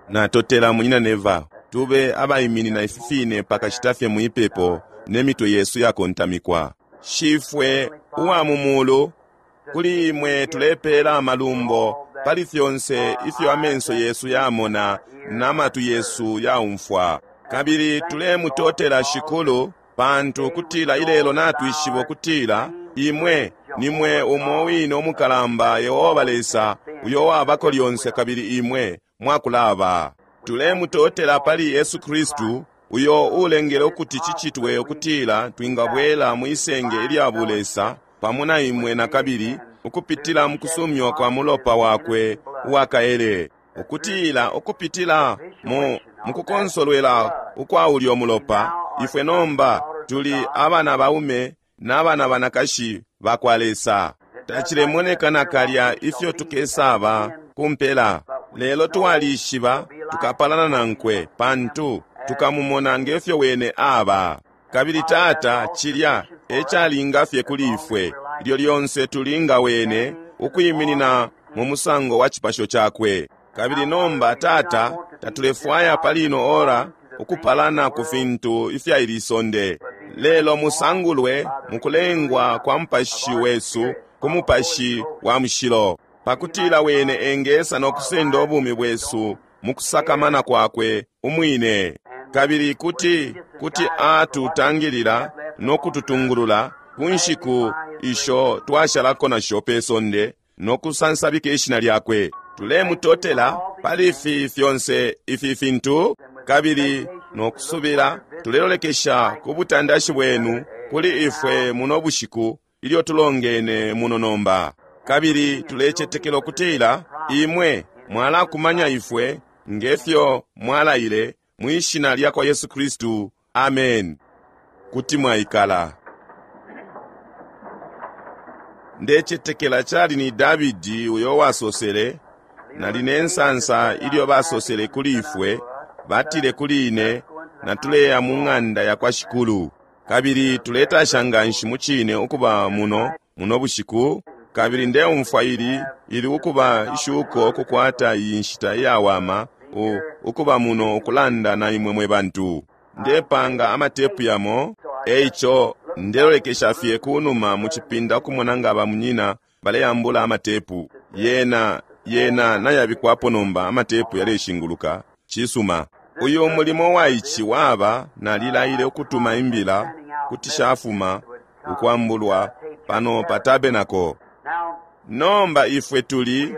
Natotela, Munyina Neville. Tube abaiminina ifi fine pakashita fye mwipepo ne mitwe yesu yakontamikwa. Shifwe uwa mu Mulu, kuli Imwe tulepela amalumbo pali fyonse ifyo amenso yesu yamona na matwi yesu yaumfwa. Kabili tulemutotela, Shikulu, pantu kutila ilelo natwishiba ukutila Imwe nimwe umo wine umukalamba Yehoba Lesa uyo wabako lyonse kabili Imwe mwakulaba. Tulemutotela pali Yesu Kristu uyo ulengele ukuti cicitwe ukutila twingabwela mwisenge ilya bulesa pamo na Imwe nakabili ukupitila mukusumywa kwa mulopa Wakwe uwakaele, ukutila ukupitila mu mukukonsolwela ukwa ulyo mulopa ifwe nomba tuli abana baume na bana banakashi bakwa Lesa. Tacilemoneka nakalya ifyo tukesaba ku mpela, lelo twalishiba tukapalana nankwe, pantu tukamumona ngefyo wene aba. Kabili Tata, cilya e calinga fye kuli ifwe, ilyo lyonse tuli nga wene, ukwiminina mu musango wa cipasho cakwe. Kabili nomba, Tata, tatulefwaya pali ino ora ukupalana ku fintu ifya ili sonde, lelo musangulwe mukulengwa kwa mupashi wesu ku Mupashi wa Mushilo, pakutila wene engesa no kusenda ubumi bwesu mukusakamana kwakwe umwine, kabili kuti, kuti atutangilila no kututungulula ku nshiku isho twashalako nasho pe sonde, no kusansabika ishina lyakwe. Tulemutotela pali ifi fyonse ifi fintu, kabili no kusubila tulelolekesha ku butandashi bwenu kuli ifwe muno bushiku ilyo tulongene muno nomba. Kabili tulecetekela ukutila Imwe mwalakumanya ifwe ngefyo mwalaile, mwi Shina lyakwa Yesu Kristu. Amen. Kuti mwaikala. Ndecetekela cali ni Dabidi uyo wasosele, Nali ne nsansa ilyo basosele kuli ifwe, batile kuli ine, Natuleya mu ng'anda yakwa Shikulu. Kabili tuletasha nganshi mucine ukuba muno muno bushiku, kabili ndeumfwa ili, ili ukuba ishuko ukukwata iyi nshita iyawama u, ukuba muno ukulanda na imwe mwe bantu. Ndepanga amatepu yamo, eico ndelolekesha fye kunuma mu cipinda ukumona nga ba munyina baleambula amatepu. Yena, yena nayabikwapo nomba, amatepu yaleshinguluka. Cisuma. Uyu mulimo wa ici waba, nalilaile ukutuma imbila kuti shafuma ukwambulwa pano pa tabernacle. Nomba ifwe tuli,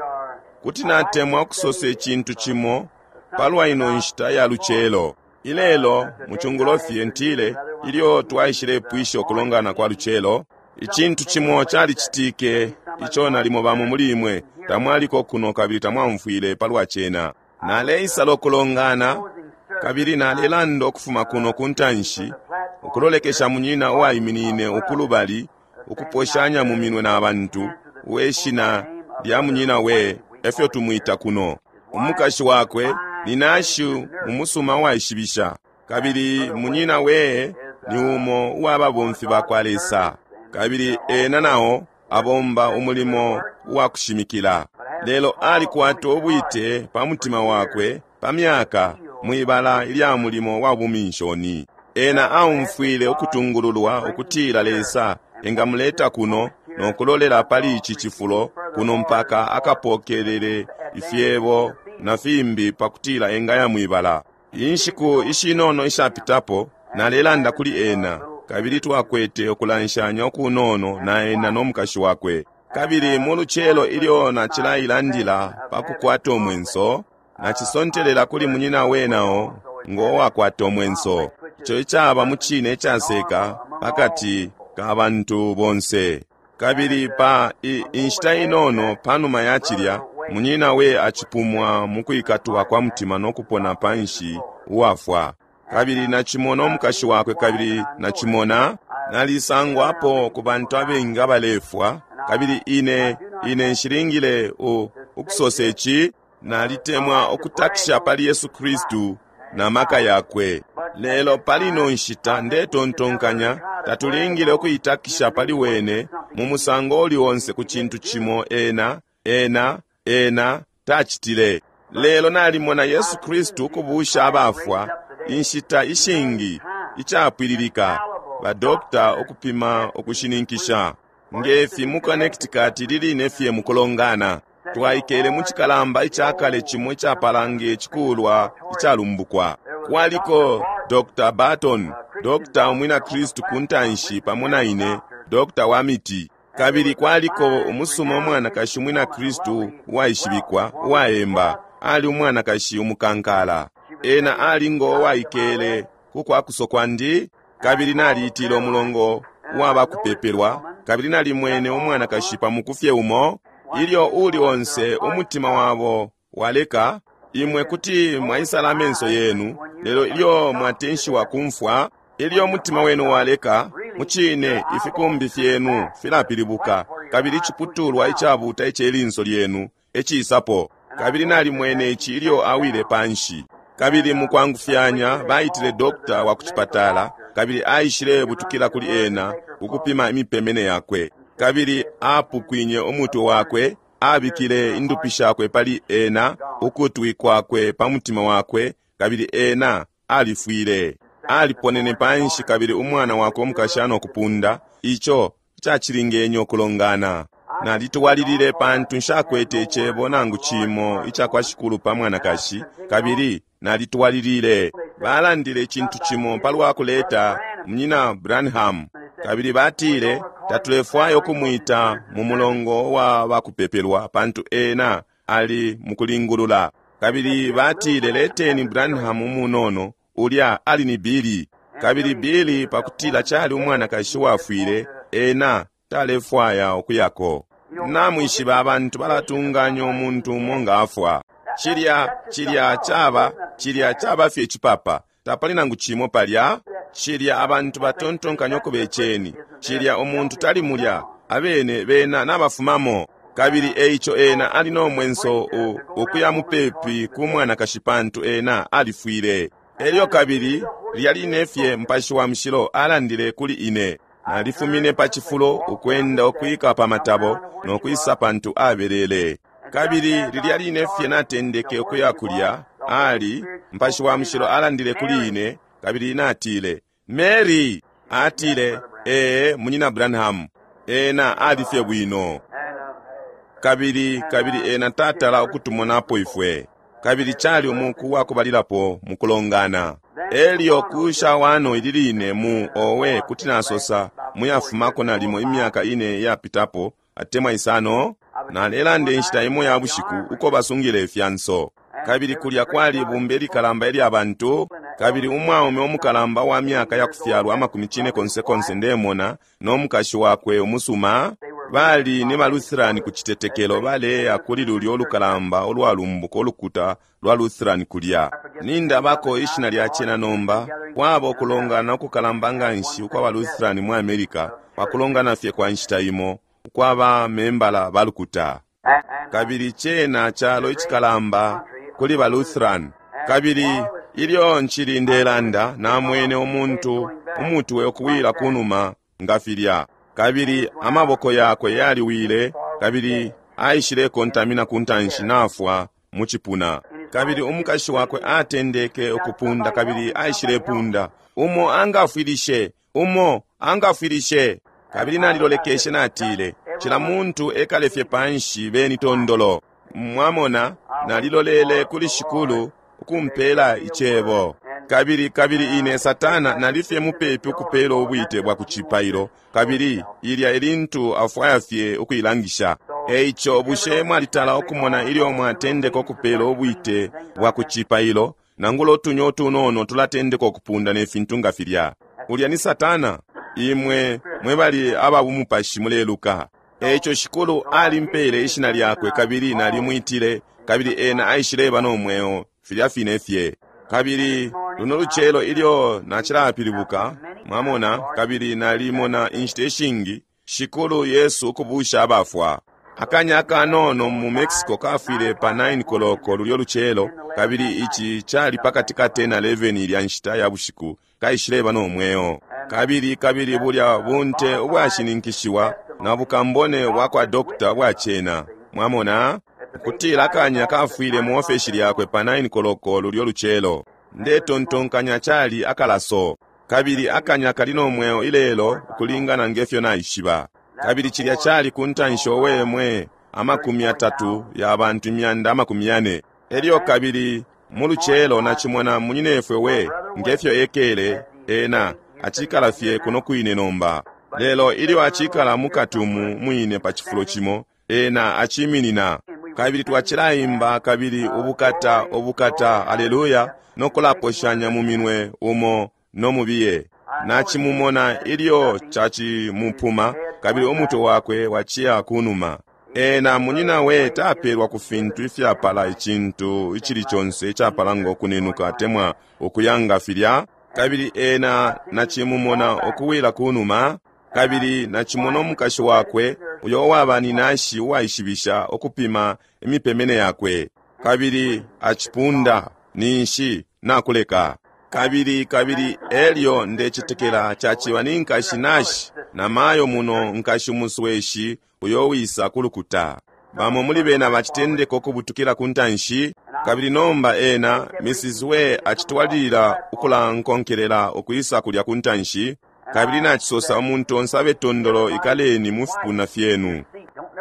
kuti natemwa ukusosa icintu cimo palwa ino nshita ya lucelo. Ilelo mu cungulo fye, ntile, ilyo twaishilepwisha ukulongana kwa lucelo, icintu cimo calicitike ico nalimo bamo muli imwe tamwaliko kuno kabili tamwaumfwile palwa cena. Naleisala ukulongana, kabili nalelanda ukufuma kuno ku ntanshi, ukulolekesha munyina uwaiminine ukulubali, ukuposhanya mu minwe na bantu, uwe shina lya munyina we, efyo tumwita kuno. Umukashi wakwe ni nashu umusuma uwaishibisha, kabili munyina we ni umo uwa babomfi bakwa Lesa, kabili ena nao abomba umulimo uwa kushimikila. Lelo alikwata ubwite pa mutima wakwe pa myaka mwibala ilya mulimo wa buminshoni. Ena aumfwile ukutungululwa ukutila Lesa engamuleta kuno no kulolela pali ici cifulo kuno mpaka akapokelele ifyebo na fimbi pakutila engaya mwibala. Inshiku ishinono ishapitapo nalelanda kuli ena, kabili twakwete ukulanshanya ukunono na ena no mukashi wakwe. Kabili mu lucelo ilyo nacilailandila pa kukwata umwenso, nacisontelela kuli munyina we nao ngo wakwata umwenso, ico icaba mu cine icaseka pakati ka bantu bonse. Kabili pa i, inshita inono panuma ya cilya, munyina we acipumwa mu kwikatwa kwa mutima no kupona panshi uwafwa. Kabili nacimona umukashi wakwe, kabili nacimona nalisangwapo ku bantu abengi abalefwa, kabili ine, ine nshilingile u, ukusosa ici. Nalitemwa ukutakisha pali Yesu Kristu na maka yakwe, lelo pali ino nshita ndetontonkanya tatulingile ukuitakisha pali wene mu musango uli onse ku cintu cimo ena, ena, ena tacitile. Lelo nalimona Yesu Kristu ukubusha abafwa inshita ishingi, icapwililika, ba doctor ukupima ukushininkisha. Ngefi mu Connecticut liline fye mukulongana, twaikele mu cikalamba icakale cimo icapala nge cikulwa icalumbukwa. Kwaliko Dr. Barton, Dr. umwina Kristu ku ntanshi pamo na ine, Dr. wa miti. Kabili kwaliko umusuma umwanakashi umwina Kristu uwaishibikwa, uwaemba, ali umwanakashi umukankala. Ena ali ngo waikele ku kwakuso kwandi, kabili naliitile umulongo uwa bakupepelwa, kabili nalimwene umwanakashi pa muku fye umo, ilyo uli onse umutima wabo waleka, imwe kuti mwaisala amenso yenu, lelo ilyo mwatenshiwa kumfwa, ilyo umutima wenu waleka, mucine ifikumbi fyenu filapilibuka, kabili iciputulwa icabuta ice linso lyenu ecisapo. Kabili nalimwene ici ilyo awile panshi. Kabili mukwangufyanya baitile dokta wa kucipatala, kabili aishile butukila kuli ena ukupima imipemene yakwe. Kabili apukwinye umutwe wakwe, abikile indupi shakwe pali ena, ukutwi kwakwe pa mutima wakwe, kabili ena alifwile. Aliponene panshi kabili umwana wakwe umukashana ukupunda, ico cacilingenye ukulongana. Nalitwalilile pantu nshakwete icebo nangu cimo ica kwa Shikulu pa mwanakashi, kabili nalitwalilile. Balandile icintu cimo palwa kuleta Munyina Branham, kabili batile tatulefwaya ukumwita mu mulongo wa bakupepelwa pantu ena ali mukulingulula. Kabili batile leteni Branham umunono, ulya ali ni Billy. Kabili Billy pakutila cali umwanakashi wafwile, ena talefwaya ukuyako. Namwishiba abantu balatunganya umuntu umo nga afwa. Cilya, cilya caba, cilya caba fye icipapa. Tapali nangu cimo palya. Cilya abantu batontonkanya ukubeceni. Cilya umuntu tali mulya, abene bena nabafumamo. Kabili eico ena ali no mwenso ukuya mupepi ku mwanakashi pantu ena alifwile. Elyo kabili lilya line fye Mupashi wa Mushilo alandile kuli ine. Nalifumine pa cifulo ukwenda ukwika pa matabo no kwisa pantu abelele. Kabili lilya line fye natendeke ukuya kulya, ali Mupashi wa Mushilo alandile kuli ine, kabili natile, Mary! Atile, Ee, Munyina Branham. Ena ali fye bwino. Kabili, kabili ena tatala ukutumonapo ifwe. Kabili cali umuku wakubalilapo mukulongana. Elyo kusha wano ili line mu owe kuti nasosa muyafumako nalimo imyaka ine yapitapo atemwa isano, nalelanda inshita imo ya bushiku uko basungile ifyanso. Kabili kulya kwali ibumba ilikalamba ilya bantu, kabili umwaume umukalamba wa myaka ya kufyalwa amakumi cine konse konse ndemona, no mukashi wakwe umusuma, bali ni ba Lutheran ku citetekelo baleya kuli lulyo lukalamba ulwalumbuka ulukuta lwa Lutheran kulya. Nindabako ishina lya cena nomba, kwaba ukulongana ukukalamba nganshi ukwa ba Lutheran mu America, pakulongana fye kwa nshita imo, ukwa ba membala ba lukuta. Kabili cena calo icikalamba kuli ba Lutheran. Kabili ilyo ncili ndelanda, namwene umuntu umutwe ukuwila kunuma nga filya. Kabili amaboko yakwe yaliwile, kabili aishile kontamina ku ntanshi nafwa mu cipuna. Kabili umukashi wakwe atendeke ukupunda, kabili aishile punda, umo angafwilishe, umo angafwilishe. Kabili nalilolekeshe natile, cila muntu ekale fye panshi beni tondolo. Mwamona, nalilolele kuli Shikulu ukumpela icebo. Kabili, kabili ine Satana nalifye mupepi ukupela ubwite bwa kucipailo, kabili ilya elintu afwaya fye ukuilangisha. Eico bushe mwalitala ukumona ilyo mwatendeka ukupela ubwite bwa kucipailo, nangula utunya utunono tulatendeka ukupunda ne fintu nga filya? Ulya ni Satana. Imwe mwe bali aba bumupashi muleluka. Eico Shikulu alimpele ishina lyakwe, kabili nalimwitile, kabili ena aishileba no mweo filya fine fye. Kabili luno lucelo ilyo nacilapilibuka, mwamona, kabili nalimona inshita ishingi Shikulu Yesu ukubusha abafwa. Akanya akanono mu Mexico kafwile pa 9 koloko lulyo lucelo, kabili ici cali pakati ka 10 na 11 ilya nshita ya bushiku, kaishileba no mweo. Kabili, kabili bulya bunte ubwashininkishiwa na bukambone bwa kwa dokta bwa cena. Mwamona? Ukutila akanya kafwile mu ofeshi lyakwe pa 9 koloko lulyo lucelo. Ndetontonkanya cali akalaso. Kabili akanya kali no mweo ilelo ukulingana ngefyo naishiba. Kabili cilya cali ku ntanshi owe mwe 30 ya bantu 400. Elyo kabili mu lucelo nacimona munyinefwe we ngefyo ekele ena acikala fye kuno kwine nomba. Lelo ilyo acikala mukati umu mwine pa cifulo cimo, ena aciminina. Kabili twacilaimba kabili ubukata, ubukata, aleluya, no kulaposhanya mu minwe umo no mubiye. Nacimumona ilyo cacimupuma, kabili umutwe wakwe waciya kunuma. Ena munyina we tapelwa ku fintu ifyapala icintu icili conse icapala ngo kunenuka atemwa ukuyanga filya. Kabili ena nacimumona ukuwila kunuma, kabili nacimona umukashi wakwe uyo uwaba ni nashi uwaishibisha ukupima imipemene yakwe, kabili acipunda ninshi nakuleka. Kabili kabili elyo ndecetekela caciba ni nkashi nashi na mayo muno nkashi musweshi uyo wisa kulukuta. Bamo muli bena bacitendeka ukubutukila ku ntanshi, kabili nomba ena Mrs. We acitwalilila ukulankonkelela ukwisa kulya ku ntanshi, kabili nacisosa umuntu onse abe tondolo ikaleni mu fipuna fyenu.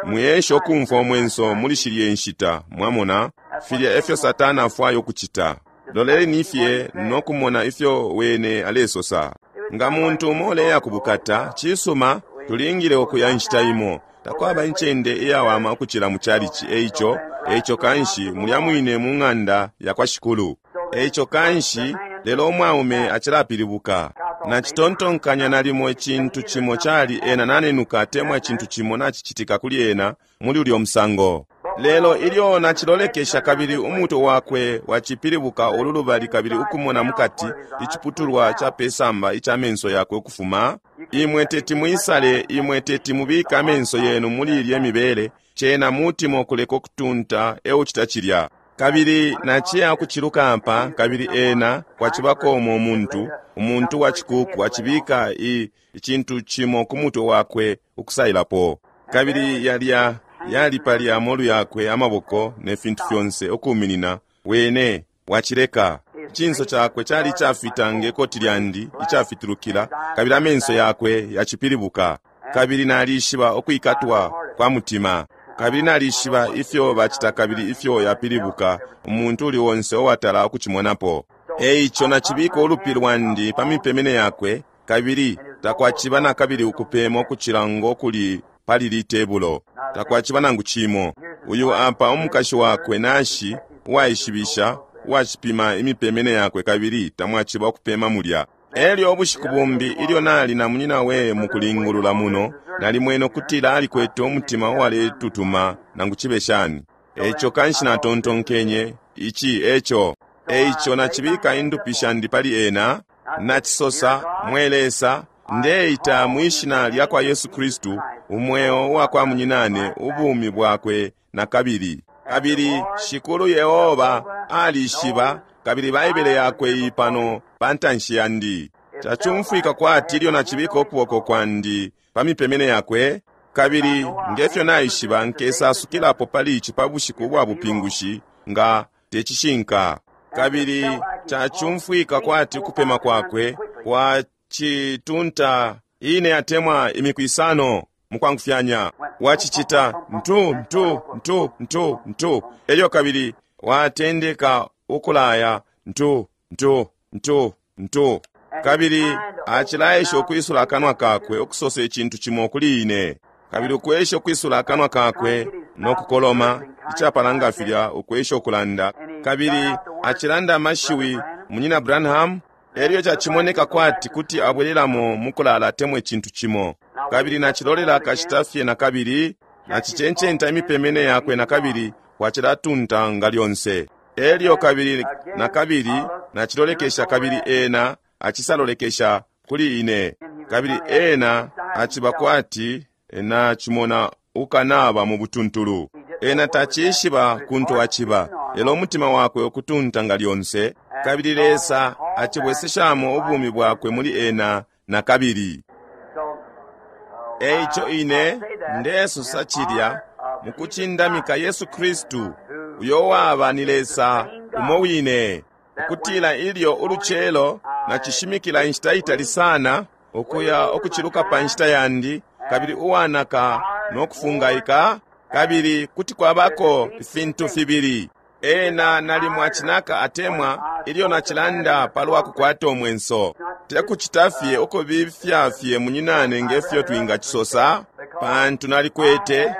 Mwiesha ukumfwa umwenso muli shilye nshita, mwamona, filya efyo Satana afwaya ukucita. Loleleni fye no kumona ifyo wene alesosa. Nga muntu umo uleya kubukata, cisuma, tulingile ukuya nshita imo. Takwaba incende iyawama ukucila mu chalichi, eico, eico kanshi mulya mwine mu ng'anda ya kwa Shikulu. Eico kanshi, lelo umwaume acilapilibuka. Nacitontonkanya nalimo icintu cimo cali ena nanenuka atemwa icintu cimo nacicitika kuli ena muli ulyo musango. Lelo ilyo nacilolekesha kabili umutwe wakwe wacipilibuka ululubali kabili ukumona mukati iciputulwa ca pesamba ica menso yakwe ukufuma, imwe teti mwisale, imwe teti mubike amenso yenu muli ilye mibele, cena mutima ukuleka ukutunta eucita cilya. Kabili naciya ukuciluka apa, kabili ena kwacibako umo umuntu, umuntu wa cikuku acibika icintu cimo ku mutwe wakwe ukusailapo. Kabili yalya yali palya amolu yakwe amaboko ne fintu fyonse ukuminina, wene wacileka. Icinso cakwe cali icafita nge koti lyandi icafitulukila, kabili amenso yakwe yacipilibuka. Kabili nalishiba ukwikatwa kwa mutima, kabili nalishiba ifyo bacita kabili ifyo yapilibuka umuntu uli onse uwatala ukucimonapo. Eico nacibika ulupi lwandi pa mipemene yakwe, kabili takwaciba na kabili ukupema ukucila ngo kuli pali litebulo. Takwaciba nangu cimo. Uyu apa umukashi wakwe nashi uwaishibisha uwacipima imipemene yakwe kabili tamwaciba ukupema mulya. Elyo ubushiku bumbi ilyo nali na munyina we mukulingulula muno, nalimwene ukutila alikwete umutima uwaletutuma nangu cibe shani. Eico kanshi natontonkenye, ici eco. Eico nacibika indupi shandi pali ena, nacisosa, mwe Lesa, ndeita mwishina lya kwa Yesu Kristu, umweo wa kwa munyinane ubumi bwakwe na kabili. Kabili Shikulu Yehoba alishiba, kabili Baibele yakwe iyi pano pa ntanshi yandi. Cacumfwika kwati ilyo nacibika ukuboko kwandi pa mipemene yakwe, kabili ngefyo naishiba nkesasukilapo pali ici pa bushiku bwa bupingushi nga tecishinka. Kabili cacumfwika kwati ukupema kwakwe kwacitunta ine atemwa imiku isano mukwangufyanya. Wacicita ntu ntu ntu ntu ntu, elyo kabili watendeka ukulaya ntu ntu ntu ntu, kabili acilaesha ukwisula akanwa kakwe ukusosa icintu cimo kuli ine, kabili ukwesha ukwisula akanwa kakwe no kukoloma icapala nga filya ukwesha ukulanda, kabili acilanda amashiwi munyina Branham. Elyo cacimoneka kwati kuti abwelelamo mukulala atemwa icintu cimo, kabili nacilolela akashita fye na kabili nacicencenta imipemene yakwe na kabili kwacilatunta nga lyonse. Elyo kabili na kabili nacilolekesha kabili ena acisalolekesha kuli ine, kabili ena aciba kwati nacimona ukanaba mu butuntulu. Ena tacishiba kuntu aciba, lelo umutima wakwe ukutunta nga lyonse, kabili Lesa acibweseshamo ubumi bwakwe muli ena na kabili. Eico ine ndesosa cilya Mukucindamika Yesu Kristu, uyo waba ni Lesa umo wine. Ukutila ilyo ulucelo nacishimikila inshita itali sana, ukuya ukuciluka pa nshita yandi, kabili uwanaka no kufungaika, kabili kuti kwabako ifintu fibili. Ena nalimo acinaka atemwa ilyo nacilanda palwa kukwata umwenso. Tekucita fye ukubifya fye munyinane ngefyo twingacisosa, pantu nalikwete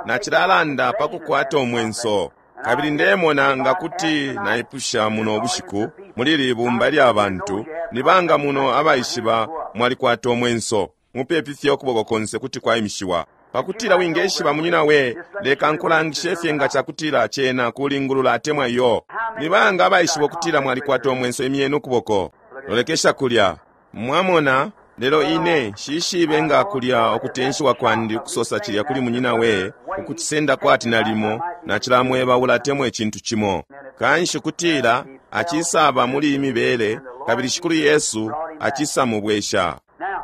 nacilalanda pa kukwata umwenso. Kabili ndemona nga kuti naipusha muno bushiku muli ili bumba lya bantu, ni banga muno abaishiba mwalikwata umwenso? Mupepi fye ukuboko konse kuti kwaimishiwa. Pakutila wingeshiba munyina we, leka nkulangishe fye nga cakutila cena kulingulula atemwa iyo. Ni banga abaishiba ukutila mwalikwata umwenso? Imyeni ukuboko. Lolekesha kulya. Mwamona, lelo ine nshishibe nga kulya ukutenshiwa kwandi ukusosa cilya kuli munyina we, ukucisenda kwati nalimo nacilamwebaula atemwa icintu cimo. Kanshi kutila acisaba muli imibele, kabili Shikulu Yesu acisamubwesha.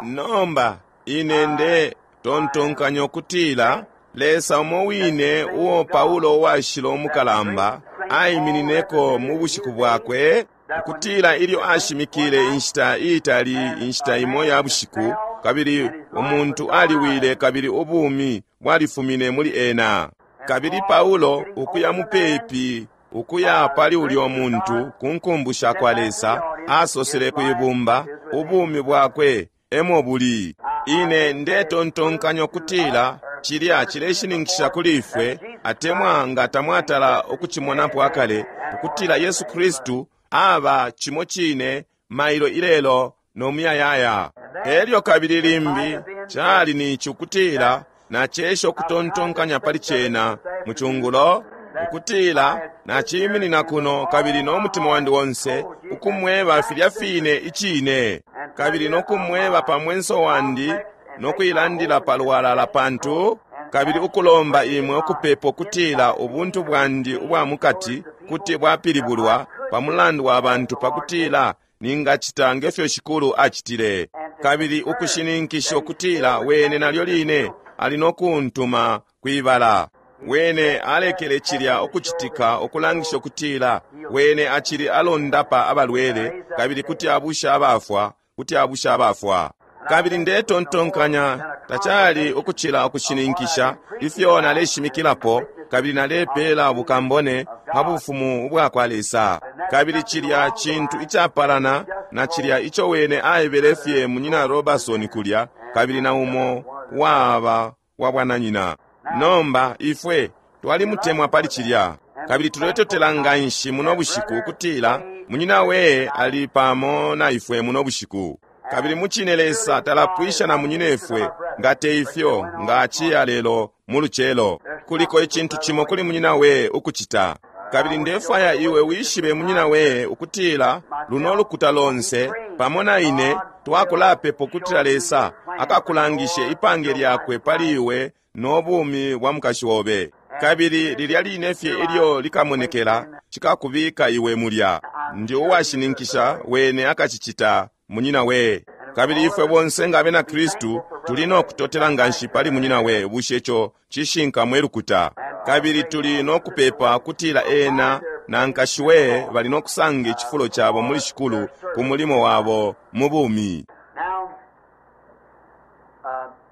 Nomba ine nde tontonkanya ukutila Lesa umo wine uo Paulo uwashila umukalamba aiminineko mu bushiku bwakwe, ukutila ilyo ashimikile inshita iitali, inshita imo ya bushiku, kabili umuntu aliwile kabili ubumi bwalifumine muli ena. Kabili Paulo ukuya mupepi, ukuya pali ulyo muntu ku nkumbu sha kwa Lesa, asosele kwibumba, ubumi bwakwe emo buli. Ine ndetontonkanya ukutila cilya cileshininkisha kuli ifwe, atemwa nga tamwatala ukucimonapo akale, ukutila Yesu Kristu aba cimo cine mailo ilelo no muyayaya. Elyo kabili limbi cali nici ukutila nacesha ukutontonkanya pali cena mu cungulo, ukutila naciminina kuno kabili no mutima wandi onse ukumweba filya fine icine, kabili no kumweba pa mwenso wandi no kuilandila palwalala pantu, kabili ukulomba imwe ukupepa ukutila ubuntu bwandi ubwa mukati kuti bwapilibulwa pa mulandu wa bantu, pakutila ningacita ngefyo Shikulu acitile, kabili ukushininkisha ukutila wene nalyo line ali no kuntuma kwibala. Wene alekele cilya ukucitika ukulangisha ukutila wene acili alondapa abalwele, kabili kuti abusha abafwa, kuti abusha abafwa. Kabili ndetontonkanya tacali ukucila ukushininkisha ifyo naleshimikilapo, kabili nalepela bukambone pa bufumu ubwa kwa Lesa. Kabili cilya cintu icapalana na cilya ico wene aebele fye munyina Robertson kulya, kabili na umo waba wa bwananyina. Nomba ifwe twalimutemwa pali cilya, kabili tuletotela nganshi muno bushiku ukutila munyina we ali pamo na ifwe muno bushiku. Kabili mucine Lesa talapwisha na munyinefwe, nga te ifyo nga aciya lelo mu lucelo. Kuliko icintu cimo kuli munyina we ukucita. Kabili ndefwaya iwe wishibe munyina we ukutila luno lukuta lonse pamo na ine twakulapepa ukutila Lesa akakulangishe ipange lyakwe pali iwe no bumi bwa mukashi obe. Kabili lilya line fye ilyo likamonekela, cikakubika iwe mulya. Ndi uwashininkisha wene akacicita munyina we. Kabili ifwe bonse nga abena Kristu tuli no kutotela nganshi pali munyina we. Bushe ico cishinka mwe lukuta? Kabili tuli no kupepa kutila ena na nkashi we bali no kusanga icifulo cabo muli Shikulu ku mulimo wabo mu bumi.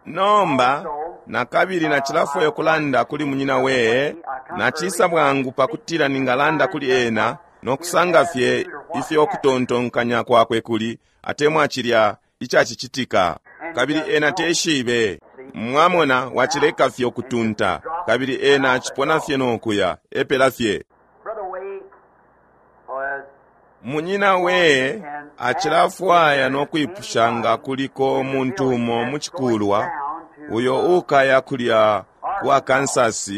Nomba nakabili nacilafwaya ukulanda kuli munyina we, nacisa bwangu pakutila ningalanda kuli ena no kusanga fye ifyo kutontonkanya kwakwe kuli, atemwa cilya icacicitika. Kabili ena teshibe. Mwamona, wacileka fye ukutunta, kabili ena acipona fye no kuya, epela fye. Munyina we acilafwaya no kwipusha nga kuliko umuntu umo mu cikulwa uyo ukaya kulya ku Arkansas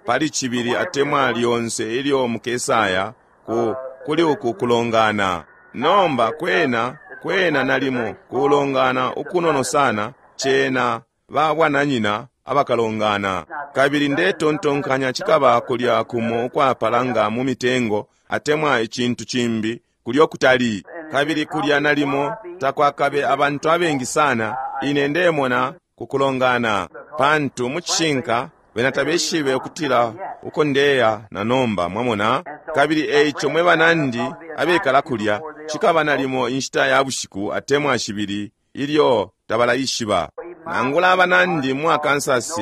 pali cibili atemwa lyonse ilyo mukesaya ku kuli uku kulongana. Nomba kwena kwena nalimo kulongana ukunono sana, cena ba bwananyina abakalongana. Kabili ndetontonkanya cikaba kulya kumo ukwapalanga mu mitengo atemwa icintu cimbi kulyo kutali. Kabili kulya nalimo takwakabe abantu abengi sana, ine ndemona kukulongana, pantu mu cishinka Bena tabeshibe ukutila uko ndeya na nomba, mwamona. Kabili eico mwe banandi abekala kulya, cikaba nalimo inshita ya bushiku atemwa shibili ilyo tabalaishiba. Nangula abanandi mu Arkansas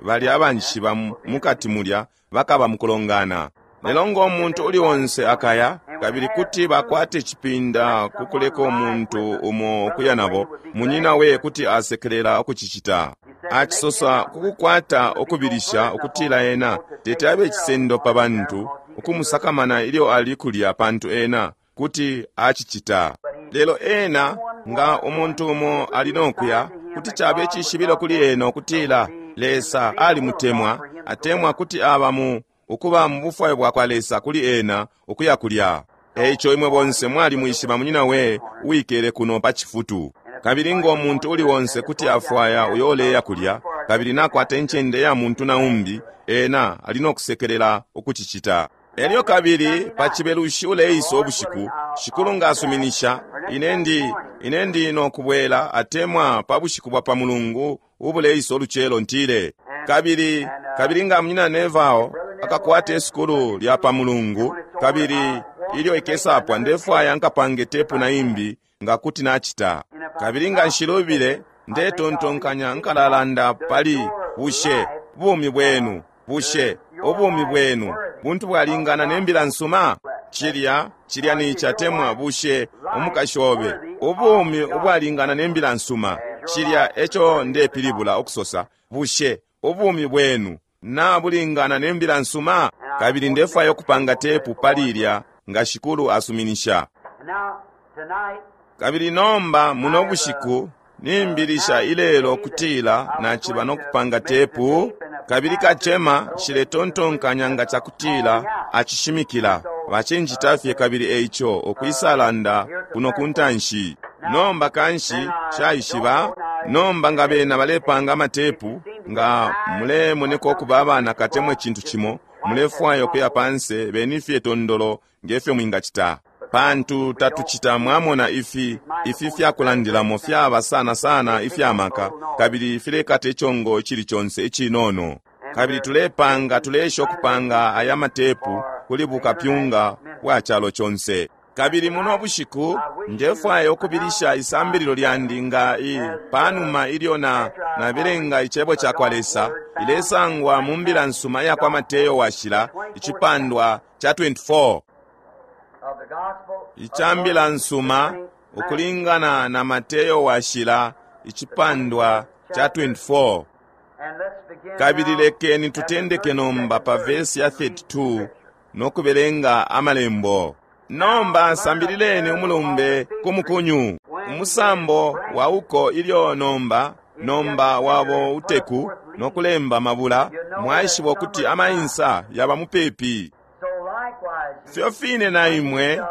bali abanjishiba mukati mulya bakaba mukulongana. Lelo ngo muntu uli onse akaya, kabili kuti bakwate icipinda ku kuleka umuntu umo ukuya nabo, munyina we kuti asekelela ukucicita. Acisosa kukukwata ukubilisha ukutila ena teti abe icisendo pa bantu ukumusakamana ilyo ali kulya, pantu ena kuti acicita. Lelo ena nga umuntu umo ali nokuya, kuti cabe icishibilo kuli ena ukutila Lesa alimutemwa, atemwa kuti aba mu ukuba mu bufwayo bwakwa Lesa kuli ena ukuya kulya. Eico imwe bonse mwalimwishiba munyina we uwikele kuno pa cifutu. Kabili ngo muntu uli onse kuti afwaya uyo uleya kulya, kabili nakwata incende ya muntu na umbi, ena ali nokusekelela ukucicita. Elyo kabili pa Cibelushi uleisa ubushiku, Shikulu nga asuminisha, ine ndi, ine ndi nokubwela, atemwa pa bushiku bwa pa Mulungu ubuleisa ulucelo, ntile. Kabili, kabili nga Munyina Neville akakwata isukulu lya pa Mulungu, kabili ilyo ikesapwa, ndefwaya nkapange tepu na imbi nga kuti nacita. Kabili nga nshilubile, ndetontonkanya nkalalanda pali bushe bumi bwenu, bushe ubumi bwenu buntu bwalingana ne mbila nsuma? Cilya, cilya ni catemwa, bushe umukashi obe ubumi ubwalingana ne mbila nsuma? Cilya eco ndepilibula ukusosa, bushe ubumi bwenu na bulingana ne mbila nsuma? Kabili ndefwaya ukupanga tepu pali ilya nga Shikulu asuminisha. Kabili nomba muno bushiku nimbilisha ilelo kutila naciba no kupanga tepu, kabili kacema nshiletontonkanya nga cakutila acishimikila bacinjita fye, kabili eico ukwisalanda kuno kuntanshi. Nomba kanshi shaishiba nomba nga bena balepanga amatepu, nga mulemoneka ukuba abana katemwe cintu cimo, mulefwaya ukuya panse, beni fye tondolo ngefyo mwingacita. Pantu tatucita, mwamona, ifi, ifi fyakulandilamo fyaba sana sana ifyamaka, kabili filekata icongo icili conse icinono. Kabili tulepanga, tuleesha ukupanga aya matepu kuli bukapyunga bwa calo conse. Kabili muno bushiku ndefwaya ukubilisha isambililo lyandi nga i panuma ilyo na nabelenga icebo ca kwa Lesa, ilesangwa mu mbila nsuma ya kwa Mateyo washila icipandwa ca 24. Ica mbila nsuma ukulingana na Mateyo washila icipandwa ca 24. Kabili lekeni tutendeke nomba pa vesi ya 32 no kubelenga amalembo. Nomba sambilileni umulumbe ku mukunyu, umusambo wa uko ilyo nomba, nomba wabo uteku no kulemba mabula, mwaishiba ukuti amainsa yaba mupepi. Fyo fine na imwe,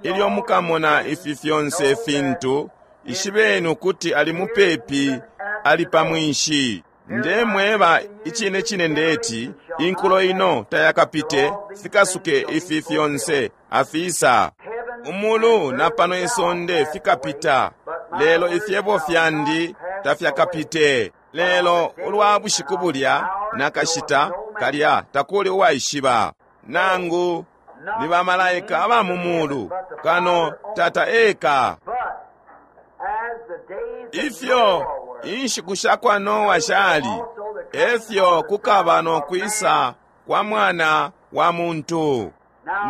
ilyo mukamona ifi fyonse fintu, ishibeni ukuti ali mupepi, ali pa mwinshi. Ndemweba icine cine ndeti, inkulo ino tayakapite fikasuke ifi fyonse afisa. Umulu na pano isonde fikapita, lelo ifyebo fyandi tafyakapite. Lelo ulwa bushiku bulya na kashita kalya takuli uwaishiba, nangu ni bamalaika aba mu mulu, kano Tata eka. Ifyo inshiku sha kwa Noa shali, efyo kukaba no kwisa kwa Mwana wa Muntu.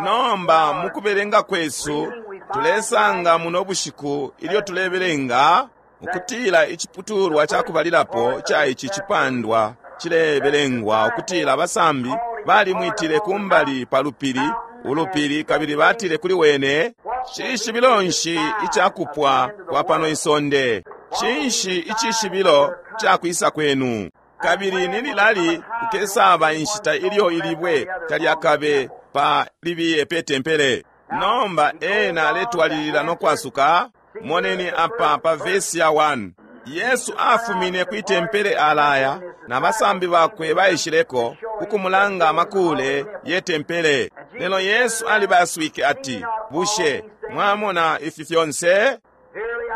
Nomba mukubelenga kwesu tulesanga muno bushiku ilyo tulebelenga ukutila iciputulwa ca kubalilapo ca ici cipandwa cilebelengwa ukutila abasambi balimwitile kumbali pa lupili, ulupili, kabili batile kuli wene, cishibilo nshi icakupwa kwa pano isonde? Cinshi icishibilo ca kwisa kwenu? Kabili ni lilali kukesaba inshita ilyo ilibwe talyakabe pa libiye pe tempele? Nomba ena aletwalilila no kwasuka. Moneni apa pa vesi ya 1. Yesu afumine kwi tempele alaya, na basambi bakwe baishileko kukumulanga amakule ye tempele. Lelo Yesu alibaswike ati, bushe mwamona ifi fyonse?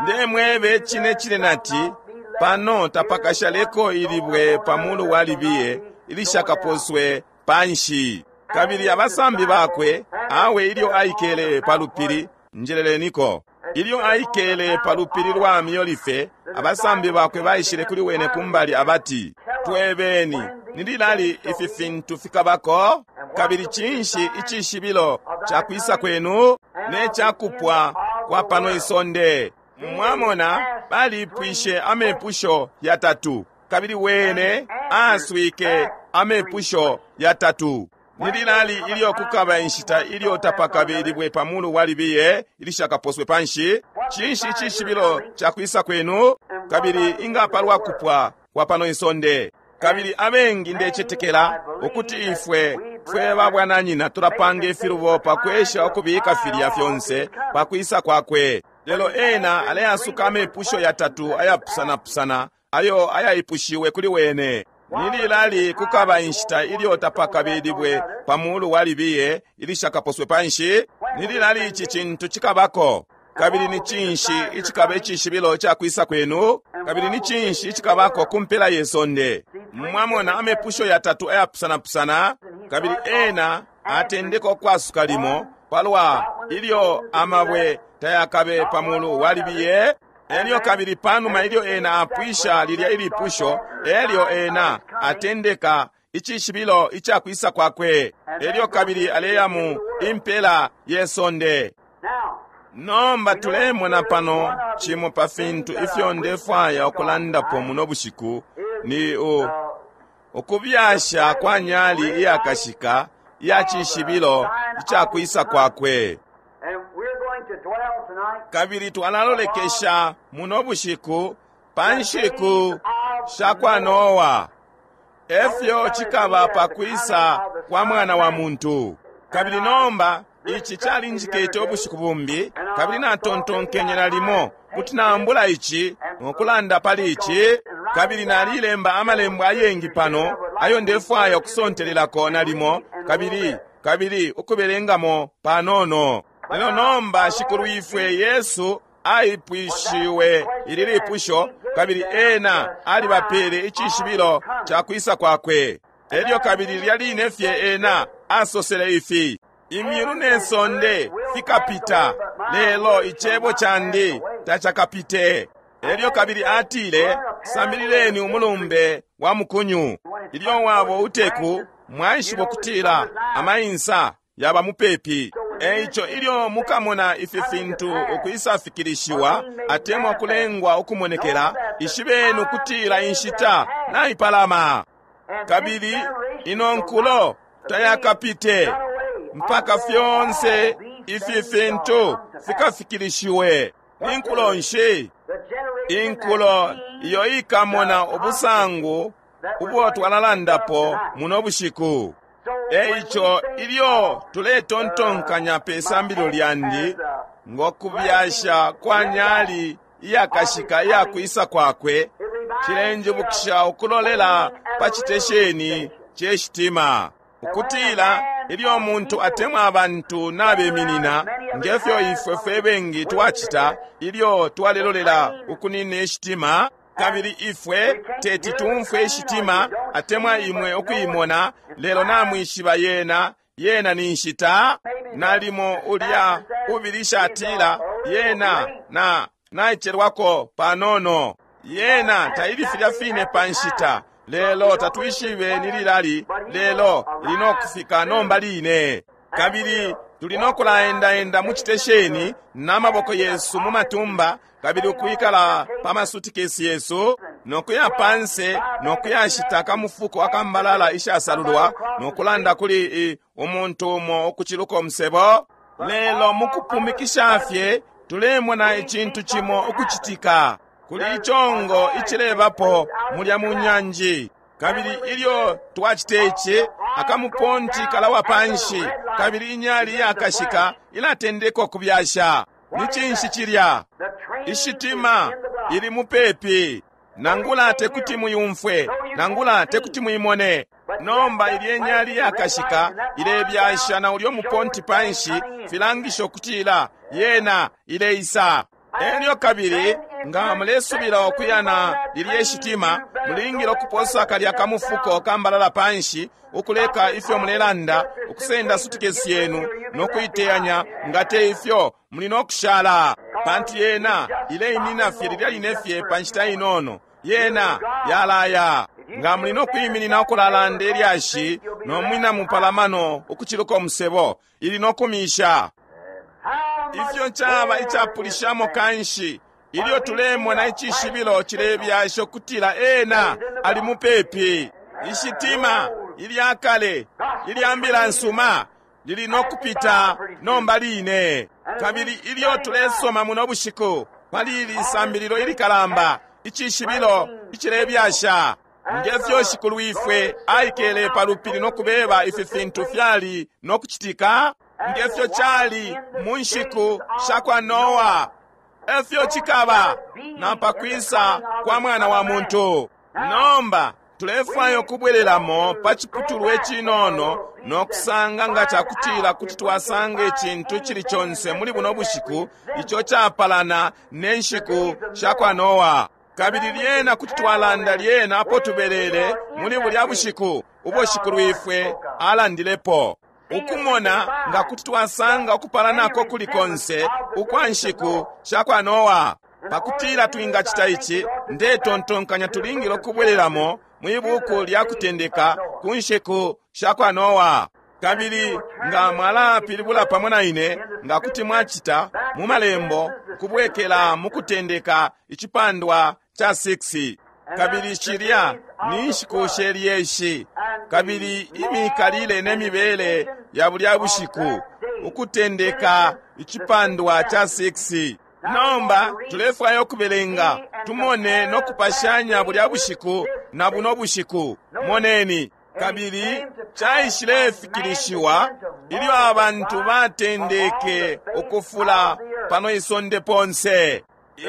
Ndemwebe cine cine nati, pano tapakashaleko ilibwe pa mulu wa libiye ilishakaposwe panshi. Kabili abasambi bakwe, awe ilyo aikele pa lupili, njeleleniko, ilyo aikele pa lupili lwa Miolife, abasambi bakwe baishile kuli wene kumbali abati, Twebeni, ni lilali ifi fintu fikabako? Kabili cinshi icishibilo ca kwisa kwenu ne ca kupwa kwa pano isonde? Mwamona, balipwishe amepusho yatatu, kabili wene aaswike amepusho yatatu. Ni lilali ilyo kukaba inshita ilyo tapakabe ilibwe pa mulu wa libiye ilishakaposwe panshi? Cinshi icishibilo ca kwisa kwenu? Kabili inga palwa kupwa kwa pano isonde? Kabili abengi ndecetekela ukuti ifwe fwe babwananyina tulapanga ifilubo pa kwesha ukubika filya fyonse pa kwisa kwakwe. Lelo ena aleasuka amepusho yatatu ayapusanapusana ayo ayaipushiwe kuli wene. Ni lilali kukaba inshita ilyo tapakabe ilibwe pa mulu wa libiye ilishakaposwe panshi? Ni lilali ici cintu cikabako? Kabili ni cinshi icikaba icishibilo ca kwisa kwenu? Kabili ni cinshi icikabako ku mpela ye sonde? Mwamona amepusho yatatu ayapusanapusana, kabili ena atendeka ukwasuka limo palwa ilyo amabwe tayakabe pa mulu wa libiye. Elyo kabili panuma ilyo ena apwisha lilya ilipusho, elyo ena atendeka icishibilo ica kwisa kwakwe. Elyo kabili aleya mu impela ye sonde. Nomba tulemona pano cimo pa fintu ifyo ndefwaya ukulandapo muno bushiku ni ukubyasha kwa nyali iyakashika iya cishibilo ica kwisa kwakwe. Kabili twalalolekesha muno bushiku pa nshiku sha kwa Noa, efyo cikaba pa kwisa kwa Mwana wa Muntu. Kabili nomba ici calinjikete ubushiku bumbi, kabili natontonkenye nalimo kuti naambula ici nokulanda pali ici. Kabili nalilemba amalembo ayengi pano ayo ndefwaya ukusontelelako nalimo, kabili kabili ukubelengamo panono. Lelo nomba Shikulu ifwe Yesu aipwishiwe ili lipusho, kabili ena alibapele icishibilo ca kwisa kwakwe. Elyo kabili lilya line fye ena asosele ifi: imyulu ne sonde fikapita, lelo icebo candi tacakapite. Elyo kabili atile, sambilileni umulumbe wa mukunyu. Ilyo wabo uteku, mwaishibo kutila amainsa yaba mupepi. Eico ilyo mukamona ifi fintu ukwisafikilishiwa atemwa kulengwa ukumonekela, ishibeni ukutila inshita naipalama. Kabili ino nkulo tayakapite mpaka fyonse ifi fintu fikafikilishiwe. Ni nkulo nshi? Inkulo iyo ikamona ubusangu ubwo twalalandapo muno bushiku. Eico ilyo tuletontonkanya pe sambililo lyandi ngo kubyasha kwa nyali iyakashika iyakwisa kwakwe, cilenjibukisha ukulolela pa citesheni ce shitima, ukutila ilyo umuntu atemwa abantu nabeminina, ngefyo ifwe fwe bengi twacita ilyo twalelolela ukunina ishitima, kabili ifwe teti tumfwe ishitima atemwa imwe ukuimona, lelo namwishiba yena, yena ni nshita. Nalimo ulya ubilisha atila yena na naicelwako panono, yena taili filya fine pa nshita, lelo tatwishibe ni lilali, lelo ili nokufika nomba line. Kabili tuli nokulaendaenda mu citesheni n'amaboko yesu mu matumba, kabili ukwikala pa masutikesi yesu, nokuya panse nokuyashita akamufuko akambalala ishasalulwa, nokulanda kuli umuntu umo ukuciluka umusebo. Lelo mukupumikisha fye tulemona icintu cimo ukucitika. Kuli icongo icilebapo mulya mu nyanji. Kabili ilyo twacita ici, akamuponti kalawa panshi, kabili inyali iyakashika ilatendeka ukubyasha. Ni cinshi cilya? Ishitima ili mupepi. Nangula tekuti muyumfwe, nangula tekuti muimone. Nomba ilye nyali iyakashika ilebyasha na ulyo muponti panshi, filangisha ukutila yena ileisa. Elyo kabili Nga mulesubila ukuya na lilye shitima, mulingile ukuposa kalya kamufuko kambalala panshi, ukuleka ifyo mulelanda, ukusenda sutikesi yenu no kuiteyanya. Nga te ifyo, muli no kushala, pantu yena ileiminina fye lilya line fye pa nshita inono, yena yalaya. Nga muli no kwiminina ukulalanda ilyashi no mwina mupalamano ukuciluka umusebo, ili no kumisha. Ifyo caba icapulishamo kanshi ilyo tulemona icishibilo cilebyasha ukutila ena ali mupepi. Ishitima ilya kale ilya mbila nsuma lili no kupita nomba line. Kabili ilyo tulesoma muno bushiku pali ili sambililo ilikalamba, icishibilo icilebyasha, ngefyo Shikulwifwe aikele pa lupili no kubeba ifi fintu fyali no kucitika, ngefyo cali mu nshiku sha kwa Noa, efyo cikaba na pakwisa kwa Mwana wa Muntu. Nomba tulefwaya ukubwelelamo pa ciputulwa icinono no kusanga nga cakutila kuti twasanga icintu cili conse muli buno bushiku ico capalana ne nshiku sha kwa Noa. Kabili lyena kuti twalanda lyena apo tubelele muli bulya bushiku ubo Shikulwifwe alandilepo, ukumona nga kuti twasanga ukupalanako kuli konse ukwa nshiku sha kwa Noa. Pakutila twingacita ici, ndetontonkanya tulingile ukubwelelamo mwi buku lya Kutendeka ku nshiku sha kwa Noa. Kabili nga mwalapilibula pamo na ine, nga kuti mwacita mu malembo, kubwekela mu Kutendeka icipandwa ca 6. Kabili shilya ni nshiku she lyeshi, kabili imikalile ne mibele ya bulya bushiku, Ukutendeka icipandwa ca 6. Nomba tulefwaya ukubelenga tumone no kupashanya bulya bushiku na buno bushiku. Moneni. Kabili caishilefikilishiwa ilyo abantu batendeke ukufula pano isonde ponse.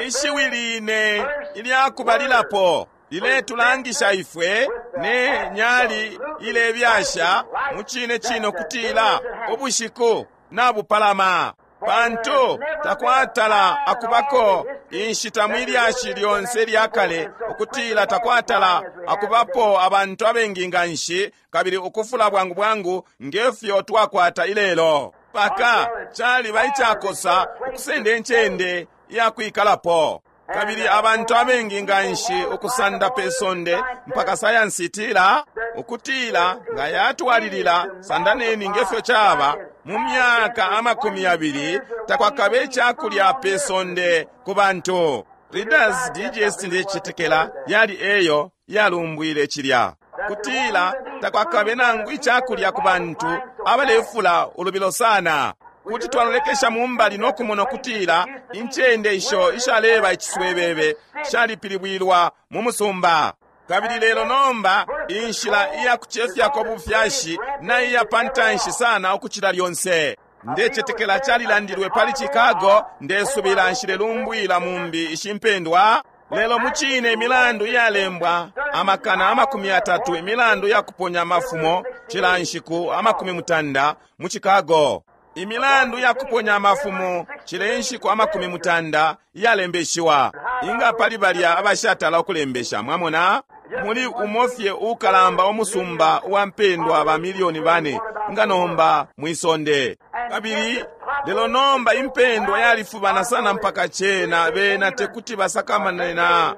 Ishiwi line ilyakubalilapo liletulangisha ifwe ne nyali ilebyasha mu cine cine ukutila ubushiku nabupalama, pantu takwatala akubako inshita mwi lyashi lyonse lya kale ukutila takwatala akubapo abantu abengi nga nshi kabili ukufula bwangu bwangu ngefyo twakwata ilelo. Paka caliba icakosa ukusenda incende iyakwikalapo, kabili abantu abengi nga nshi ukusanda pe sonde, mpaka sayansi itila ukutila nga yatwalilila sandaneni ngefyo caba mu myaka 20 takwakabe icakulya pe sonde ku bantu. Reader's Digest ndecetekela yali eyo yalumbwile cilya, kutila takwakabe nangu icakulya ku bantu abalefula ulubilo sana. Kuti twalolekesha mumbali no kumona ukutila incende isho ishaleba iciswebebe shalipilibwilwa mu musumba. Kabili lelo nomba inshila iya kucefyako bufyashi na iya pantanshi sana ukucila lyonse. Ndecetekela calilandilwe pali Chicago, ndesubila nshilelumbwila mumbi ishimpendwa. Lelo mucine imilandu iyalembwa 30,000, imilandu ya kuponya amafumo cila nshiku 90 mu Chicago. Imilandu ya kuponya amafumo cila nshiku 90 iyalembeshiwa. Inga pali balya abashatala ukulembesha, mwamona? Muli umofye ukalamba umusumba uwa mpendwa ba milioni 4 nga nomba mwisonde. Kabili lelo nomba impendwa yalifubana sana mpaka cena bena tekuti basakamane na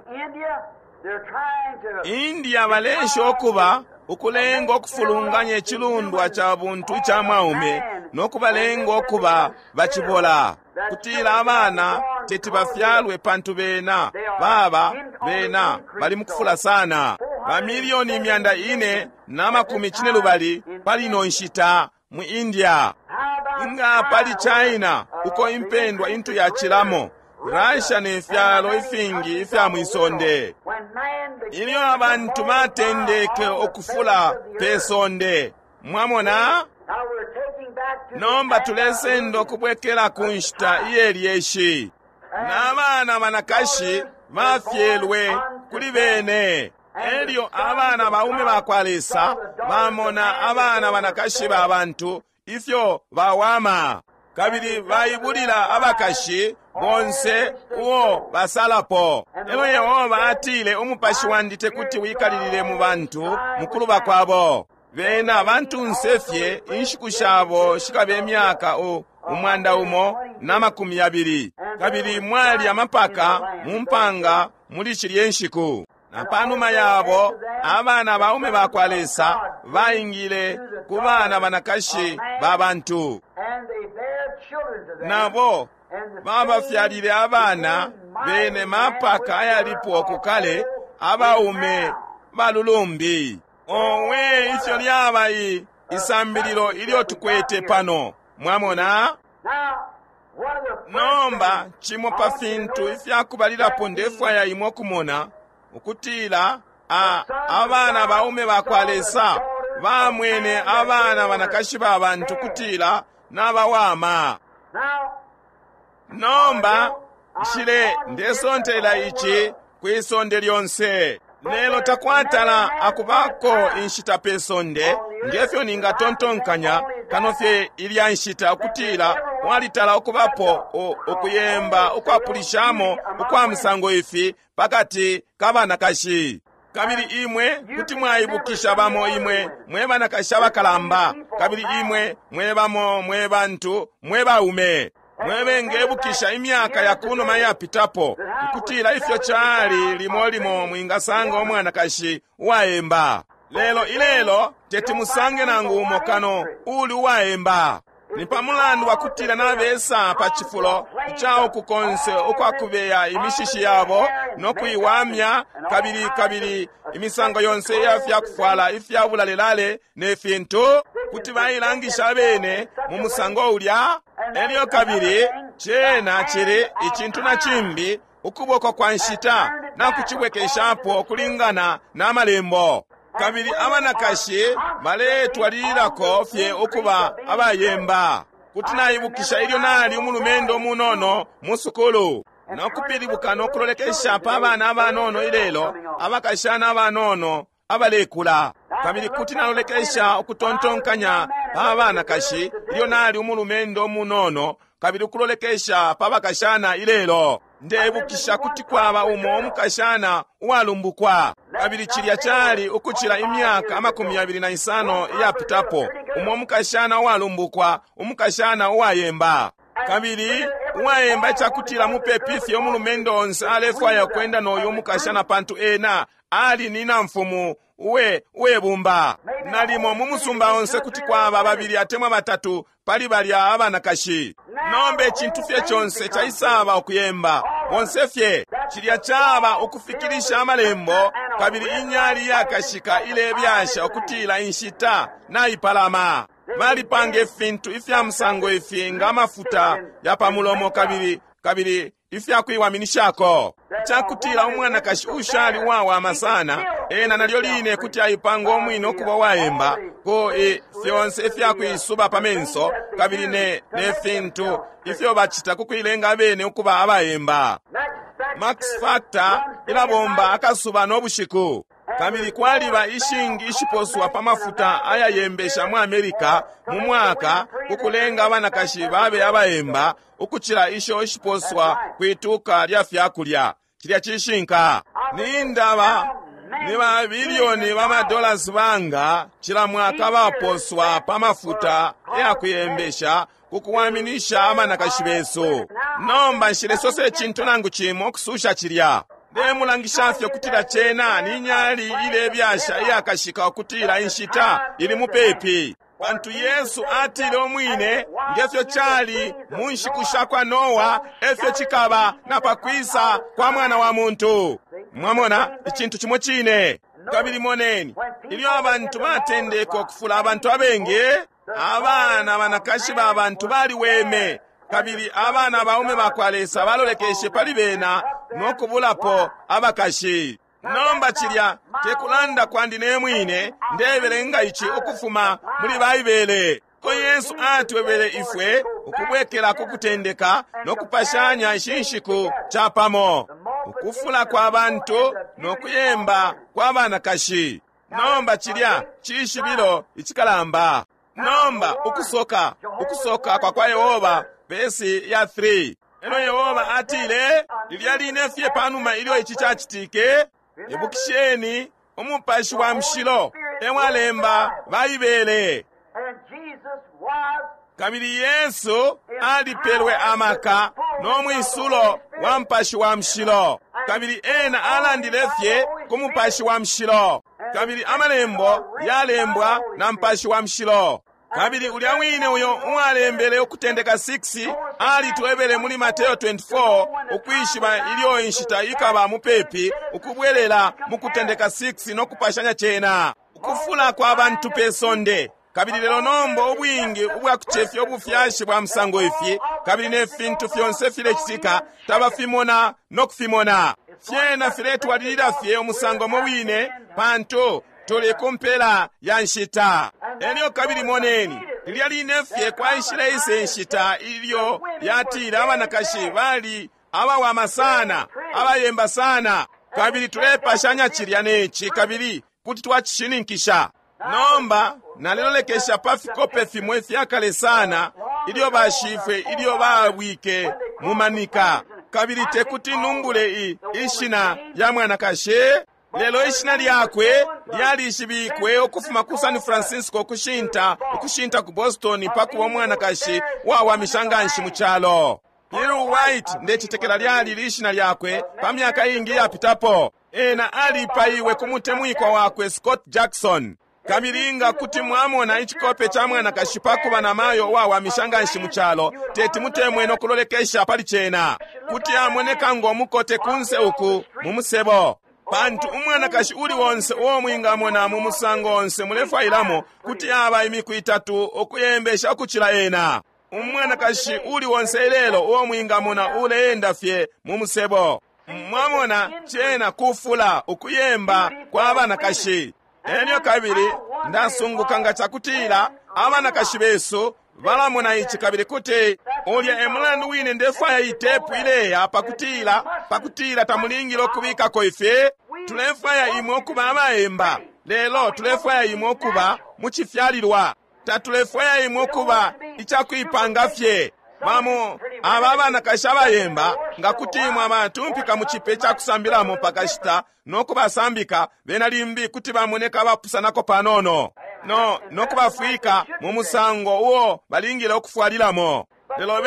India. Balesha ukuba ukulenga ukufulunganya icilundwa ca buntu ica mwaume no kubalenga ukuba bacibola, kutila abana teti bafyalwe pantu bena baba bena bali mukufula sana. Bamilioni 450 pali ino nshita mu India. Inga pali China uko impendwa intu yacilamo, Russia ne fyalo ifingi ifya mwisonde. Ilyo abantu batendeke ukufula pe sonde, mwamona? Nomba tulesenda ukubwekela ku nshita iyelyeshi, n'abana banakashi bafyelwe kuli bene. Elyo abana baume bakwa Lesa bamona abana banakashi ba bantu ifyo bawama. Kabili baibulila abakashi bonse uo basalapo. Elo Yehova atile, Umupashi wandi tekuti wikalilile mu bantu mukuluba kwabo. Bena bantunse fye, inshiku shabo shikabe myaka 120. Kabili mwali amapaka mu mpanga muli shilye nshiku. Na panuma yabo abana baume bakwa Lesa baingile ku bana banakashi ba bantu. Nabo babafyalile abana bene mapaka ayalipo kukale, abaume balulumbi. Owe, ifyo lyaba isambililo ilyo tukwete pano. Mwamona? Nomba cimo pa fintu ifyakubalilapo ndefwaya imwe kumona ukutila abana baume bakwa Lesa bamwene abana banakashi ba bantu kutila nabawama. Nomba nshile ndesontela ici kwi sonde lyonse. Lelo takwatala akubako inshita pe sonde ngefyo ningatontonkanya kano fye ilya nshita ukutila walitala ukubapo ukuyemba ukwapulishamo ukwa musango ifi pakati ka banakashi. Kabili imwe kuti mwaibukisha bamo imwe mwe banakashi abakalamba, kabili imwe mwe bamo mwe bantu mwe baume mwe bengebukisha imyaka ya kunuma yapitapo, ukutila ifyo cali limo limo mwingasanga umwanakashi uwaemba. Lelo ilelo teti musange nangu umo kano uli uwaemba. Ni pamulandu wakutila nabesa pa cifulo ica uku konse ukwakubeya imishishi yabo no kuiwamya, kabili kabili imisango yonse iya fyakufwala ifya bulalelale ne fintu, kuti bailangisha abene mu musango ulya. Elyo kabili cena cili icintu na cimbi, ukuboko kwa nshita na kucibwekeshapo kulingana na malembo. Kabili abanakashi baletwalililako fye ukuba abayemba. Kuti naibukisha ilyo nali umulumendo umunono mu sukulu, no kupilibuka no kulolekesha pa bana abanono ilelo, abakashana abanono abalekula. Kabili kuti nalolekesha ukutontonkanya pa banakashi ilyo nali umulumendo umunono, kabili ukulolekesha pa bakashana ilelo. Ndebukisha kuti kwaba umo umukashana uwalumbukwa, kabili cilya cali ukucila imyaka 25 iyapitapo. Umo umukashana uwalumbukwa, umukashana uwayemba, kabili uwayemba icakutila mupepi fye umulumendo onse alefwaya kwenda noyu umukashana, pantu ena ali ni namfumu uwe bumba. Nalimo mu musumba onse kuti kwaba babili atemwa batatu pali balya abanakashi. Nomba icintu fye conse caisaba ukuyemba bonse fye. Cilya caba ukufikilisha amalembo, kabili inyali yakashika ilebyasha ukutila inshita naipalama. Balipanga ifintu ifya musango ifi nga amafuta ya pa mulomo kabili kabili ifyakuiwaminishako, cakutila umwanakashi ushali uwawama sana ena nalyo line kuti aipanga umwine ukuba uwayemba ku fyonse ifyakuisuba pa menso, kabili ne fintu ifyo bacita ku kuilenga abene ukuba abayemba. Max Factor ilabomba akasuba no bushiku. Kabili kwaliba ishingi ishiposwa pa mafuta ayayembesha mu Amerika mu mwaka ku kulenga abanakashi babe abayemba ukucila isho ishiposwa kwituka lya fyakulya. Cilya cishinka. Ni ndaba ni ba bilioni ba madollars banga cila mwaka baposwa pa mafuta yakuyembesha ku kuwaminisha abanakashi besu. Nomba nshilesose icintu nangu cimo kususha cilya. Ndemulangisha fye ukutila cena ni nyali ilebyasha iyakashika ukutila inshita ili mupepi. Pantu Yesu atile umwine, ngefyo cali mu nshiku sha kwa Noa, efyo cikaba na pakwisa kwa Mwana wa Muntu. Mwamona, icintu cimo cine. Kabili moneni, ilyo abantu batendeka ukufula abantu abengi, abana banakashi ba bantu baliweme, kabili abana baume bakwa Lesa balolekeshe pali bena no kubulapo abakashi. Nomba cilya tekulanda kwandi ne mwine, ndebelenga ici ukufuma muli Baibele. Ko Yesu atwebele ifwe ukubwekela ku kutendeka no kupashanya ishi nshiku capamo, ukufula kwa bantu no kuyemba kwa banakashi. Nomba cilya cishibilo icikalamba. Nomba ukusoka, ukusoka kwa kwa Yehova, vesi ya 3. Elo Yehova atile, lilya line fye panuma ilyo ici cacitike, ibukisheni umupashi wa mushilo ewalemba Baibele. Kabili Yesu alipelwe amaka no mwisulo wa mupashi wa mushilo. Kabili ena alandile fye ku mupashi wa mushilo. Kabili amalembo yalembwa na mupashi wa mushilo. Kabili ulya wine uyo uwalembele Ukutendeka 6 alitwebele muli Mateo 24 ukwishiba ilyo inshita ikaba mupepi ukubwelela mu Kutendeka 6 no kupashanya cena ukufula kwa bantu pe sonde. Kabili lelo nomba ubwingi ubwa kucefya ubufyashi bwa musango ifi kabili ne fintu fyonse filecitika tabafimona no kufimona. Fyena filetwalilila fye umusango mo wine pantu tuli ku mpela ya nshita. Elyo kabili moneni, lilya line fye kwaishile ise nshita ilyo yatile abanakashi bali abawama sana, abayemba sana, kabili tulepashanya cilya neci kabili kuti twacishininkisha. Nomba nalilolekesha pa fikope fimo ifyakale sana ilyo bashifwe ilyo babwike mu manika, kabili tekuti numbule ishina lya mwanakashi, lelo ishina lyakwe lyalishibikwe ukufuma ku San Francisco ukushinta ku Boston pa kuba umwanakashi wawamisha nganshi mu calo. Bill White ndecetekela lyali lishina lyakwe pa myaka ingi yapitapo. Ena alipaiwe ku mutemwikwa wakwe Scott Jackson. Kabili nga kuti mwamona icikope ca mwanakashi pa kuba na mayo uwawamisha nganshi mu calo, teti mutemwe no kulolekesha pali cena. Kuti amoneka ngo mukote kunse uku mu musebo. Pantu umwanakashi uli onse uo mwingamona mu musango onse mulefwailamo kuti aba imiku itatu ukuyembesha ukucila ena. Umwanakashi uli onse ilelo uo mwingamona uleenda fye mu musebo. Mwamona cena kufula ukuyemba kwa banakashi. Elyo kabili ndasunguka nga cakutila abanakashi besu balamona ici kabili kuti ulya e mulandu wine ndefwaya itepu ileya pakutila tamulingile ukubikako ifi. Tulefwaya imwe ukuba abayemba, lelo tulefwaya imwe ukuba mu cifyalilwa. Tatulefwaya imwe ukuba icakuipanga fye. Bamo aba abanakashi abayemba nga kuti imwe abatumpika mu cipe ca kusambilamo pakashita no kubasambika, bena limbi kuti bamoneka abapusanako panono no kubafwika mu musango uo balingile ukufwalilamo. Lelo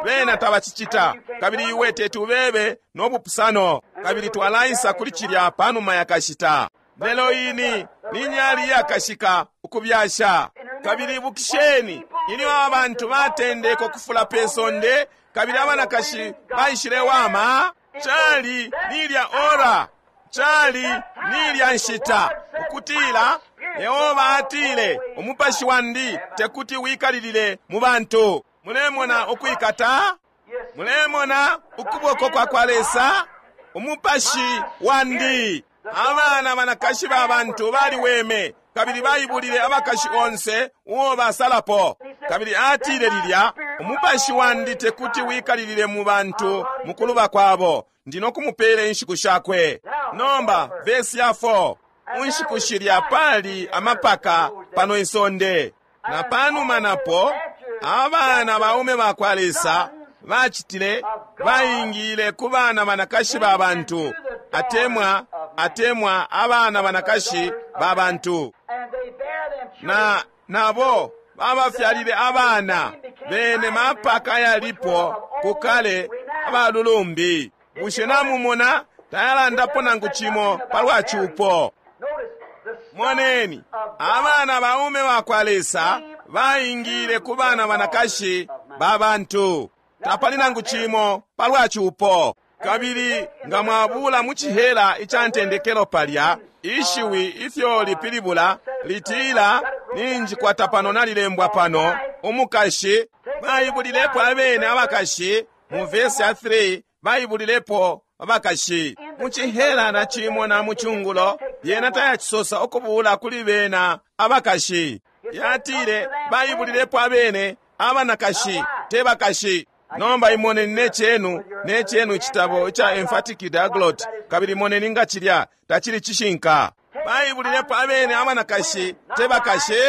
bena tabacicita, kabili iwe teti ubebe no bupusano, kabili twalaisa kuli cilya panuma ya kashita. Lelo ini ni nyali yakashika ukubyasha. Kabili ibukisheni ilyo abantu batendeke ukufula pe sonde kabili abanakashi baishilewama, cali nilya ora, cali nilya nshita ukutila Yehova atile, umupashi wandi tekuti wikalilile mu bantu. Mulemona ukwikata? Mulemona ukuboko kwa kwa Lesa? Umupashi wandi. Abana banakashi ba bantu baliweme kabili baibulile abakashi onse uo basalapo. Kabili atile lilya, umupashi wandi tekuti wikalilile mu bantu mu kuluba kwabo, ndi no kumupela inshiku shakwe. Nomba vesi ya 4, munshiku shilya pali amapaka pano isonde, na panuma napo abana baume ba kwa Lesa bacitile baingile ku bana banakashi ba bantu, atemwa abana banakashi ba bantu, na nabo babafyalile abana bene mapaka yalipo kukale abalulumbi. Bushe namumona tayalandapo nangu cimo palwa cupo? Moneni, abana baume ba kwa Lesa baingile ku bana banakashi ba bantu, tapali nangu cimo palwa cupo. Kabili nga mwabula mu cihela ica ntendekelo palya, ishiwi ifyo lipilibula litila, ninjikwata pano nalilembwa pano, umukashi. Baibulilepo abene abakashi mu vesi ya 3, baibulilepo abakashi mu cihela na cimo na mu cungulo. Yena tayacisosa ukubula kuli bena abakashi. Yatile baibulilepo abene abanakashi, te bakashi. Nomba imoneni ne chenu icitabo ica Emphatic Diaglott, kabili moneni nga cilya tacili cishinka. Baibulilepo abene abanakashi, te bakashi.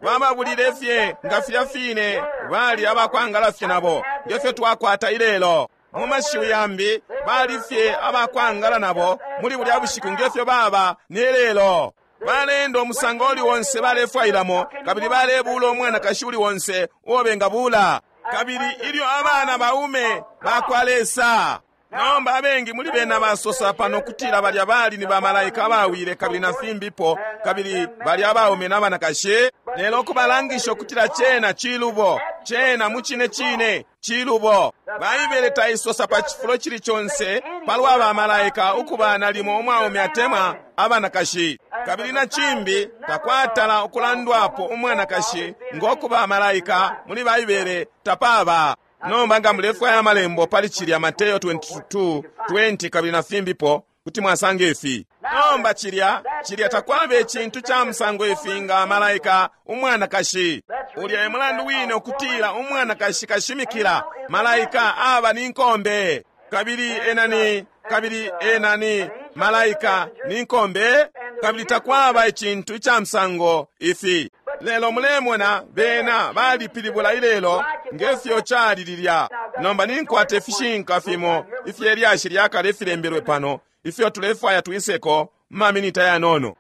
Bababulile fye nga filya fine bali abakwangala fye nabo, nge fyo twakwata ilelo. Mu mashiwi yambi, bali fye abakwangala nabo muli bulya bushiku nge fyo baba ne lelo. Baleenda umusango uli onse balefwailamo, kabili balebuula umwanakashi uli onse uo bengabuula. Kabili ilyo abana baume bakwa Lesa. Nomba abengi muli bena basosa pano kutila balya bali ni bamalaika abawile kabili na fimbipo, kabili balya abaume na banakashi, lelo kubalangisha ukutila cena cilubo, cena mucine cine cilubo. Baibele taisosa pa cifulo cili conse palwa bamalaika ukuba nalimo umwaume atemwa abanakashi. Kabili na cimbi takwatala ukulandwapo umwanakashi ngo kuba malaika muli Baibele, tapaba. Nomba nga mulefwaya amalembo pali cilya, Mateo 22:20 kabili na fimbipo, kuti mwasanga ifi. Nomba cilya, cilya takwaba icintu ca musango ifi nga malaika umwanakashi. Ulya e mulandu wine ukutila umwanakashi kashimikila, malaika aba ni nkombe. Kabili ena ni, kabili ena ni malaika ni nkombe, kabili takwaba icintu ica musango ifi. Lelo mulemona bena balipilibula ilelo nge fyo cali lilya. Nomba ninkwata ifishinka fimo ifye lyashi lya kale ifilembelwe pano ifyo tulefwaya twiseko mu maminita yanono.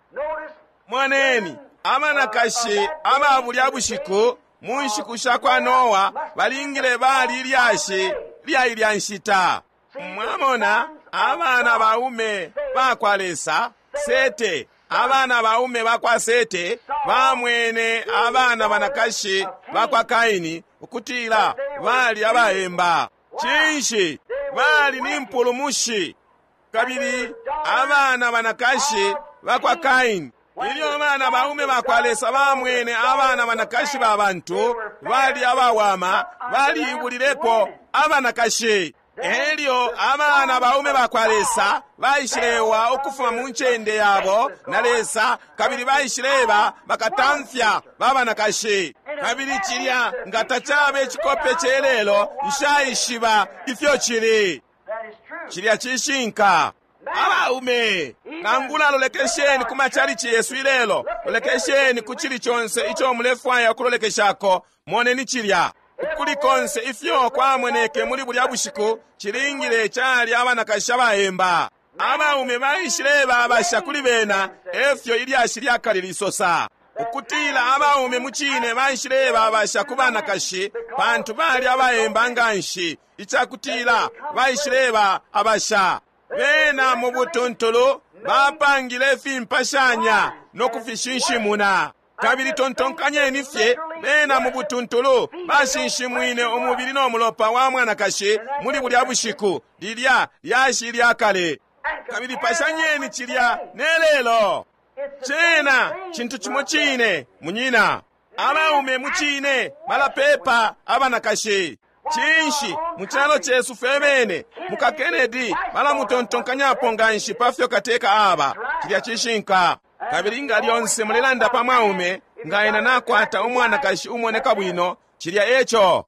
Moneni, abanakashi aba bulya bushiku mu nshiku sha kwa Noa balingile bali ilyashi lya ilya nshita. Mwamona, abana baume bakwa Lesa, Sete, abana baume bakwa Sete bamwene abana banakashi bakwa Kaini ukutila bali abaemba. Cinshi? Bali ni mpulumushi. Kabili abana banakashi bakwa Kaini, ilyo abana baume bakwa Lesa bamwene abana banakashi ba bantu bali abawama, baliibulilepo abanakashi. Elyo abana baume bakwa Lesa baishilewa ukufuma mu ncende yabo na Lesa, kabili baishileba bakatamfya ba banakashi. Kabili cilya nga tacaba icikope celelo, nshaishiba ifyo cili. Cilya cishinka. Abaume, nangula lolekesheni ku machalichi yesu ilelo, lolekesheni ku cili conse ico mulefwaya ukulolekeshako, moneni cilya. Ukuli konse ifyo kwamoneke muli bulya bushiku, cilingile cali abanakashi abaemba. Abaume baishileba abasha kuli bena, efyo ilyashi lya kale lisosa. Ukutila abaume mucine baishileba abasha ku banakashi, pantu bali abaemba nganshi, icakutila baishileba abasha. Bena mu butuntulu bapangile ifimpashanya no kufishinshimuna. Kabili tontonkanyeni fye, bena mu butuntulu bashinshimwine umubili no mulopa wa mwanakashi muli bulya bushiku, lilya lyashi lya kale. Kabili pashanyeni cilya ne lelo. Cena cintu cimo cine, munyina. Abaume mucine balapepa abanakashi. Cinshi, mu calo cesu fwe bene, muka Kennedy balamutontonkanyapo nganshi pa fyo kateka aba. Cilya cishinka. Kabili nga lyonse mulelanda pa mwaume, nga ena nakwata umwanakashi umoneka bwino, cilya eco.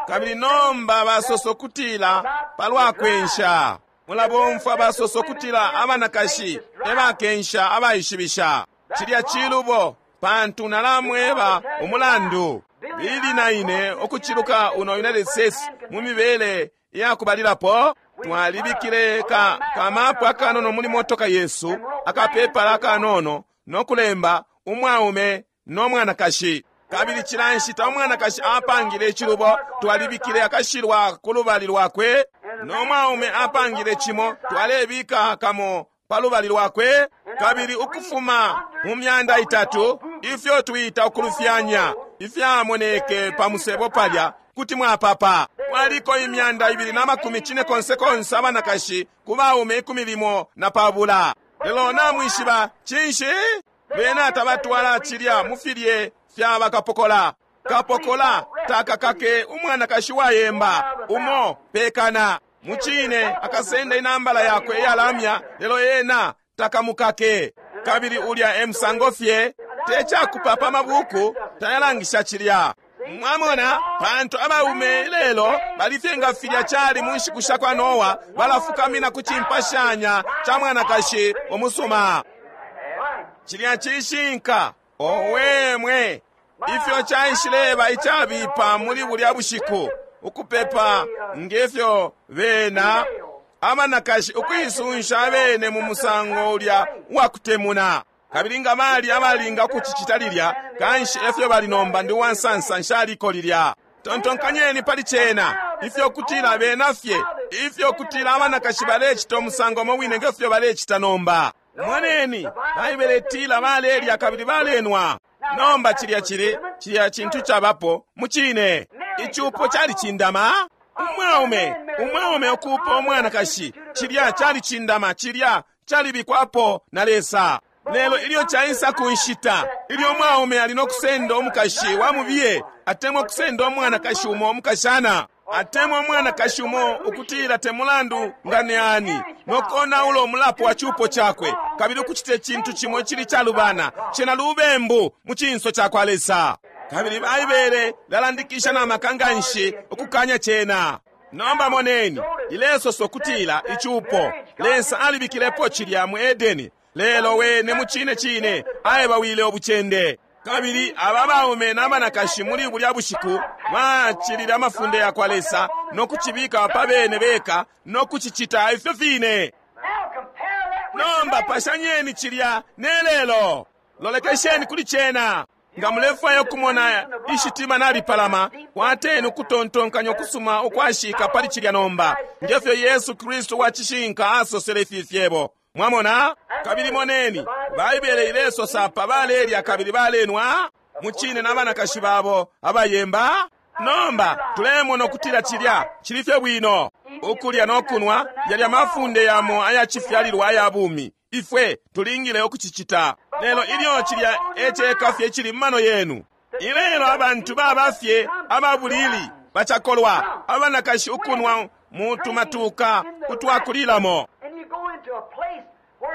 Kabili nomba basoso kutila palwa kwensha. Mulabomfwa basoso kutila abanakashi e bakensha abaishibisha. Cilya cilubo, pantu nalamweba umulandu. Bili na ine ukuciluka uno United States mu mibele ya kubalilapo, twalibikile ka kamapu akanono muli motoka yesu, akapepala akanono, no kulemba umwaume no mwanakashi. Kabili cila nshita umwanakashi apangile icilubo, twalibikile akashilwa ku lubali lwakwe, no mwaume apangile cimo, twalebika kamo pa lubali lwakwe. Kabili ukufuma mu 300 ifyo twita ukulufyanya ifyamoneke pa musebo palya, kuti mwapapa. Kwaliko 290 abanakashi ku baume 14. Lelo namwishiba cinshi? Bena tabatwala cilya mu filye fya bakapokola. Kapokola takakake umwanakashi wayemba umo pekana. Mucine akasenda inambala yakwe iyalamya, lelo ena takamukake. Kabili ulya e musango fye, te cakupapa mabuku tayalangisha cilya. Mwamona, pantu abaume lelo balifye nga filya cali mu nshiku sha kwa Noa, balafukamina ku cimpashanya ca mwanakashi umusuma. Cilya cishinka. Owe mwe! Ifyo caishileba icabipa muli bulya bushiku, ukupepa ngefyo bena abanakashi ukuisunsha abene mu musango ulya uwakutemuna. Kabili nga bali abalinga ukucicita lilya, kanshi efyo bali nomba. Ndi uwansansa nshaliko lilya. Tontonkanyeni pali cena, ifyo kutila bena fye, ifyo kutila abanakashi balecita umusango umo wine ngefyo balecita nomba. Moneni, Baibele itila balelya kabili balenwa. Nomba cilya cili, cilya cintu cabapo, mucine. Icupo calicindama. Umwaume, umwaume ukuupa umwanakashi, cilya calicindama, cilya calibikwapo na Lesa. Lelo ilyo caisa ku nshita ilyo umwaume ali no kusenda umukashi wa mubiye, atemwa ukusenda umwanakashi umo umukashana, atemwa umwanakashi umo ukutila te mulandu nga ni ani, no konaula umulapo wa cupo cakwe, kabili ukucita icintu cimo icili calubana, cena lubembu mu cinso ca kwa Lesa. Kabili Baibele lalandikisha na maka nganshi ukukanya cena. Nomba moneni, ilesosa ukutila icupo, Lesa alibikilepo cilya mu Edeni, lelo wene mucine cine aebawile ubucende. Kabili aba baume na banakashi muli bulya bushiku bacilile amafunde ya kwa Lesa no kucibika pa bene beka no kucicita ifyo fine. Nomba pashanyeni cilya ne lelo. Lolekesheni kuli cena. Nga mulefwaya ukumona ishitima nalipalama, kwateni ukutontonkanya ukusuma ukwashika pali cilya nomba, ngefyo Yesu Kristu wa cishinka asosele ifi fyebo. Mwamona? Kabili moneni, Baibele ilesosa apa balelya kabili balenwa, mucine na banakashi babo abayemba. Nomba tulemona ukutila cilya cili fye bwino. Ukulya no kunwa yalya mafunde yamo aya cifyalilwa aya bumi. Ifwe tulingile ukucicita. Lelo ilyo cilya eceka fye cili mu mano yenu. Ilelo abantu baba fye ababulili, bacakolwa, abanakashi ukunwa mu tumatuka utwakulilamo.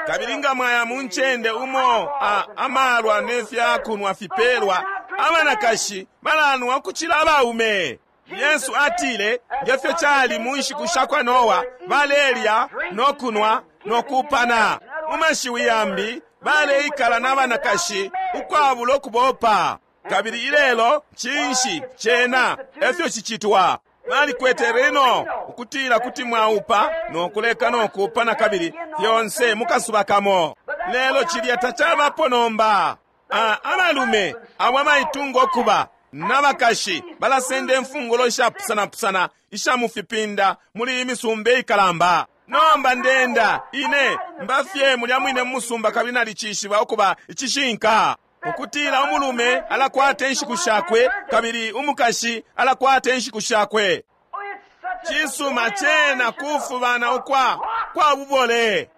Kabili nga mwaya mu ncende umo amalwa ne fyakunwa fipelwa, abanakashi balanwa ukucila abaume. Yesu atile, ngefyo cali mu nshiku sha kwa Noa, balelya no kunwa no kupana. Mu mashiwi yambi, baleikala na banakashi ukwabula ukubopa. Kabili ilelo, cinshi cena efyo cicitwa. Balikwete reno ukutila kuti mwaupa no kuleka no kuupa na kabili fyonse mukasuba kamo. Lelo cilya tacabapo nomba. Abalume abo abaitunga ukuba nabakashi balasenda imfungulo ishapusanapusana isha mufipinda muli imisumba ikalamba. Nomba ndenda ine mbafye mulya mwine mu musumba kabili nalicishiba ukuba icishinka ukutila umulume alakwata inshiku shakwe kabili umukashi alakwata inshiku shakwe. Cisuma cena kufubana ukwa kwa bubole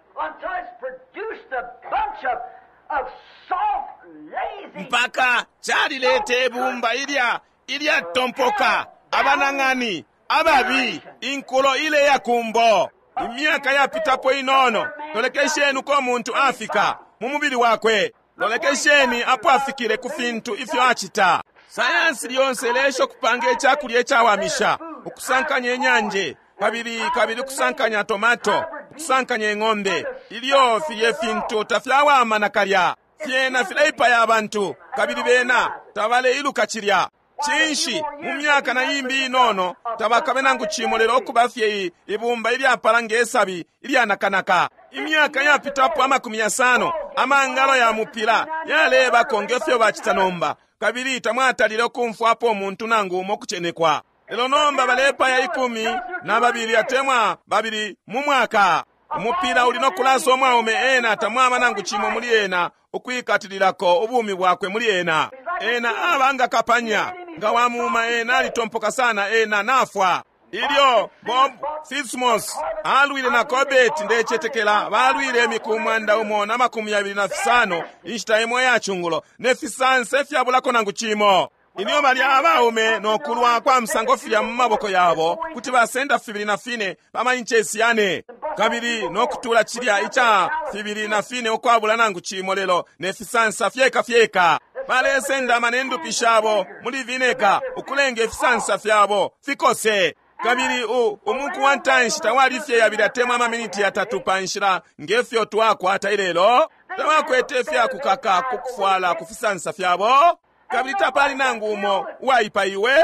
mpaka calileta ibumba ilya ilyatompoka, abanang'ani ababi, inkulo ile yakumbo. Imyaka yapitapo inono, lolekesheni uko muntu afika mu mubili wakwe. Lolekesheni apo afikile ku fintu ifyo acita. Sayansi lyonse ilesha ukupanga icakulya icawamisha, ukusankanya inyanje, kabili kabili ukusankanya tomato, ukusankanya ing'ombe. Ilyo filye fintu tafyawama nakalya, fyena fileipaya abantu, kabili bena tabaleiluka cilya. Cinshi, mu myaka na imbi inono tabakabe nangu cimo lelo ukuba fye ibumba ilyapala nge sabi ilyanakanaka. Imyaka yapitapo 50, amangalo ya mupila yalebako ngefyo bacita nomba, kabili tamwatalile ukumfwapo umuntu nangu umo kucenekwa. Lelo nomba balepaya 12 atemwa 2 mu mwaka. Umupila uli no kulasa umwaume ena tamwaba nangu cimo muli ena ukwikatililako ubumi bwakwe muli ena. Ena aba nga kapanya, nga wamuma ena alitompoka sana ena nafwa. Ilyo Bob Fitzmos alwile na Corbett, ndecetekela balwile imiku 125 inshita imo ya chungulo, ne fisansa fyabulako nangu cimo. Ilyo balya abaume no kulwa kwa musango filya mu maboko yabo kuti basenda 24 pa mainchesi 4, kabili no kutula cilya ica 24 ukwabula nangu cimo, lelo ne fisansa fyeka fyeka. Balesenda amanendupi shabo muli vineka ukulenga ifisansa fyabo fikose. Kabili umuku wa ntanshi tawali fye 2 atemwa amaminiti 3 pa nshila ngefyo twakwata ilelo. Tabakwete ifyakukaka kukufwala ku fisansa fyabo. Kabili tapali nangu umo uwaipaiwe.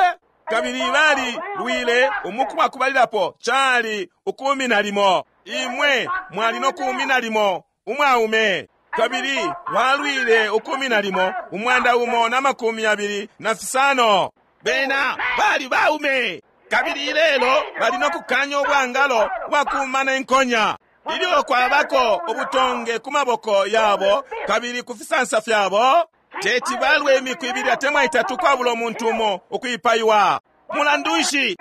Kabili bali lwile umuku wa kubalilapo cali ukumina limo. Imwe mwali no kumina limo umwaume. Kabili walwile ukumina limo 125. Bena bali baume. Kabili ilelo bali no kukanya ubwangalo bwakumana inkonya. Ilyo kwabako ubutonge ku maboko yabo kabili ku fisansa fyabo, teti balwe imiku ibili atemwa itatu kwabula umuntu umo ukwipaiwa. Mulandu nshi?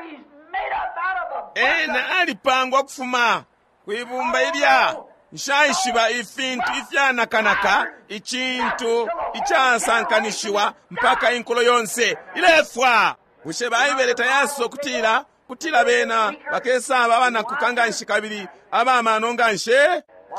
Ena alipangwa ukufuma kwibumba ilya nshaishiba ifintu ifyanakanaka, icintu icasankanishiwa mpaka inkulo yonse ilefwa. Bushe Baibele tayasosa ukutila kutila bena bakesaba abanakuka nganshi kabili abamano nganshi?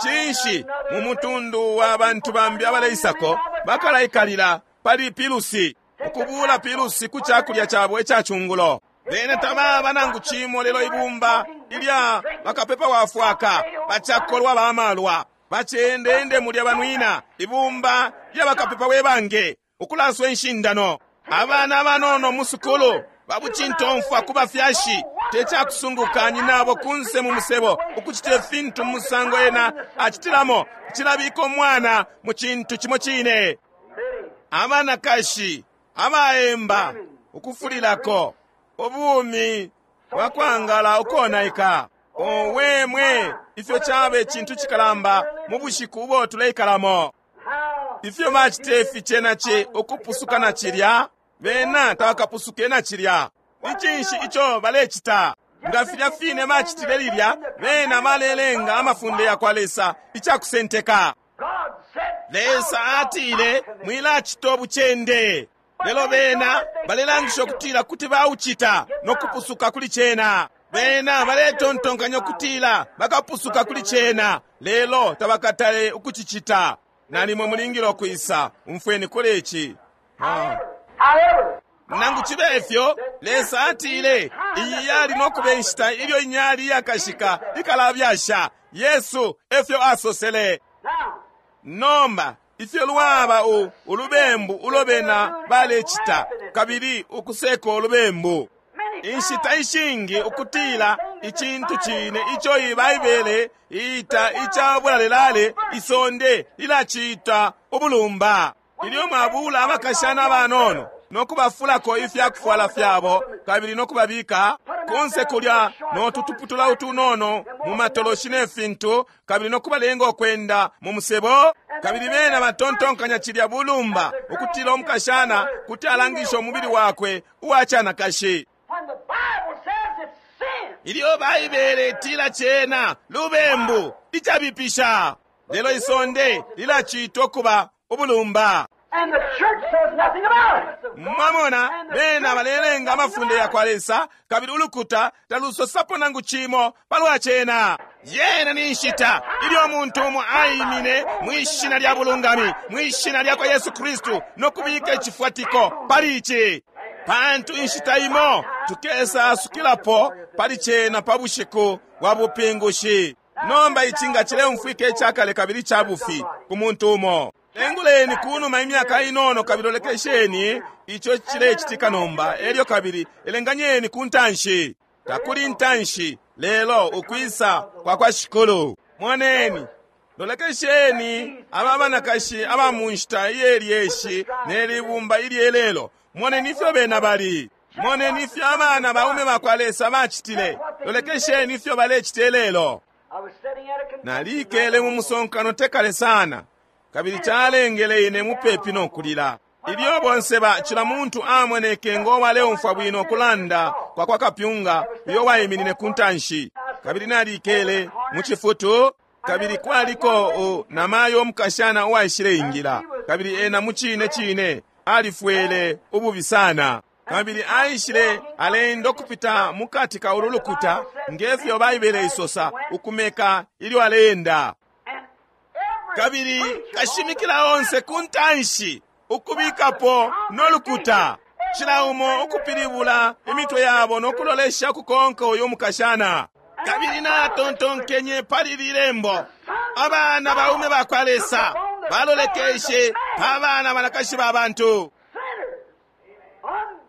Cinshi mu mutundu wa bantu bambi abaleisako bakalaikalila pali pilusi, ukubula pilusi ku cakulya cabo ica cungulo. Bena tababa nangu cimo lelo ibumba ilya bakapepa wafwaka, bacakolwa bamalwa, bacendende mulya banwina, ibumba lya bakapepa webange, ukulaswa inshindano. Abana abanono mu sukulu babucintomfwa ku bafyashi, tecakusunguka nyinabo kunse mu musebo ukucita ifintu mu musango ena acitilamo, cilabika umwana mu cintu cimo cine. Abanakashi abaemba ukufulilako ubumi bwakwangala ukonaika. Owe mwe, ifyo cabe cintu cikalamba mu bushiku ubo tuleikalamo. Ifyo bacite ifi cena ci ukupusuka na cilya, bena tabakapusuke na cilya. Ni cinshi ico balecita? Nga filya fine bacitile lilya, bena balelenga amafunde ya kwa Lesa icakusenteka. Lesa atile mwilacita ubucende, lelo bena balelangisha ukutila kuti baucita no kupusuka kuli cena. Bena baletontonkanya ukutila bakapusuka kuli cena, lelo tabakatale ukucicita. Nalimwe mulingile ukwisa, umfweni kuli ici. Nangu cibe ifyo, Lesa atile iyi yali no kuba inshita ilyo inyali iyakashika ikalabyasha. Yesu efyo asosele. Nomba ifyo lwaba ulubembu ulo bena balecita, kabili ukuseka ulubembu. Inshita ishingi ukutila icintu cine ico iyi Baibele iita ica bulalelale, isonde lilacita ubulumba. Ilyo mwabula abakashana abanono no kubafulako ifyakufwala fyabo kabili no kubabika kunse kulya no tutuputula utunono mu matoloshi ne fintu, kabili no kubalenga ukwenda mu musebo, kabili bena batontonkanya cilya bulumba ukutila umukashana kuti alangisha umubili wakwe uwa canakashi. Ilyo Baibele itila cena lubembu icabipisha, lelo isonde lilacitwa kuba ubulumba. And the church says nothing about it. Mwamona, bena balelenga amafunde ya kwa Lesa, kabili ulukuta talusosapo nangu cimo palwa cena. Yena ni nshita ilyo umuntu umo aimine mwi shina lya bulungami, mwi shina lya kwa Yesu Kristu, no kubika icifwatiko pali ici. Pantu inshita imo tukesa asukilapo pali cena pa bushiku bwa bupingushi. Nomba ici nga cileumfwika icakale kabili ca bufi ku muntu umo. Enguleni kunuma imyaka inono kabili olekesheni ico cilecitika nomba, elyo kabili elenganyeni ku ntanshi. Takuli ntanshi, lelo ukwisa kwa kwa Shikulu. Moneni, lolekesheni aba banakashi aba mu nshita iyelyeshi ne libumba ilyelelo. Moneni ifyo bena bali. Moneni ifyo abana baume ba kwa Lesa bacitile. Lolekesheni ifyo balecita lelo. I was sitting at a convention. Nalikele mu musonkano tekale sana, kabili calengele ine mupepi no kulila. Ilyo bonse ba cila muntu amoneke ngo waleumfwa bwino kulanda kwa kwa kapyunga uyo waiminine ku ntanshi. Kabili nalikele mu cifutu, kabili kwaliko namayo umukashana uwaishile ingila, kabili ena mu cine cine alifwele ububi sana. Kabili aishile alenda ukupita mukati ka ulu lukuta ngefyo Baibele isosa ukumeka ilyo aleenda. And every Kabili preacher kashimikila onse ku ntanshi ukubikapo no lukuta, cila umo ukupilibula imitwe yabo no kulolesha ukukonka uyu mukashana. Kabili natontonkenye pali lilembo, abana baume ba kwa Lesa balolekeshe pa bana banakashi ba bantu. sinners.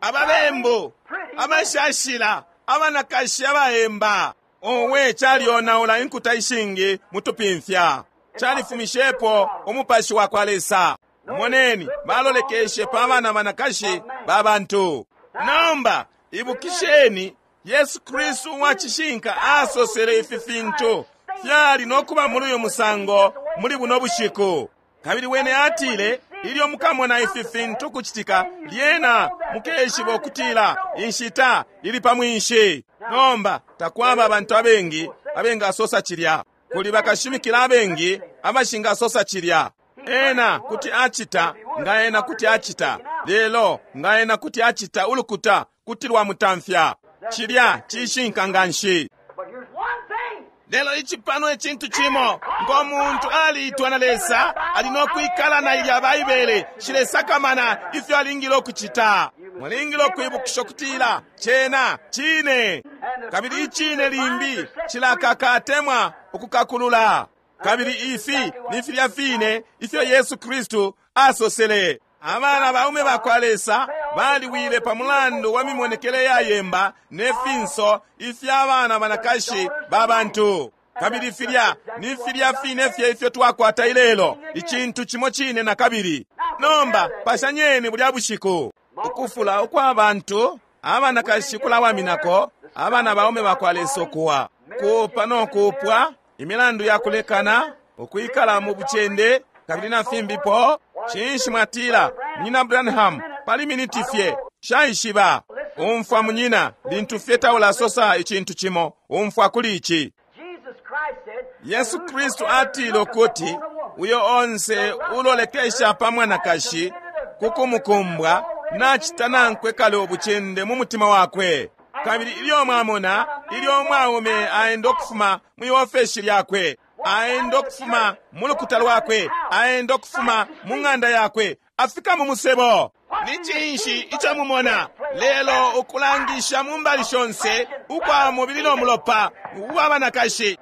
Ababembu, abashashila, abanakashi abaemba. Owe, calionaula inkuta ishingi mutupimfya. Califumishepo umupashi wa kwa Lesa. Moneni, balolekeshe pa bana banakashi ba bantu. Nomba ibukisheni, Yesu Kristu uwa cishinka asosele ifi fintu fyali no kuba muli uyu musango muli buno bushiku. Kabili wene atile, ilyo mukamona ifi fintu kucitika, lyena mukeshiba ukutila inshita ili pa mwinshi. Nomba takwaba abantu abengi abengasosa cilya. Kuli bakashimikila abengi abashingasosa cilya. Ena kuti acita nga ena kuti acita, lelo nga ena kuti acita ulukuta kuti lwamutamfya. Cilya cishinka nganshi. But here's one thing. Lelo ici pano icintu cimo, ngo muntu aliitwa na Lesa, ali no kwikala na ilya Baibele, shilesakamana ifyo alingile ukucita. Mulingile ukwibukisha ukutila cena cine, kabili icine limbi cilakaka atemwa ukukakulula. Kabili ifi ni filya fine ifyo Yesu Kristu asosele. Abana baume ba kwa Lesa baliwile pa mulandu wa mimonekele yayemba ne finso ifya bana banakashi ba bantu. Kabili filya ni filya fine fye ifyo twakwata ilelo, icintu cimo cine na kabili. Nomba pashanyeni bulya bushiku ukufula ukwa bantu abanakashi kulawaminako abana baume ba kwa Lesa ukuwa kuupa no kuupwa, imilandu ya kulekana, ukwikala mu bucende, kabili na fimbipo. Cinshi mwatila, Munyina Branham, pali miniti fye shaishiba. Umfwa munyina, lintu fye taulasosa icintu cimo, umfwa kuli ici. Jesus Christ said, Yesu Kristu atile ukuti uyo onse ulolekesha pa mwanakashi kukumukumbwa nacita nankwe kale ubucende mu mutima wakwe. Kabili ilyo mwamona, ilyo umwaume aenda ukufuma mwi ofeshi lyakwe, aenda ukufuma mu lukuta lwakwe, aenda ukufuma mu ng'anda yakwe, afika mu musebo. Ni cinshi ico mumona lelo ukulangisha mu mbali shonse ukwa mubili no mulopa uwa banakashi,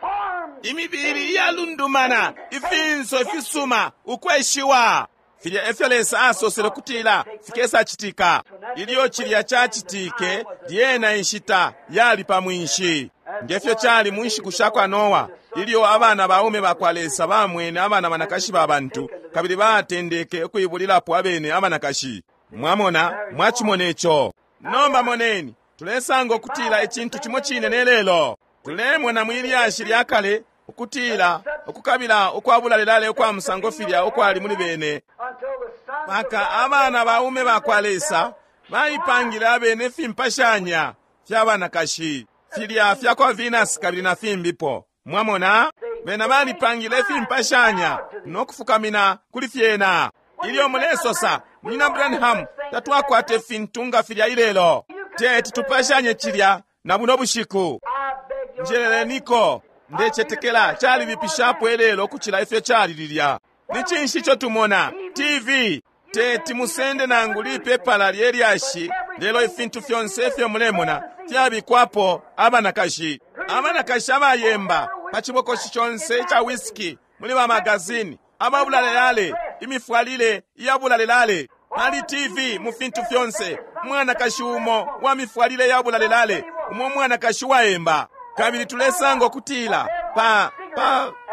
imibili iyalundumana, ifinso ifisuma, ukweshiwa. Filya efyo Lesa asosele kutila fikesacitika. Ilyo cilya cacitike, lyena inshita yali pa mwinshi. Ngefyo cali mu nshiku sha kwa Noa, ilyo abana baume ba kwa Lesa bamwene abana banakashi ba bantu, kabili batendeke ukuibulilapo abene abanakashi. Mwamona, mwacimona ico. Nomba moneni, tulesanga ukutila icintu cimo cine ne lelo. Tulemona mwi lyashi lya kale ukutila ukukabila ukwabulalelale ukwa musango filya ukwali muli bene, until the sons of mpaka abana baume ba kwa Lesa baipangile abene ifimpashanya fya banakashi filya fya kwa Venus kabili na fimbipo. Mwamona, bena balipangile ifimpashanya no kufukamina kuli fyena. Ilyo mulesosa, Munyina Branham, tatwakwata ifintu nga filya ilelo, teti tupashanye cilya na buno bushiku. I beg your Njeleleniko, ndecetekela calibipishapo ilelo ukucila ifyo cali lilya. Ni cinshi ico tumona? TV. Teti musende nangu lipepala lye lyashi, lelo ifintu fyonse ifyo mulemona fyabikwapo abanakashi. Abanakashi abayemba pa cibokoshi conse ica whisky muli ba magazini, ababulalelale, imifwalile iyabulalelale. Pali TV mu fintu fyonse, umwanakashi umo wa mifwalile yabulalelale, umo mwanakashi waemba. Kabili tulesanga ukutila pa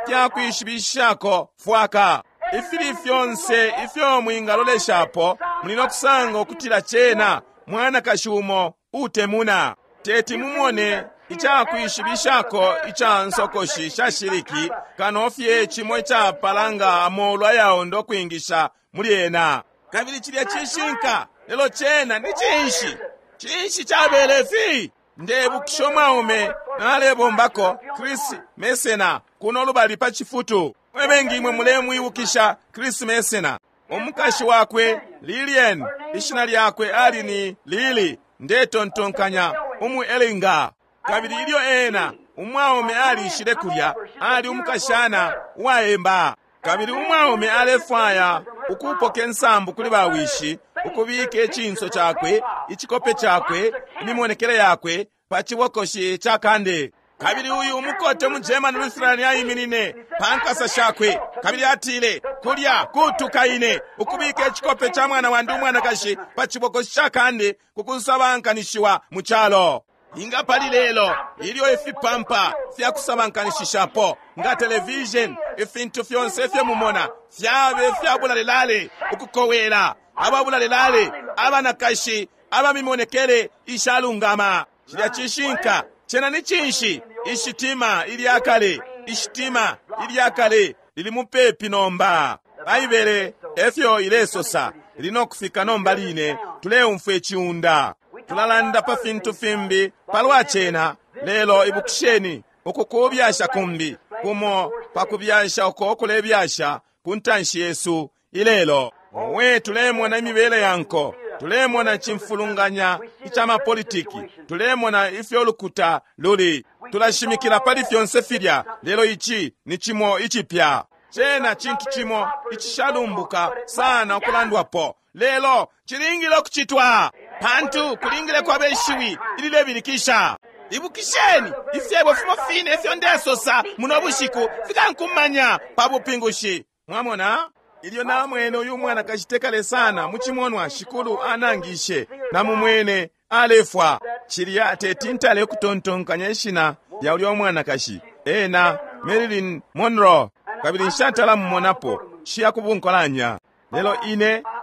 fyakwishibishako fwaka ifili fyonse ifyo mwingaloleshapo, muli no kusanga ukutila cena mwanakashi umo utemuna. Teti mumone icakwishibishako ica nsokoshi sha shiliki kano fye cimo icapala amolu ayaonda ukwingisha muli ena. Kabili cilya cishinka, lelo cena ni cinshi? Cinshi cabele fi? Ndebukisha umwaume nalebombako Chris Mesena kuno lubali pa chifutu. Mwe imwe mulemwibukisha Chris Mesena. Umukashi wakwe Lilian, ishina lyakwe ali ni Lili, ndetontonkanya umu Elinga. Kabili ilyo ena umwaume alishile kulya, ali umukashana uwaemba. Kabili umwaume alefwaya ukupoka insambu kuli bawishi, ukubika icinso cakwe, icikope cakwe, imimonekele yakwe pa cibokoshi ca kande. Kabili uyu umukote mu German Lutheran aiminine pa nkasa shakwe, kabili atile, kulya kutuka ine ukubika icikope ca mwana wandi umwanakashi pa cibokoshi ca kandi kukusabankanishiwa mu calo. Inga pali lelo ilyo ifipampa fya kusabankanishishapo nga television, ifintu fyonse ifyo mumona fyabe fya bulalelale, ukukowela, ababulalelale, abanakashi abamimonekele ishalungama. Cilya cishinka. Cena ni cinshi? Ishitima ilya kale, ishitima ilya kale lili mupepi nomba. Baibele efyo ilesosa, lili no kufika nomba line. Tuleumfwa iciunda. Tulalanda pa fintu fimbi palwa cena, lelo ibukisheni uku kubyasha kumbi kumo pa kubyasha uko kulebyasha ku ntanshi yesu ilelo. Owe, tulemona imibele ya nko, tulemona icimfulunganya ica mapolitiki, tulemona ifyo lukuta luli, tulashimikila pali fyonse filya, lelo ici ni cimo icipya. Cena cintu cimo icishalumbuka sana ukulandwapo, lelo cilingile ukucitwa, pantu kulingile kwaba ishiwi ililebilikisha. Ibukisheni ifyebo fimo fine ifyo ndesosa muno bushiku fikankumanya pa bupingushi. Mwamona? Ilyo namwene uyu mwanakashi tekale sana mu cimonwa Shikulu anangishe, namumwene alefwa. Cilya teti ntale ukutontonkanya ishina lya ulya mwanakashi, ena Marilyn Monroe, kabili nshatala mumonapo, shiya kubunkolanya. Lelo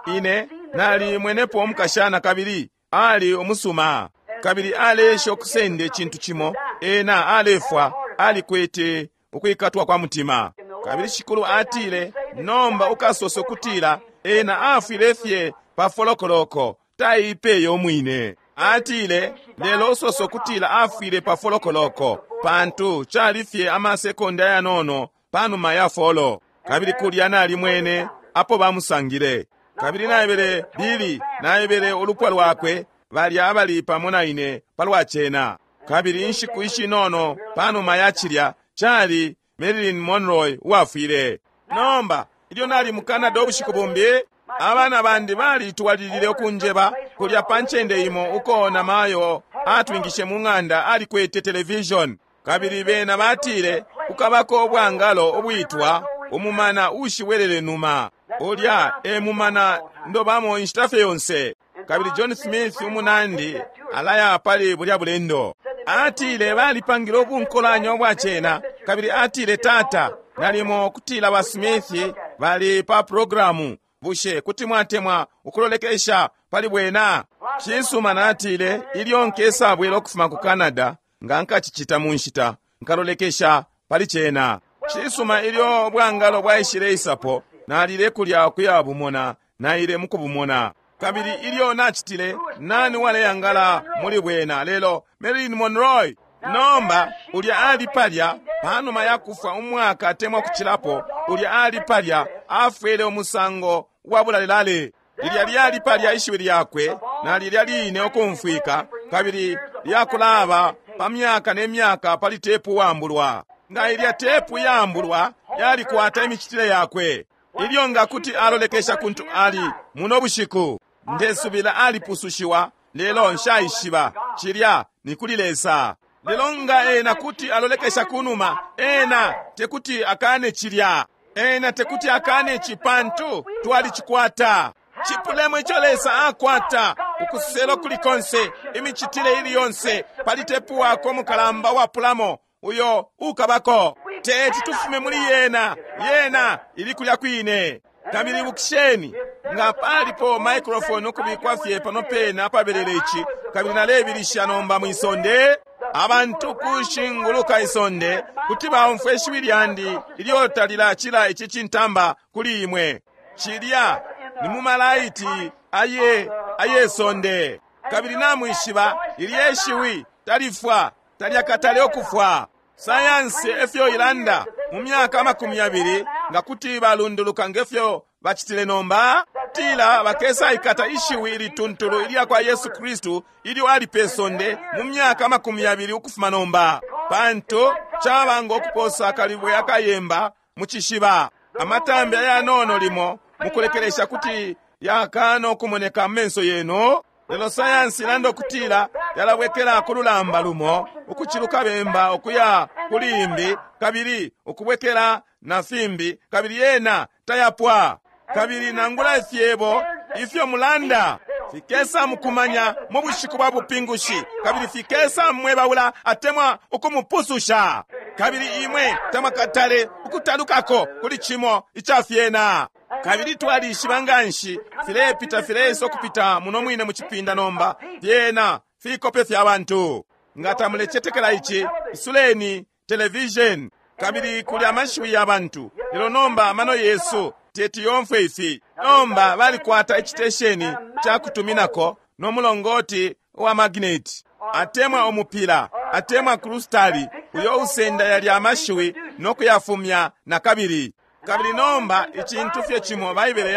ine nali mwenepo umukashana, kabili ali umusuma, kabili aleesha ukusenda icintu cimo, ena alefwa, alikwete ukwikatwa kwa mutima. Kabili Shikulu atile, nomba ukasosa ukutila ena afwile fye pa folokoloko, taipeye umwine. Atile, lelo usosa ukutila afwile pa folokoloko, pantu cali fye amasekonda yanono panuma ya folo. Kabili kulya nalimwene apo bamusangile. Kabili naebele Billy, naebele ulupwa lwakwe, balya abali pamo na ine palwa cena. Kabili inshiku ishinono panuma ya cilya cali Marilyn Monroe uwafwile. Nomba ilyo nali mu Canada ubushiku bumbi, abana bandi balitwalilile ukunjeba kulya pa ncende imo uko namayo atwingishe mu ng'anda alikwete television. Kabili bena batile kukabako ubwangalo ubwitwa umumana ushiwelele numa. Ulya e mumana ndobamo inshita fye yonse. Kabili John Smith umunandi alaya pali bulya bulendo. Atile balipangile ubunkolanya ubwa cena. Kabili atile, tata, nalimo kutila ba Smith bali pa programu, bushe kuti mwatemwa ukulolekesha pali bwena? Cisuma, natile, ilyo nkesabwela ukufuma ku Canada, nga nkacicita mu nshita, nkalolekesha pali cena. Cisuma, ilyo bwangalo bwaishile isapo, nalile kulya ukuya bumona, naile mukubumona. Kabili ilyo nacitile, nani waleyangala muli bwena lelo Marilyn Monroe. Nomba ulya ali palya panuma ya kufwa umwaka atemwa kucilapo, ulya ali palya afwele umusango wa bulalelale. Lilya lyali palya ishiwi lyakwe, na lilya line ukumfwika, kabili lyakulaba pa myaka ne myaka pali tepu wambulwa. Nga ilya tepu yambulwa yalikwata imicitile yakwe. Ilyo nga kuti alolekesha kuntu ali muno bushiku, ndesubila alipusushiwa, lelo nshaishiba cilya ni kuli Lesa. Lelo nga ena kuti alolekesha kunuma, ena tekuti akane cilya, ena tekuti akane ici, pantu twalicikwata. Cipulemo ico Lesa akwata, ukuselo kuli konse, imicitile ili yonse, pali tepu wako umukalamba wapulamo uyo ukabako. Teti tufume muli yena, yena ili kulya kwine. Kabili ibukisheni, nga palipo microphone ukubikwa fye pano pene apabelele ici, kabili nalebilisha nomba mwisonde, abantu kushinguluka isonde kuti baumfwe ishiwi lyandi ilyo talilacila ici cintamba kuli imwe. Cilya ni mu malaiti aye sonde. Kabili namwishiba ilye ishiwi talifwa, talyakatale ukufwa. Sayansi efyo ilanda mu myaka 20 nga kuti balunduluka ngefyo bacitile nomba, tila bakesaikata ishiwi ilituntulu ilya kwa Yesu Kristu ilyo ali pe sonde mu myaka 20 ukufuma nomba, pantu caba ngo kuposa akalibwe akayemba mu cishiba. Amatambi ayanono limo mukulekelesha kuti yakana ukumoneka mu menso yenu, lelo sayansi ilanda ukutila yalabwekela ku lulamba lumo, ukuciluka bemba ukuya kuli imbi, kabili ukubwekela na fimbi, kabili yena tayapwa. Kabili nangula ifyebo ifyo mulanda fikesa mukumanya mu bushiku bwa bupingushi, kabili fikesa mwebaula atemwa ukumupususha, kabili imwe tamwakatale ukutalukako kuli cimo ica fyena. Kabili twalishiba nganshi filepita fileisa ukupita muno mwine mu cipinda nomba, fyena fikope fya bantu. Nga tamulecetekela ici, isuleni television, kabili kuli amashiwi ya bantu. Lelo nomba amano yesu teti yomfwe ifi. Nomba balikwata icitesheni ca kutuminako no mulongoti wa magneti, atemwa umupila, atemwa krustali, uyo usenda yalya amashiwi no kuyafumya na kabili. Kabili nomba icintu fye cimo Baibele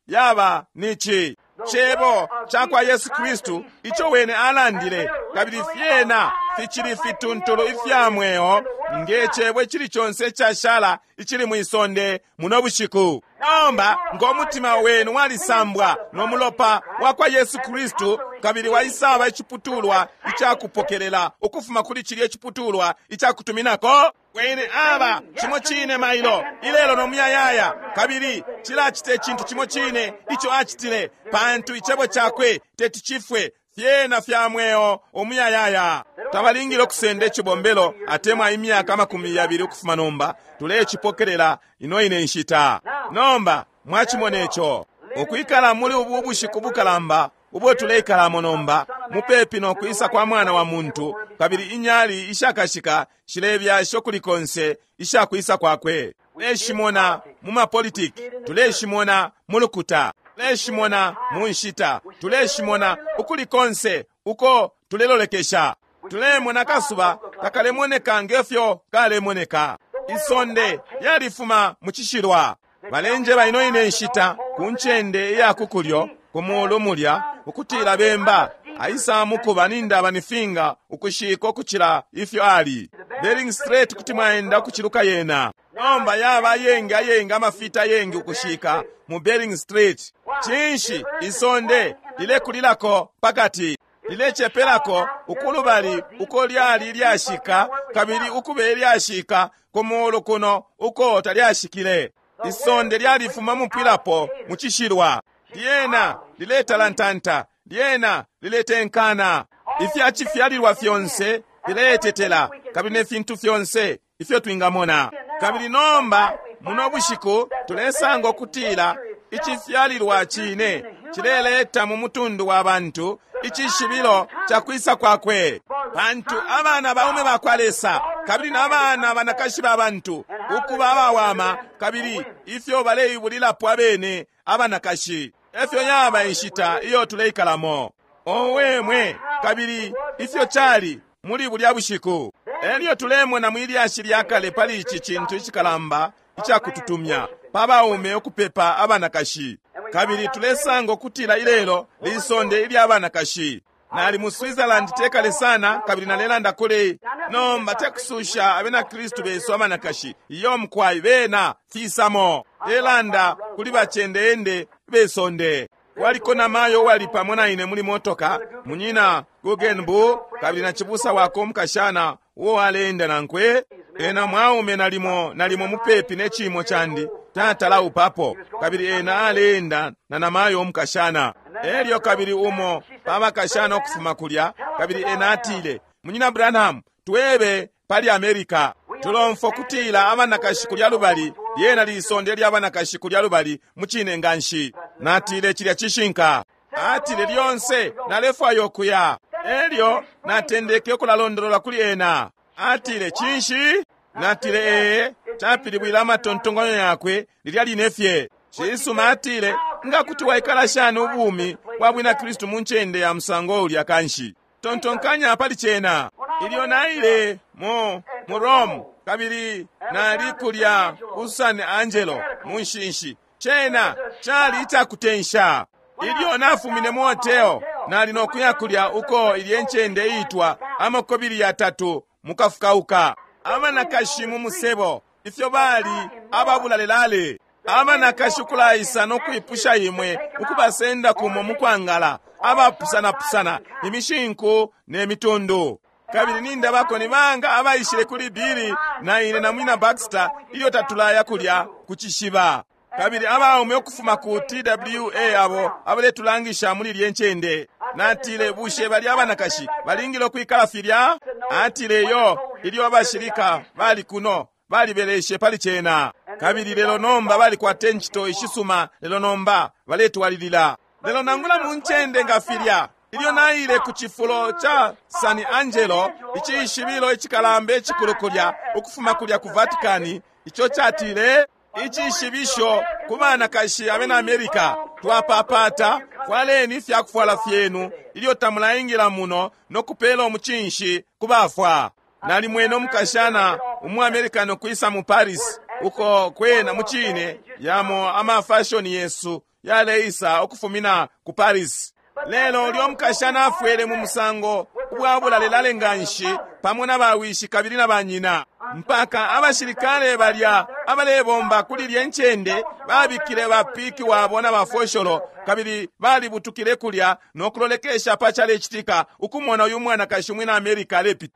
yaba ni ci Cebo ca kwa Yesu Kristu ico wene alandile, kabili fyena ficili fituntulu ifya mweo nge cebo icili conse icashala icili mwisonde muno bushiku. Nomba ngo mutima wenu walisambwa no mulopa wa kwa Yesu Kristu, kabili waisaba iciputulwa icakupokelela ukufuma kuli cilya iciputulwa icakutuminako, wene aba cimo cine mailo ilelo no muyayaya, kabili cilacita icintu cimo cine ico acitile, pantu icebo cakwe teti cifwe, fyena fya mweo umuyayaya. Tabalingile ukusenda icibombelo atemwa imyaka 20 ukufuma nomba, tulecipokelela ino ine nshita. Nomba mwacimona ico, ukwikala muli ubu bushiku bukalamba ubo tuleikalamo nomba, mupepi no kwisa kwa Mwana wa Muntu, kabili inyali ishakashika shilebyasha ukuli konse ishakwisa kwakwe. Tuleshimona mu mapolitiki, tuleshimona mu lukuta, tuleshimona mu nshita, tuleshimona ukuli konse uko tulelolekesha. Tulemona kasuba kakalemoneka ngefyo kalemoneka. Isonde lyalifuma mu cishilwa. Balenjeba ino ine nshita ku ncende iya kukulyo ku mulu mulya ukutila bemba aisa mukuba nindaba nifinga ukushika ukucila ifyo ali. Bering Strait kuti mwaenda ukuciluka yena. Nomba yaba ayengi ayengi amafita ayengi ukushika mu Bering Strait. Cinshi isonde lilekulilako pakati, lilecepelako ukulubali uko lyali lyashika, kabili ukube lyashika ku mulu kuno uko talyashikile. Isonde lyalifuma mupwilapo mu cishilwa, lyena liletalantanta, lyena liletenkana. Ifya cifyalilwa fyonse filetetela, kabili ne fintu fyonse ifyo twingamona. Kabili nomba muno bushiku tulesanga ukutila icifyalilwa cine cileleta mu mutundu wa bantu icishibilo ca kwisa kwakwe, pantu abana baume ba kwa Lesa kabili na bana banakashi ba bantu ukuba abawama, kabili ifyo baleibulilapo abene abanakashi. Efyo yaba inshita iyo tuleikalamo. Owe mwe, kabili ifyo cali muli bulya bushiku. Elyo tulemona mwilyashi lya kale pali ici cintu icikalamba icakututumya pa baume ukupepa abanakashi, kabili tulesanga ukutila ilelo lisonde ilya abanakashi. Nali mu Switzerland tekale sana, kabili nalelanda kuli nomba tekususha abena Kristu besu abanakashi, iyo mkwai bena fisamo elanda kuli bachendeende besonde. Waliko na mayo wali pamo na ine muli motoka, munyina Guggenbu, kabili na chibusa wako mukashana uo aleenda nankwe. Ena mwaume nalimo mupepi ne chimo chandi tatala upapo, kabili ena aleenda na namayo mukashana. Elyo kabili umo pabakashana okufuma kulya, kabili ena atile, Munyina Branham, twebe pali America. Tulomfwa kutila abanakashi kulya lubali, lyena lisonde lya abanakashi kulya lubali muchine nganshi. Natile chilya chishinka. Atile lyonse nalefwaya okuya. Elyo natendeke okulalondolola kuli ena. Atile chinshi? Natile ee, chapilibwila amatontonganyo yakwe lilya line fye. Chisuma atile, nga kuti waikala shani ubumi bwa bwina Kristu mu ncende ya musango ulya kanshi. Tontonkanya pali chena. Ilyo naile mu Rome, kabili nali kulya ku San Angelo mu nshinshi. Chena chali ichakutensha. Ilyo nafumine mu hotel, nali nokuya kulya uko ilye ncende iitwa amakobili yatatu mukafukauka. Abanakashi mu musebo, ifyo bali ababulalelale. Abanakashi kulaisa no kwipusha imwe ukubasenda kumo mukwangala, abapusanapusana, imishinku ne mitundu. Kabili nindabako ni banga abaishile kuli Billy na ine na mwina Baxter ilyo tatulaya kulya ku cishiba. Kabili abaume ukufuma ku TWA abo abaletulangisha muli ilye ncende. Natile, bushe bali abanakashi balingile ukwikala filya? Atile, yo, ilyo abashilika bali kuno balibeleshe pali cena. Kabili lelo nomba balikwata incito ishisuma, lelo nomba baletwalilila. Lelo nangula mu ncende nga filya, ilyo naile ku cifulo ca San Angelo, icishibilo icikalamba icikulu kulya, ukufuma kulya ku Vatikani, ico catile icishibisho ku banakashi abena Amerika, twapapata fwaleni ifyakufwala fyenu ilyo tamulaingila muno no kupela umucinshi ku bafwa. Nalimwene umukashana umuamerikani ukwisa mu Paris, uko kwena mucine yamo amafashoni yesu yaleisa ukufumina ku Paris. Lelo ulyo mukashana afwele mu musango ubwabulalelale nganshi pamo na bawishi kabili na banyina, mpaka abashilikale balya abalebomba kuli lye ncende babikile bapiki wabo na bafosholo, kabili balibutukile kulya no kulolekesha pa calecitika ukumona uyu mwanakashi umwina Amerika alepita.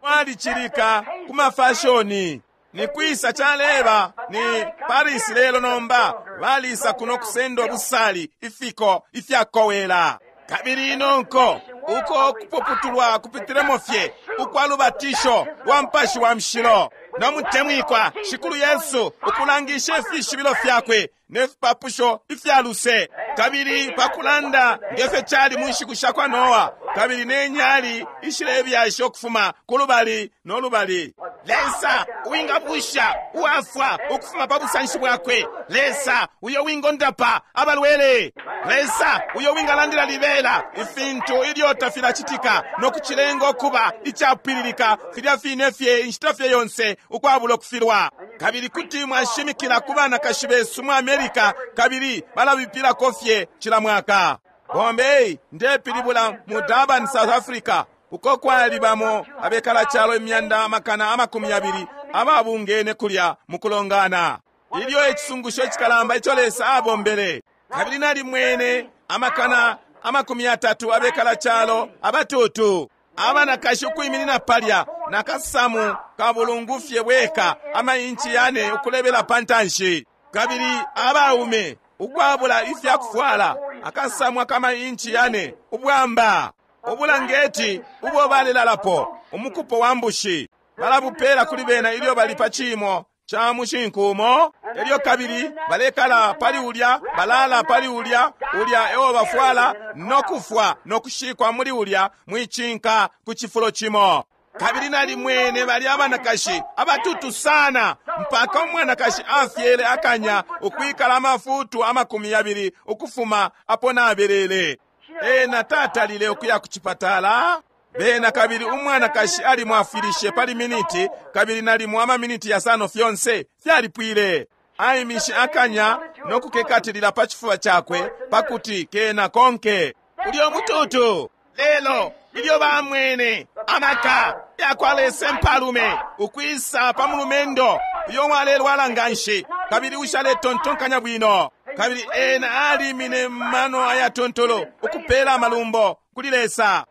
Walicilika ku mafashoni. Ni kwisa caleba ni Paris lelo nomba balisa kuno kusenda ubusali ifiko ifyakowela. Kabili inonko uko kupuputulwa kupitilemo fye ukwa lubatisho lwa Mupashi wa Mushilo no mutemwikwa Shikulu Yesu ukulangisha ifishibilo fyakwe ne fipapusho ifya luse, kabili pakulanda ngefyo cali mu nshiku sha kwa Noa, kabili ne nyali ishilebyasha ukufuma ku lubali no lubali. Lesa uwingabusha uwafwa ukufuma pa busanshi bwakwe, Lesa uyo wingondapa abalwele, Lesa uyo wingalandila libela ifintu ilyo tafilacitika no kucilenga ukuba icapwililika filya fine fye inshita fye yonse ukwabula ukufilwa. Kabili kuti mwashimikila ku banakashi besu mu Amerika, kabili balabipilako fye cila mwaka. Bombay ndepilibula mu Durban, South Africa, uko kwali bamo abekala calo 220,000 ababungene kulya mu kulongana. Ilyo icisungusho icikalamba ico Lesa abombele, kabili nalimwene 30,000 abekala calo abatutu, abanakashi ukwiminina palya nakasamu kabulungufye bweka amainchi 4 ukulebela pantanshi, kabili abaume ukwabula ifyakufwala akasamu akamainchi 4 ubwamba ubulangeti ubo balelalapo umukupo wa mbushi balabupela kuli bena ilyo bali pa cimo ca mushinkumo. Elyo kabili balekala pali ulya, balala pali ulya, ulya ewo bafwala no kufwa no kushikwa muli ulya mwicinka ku cifulo cimo. Kabili nalimwene bali abanakashi abatutu sana mpaka umwanakashi afyele akanya ukwikala amafutu 20 ukufuma apo nabelele. Ena tatalile ukuya ku cipatala. Bena kabili umwanakashi alimwafwilishe pali miniti, kabili nalimo amaminiti 5 fyonse fyalipwile. Aimishe akanya no kukekatilila pa chifuba chakwe pakuti kena konke ulyo mututu. Lelo ilyo bamwene amaka yakwa Lesa mpalume ukwisa pa mulumendo uyo walelwala nganshi kabili ushaletontonkanya bwino, kabili ena alimine mano ayatontolo ukupela amalumbo kuli Lesa.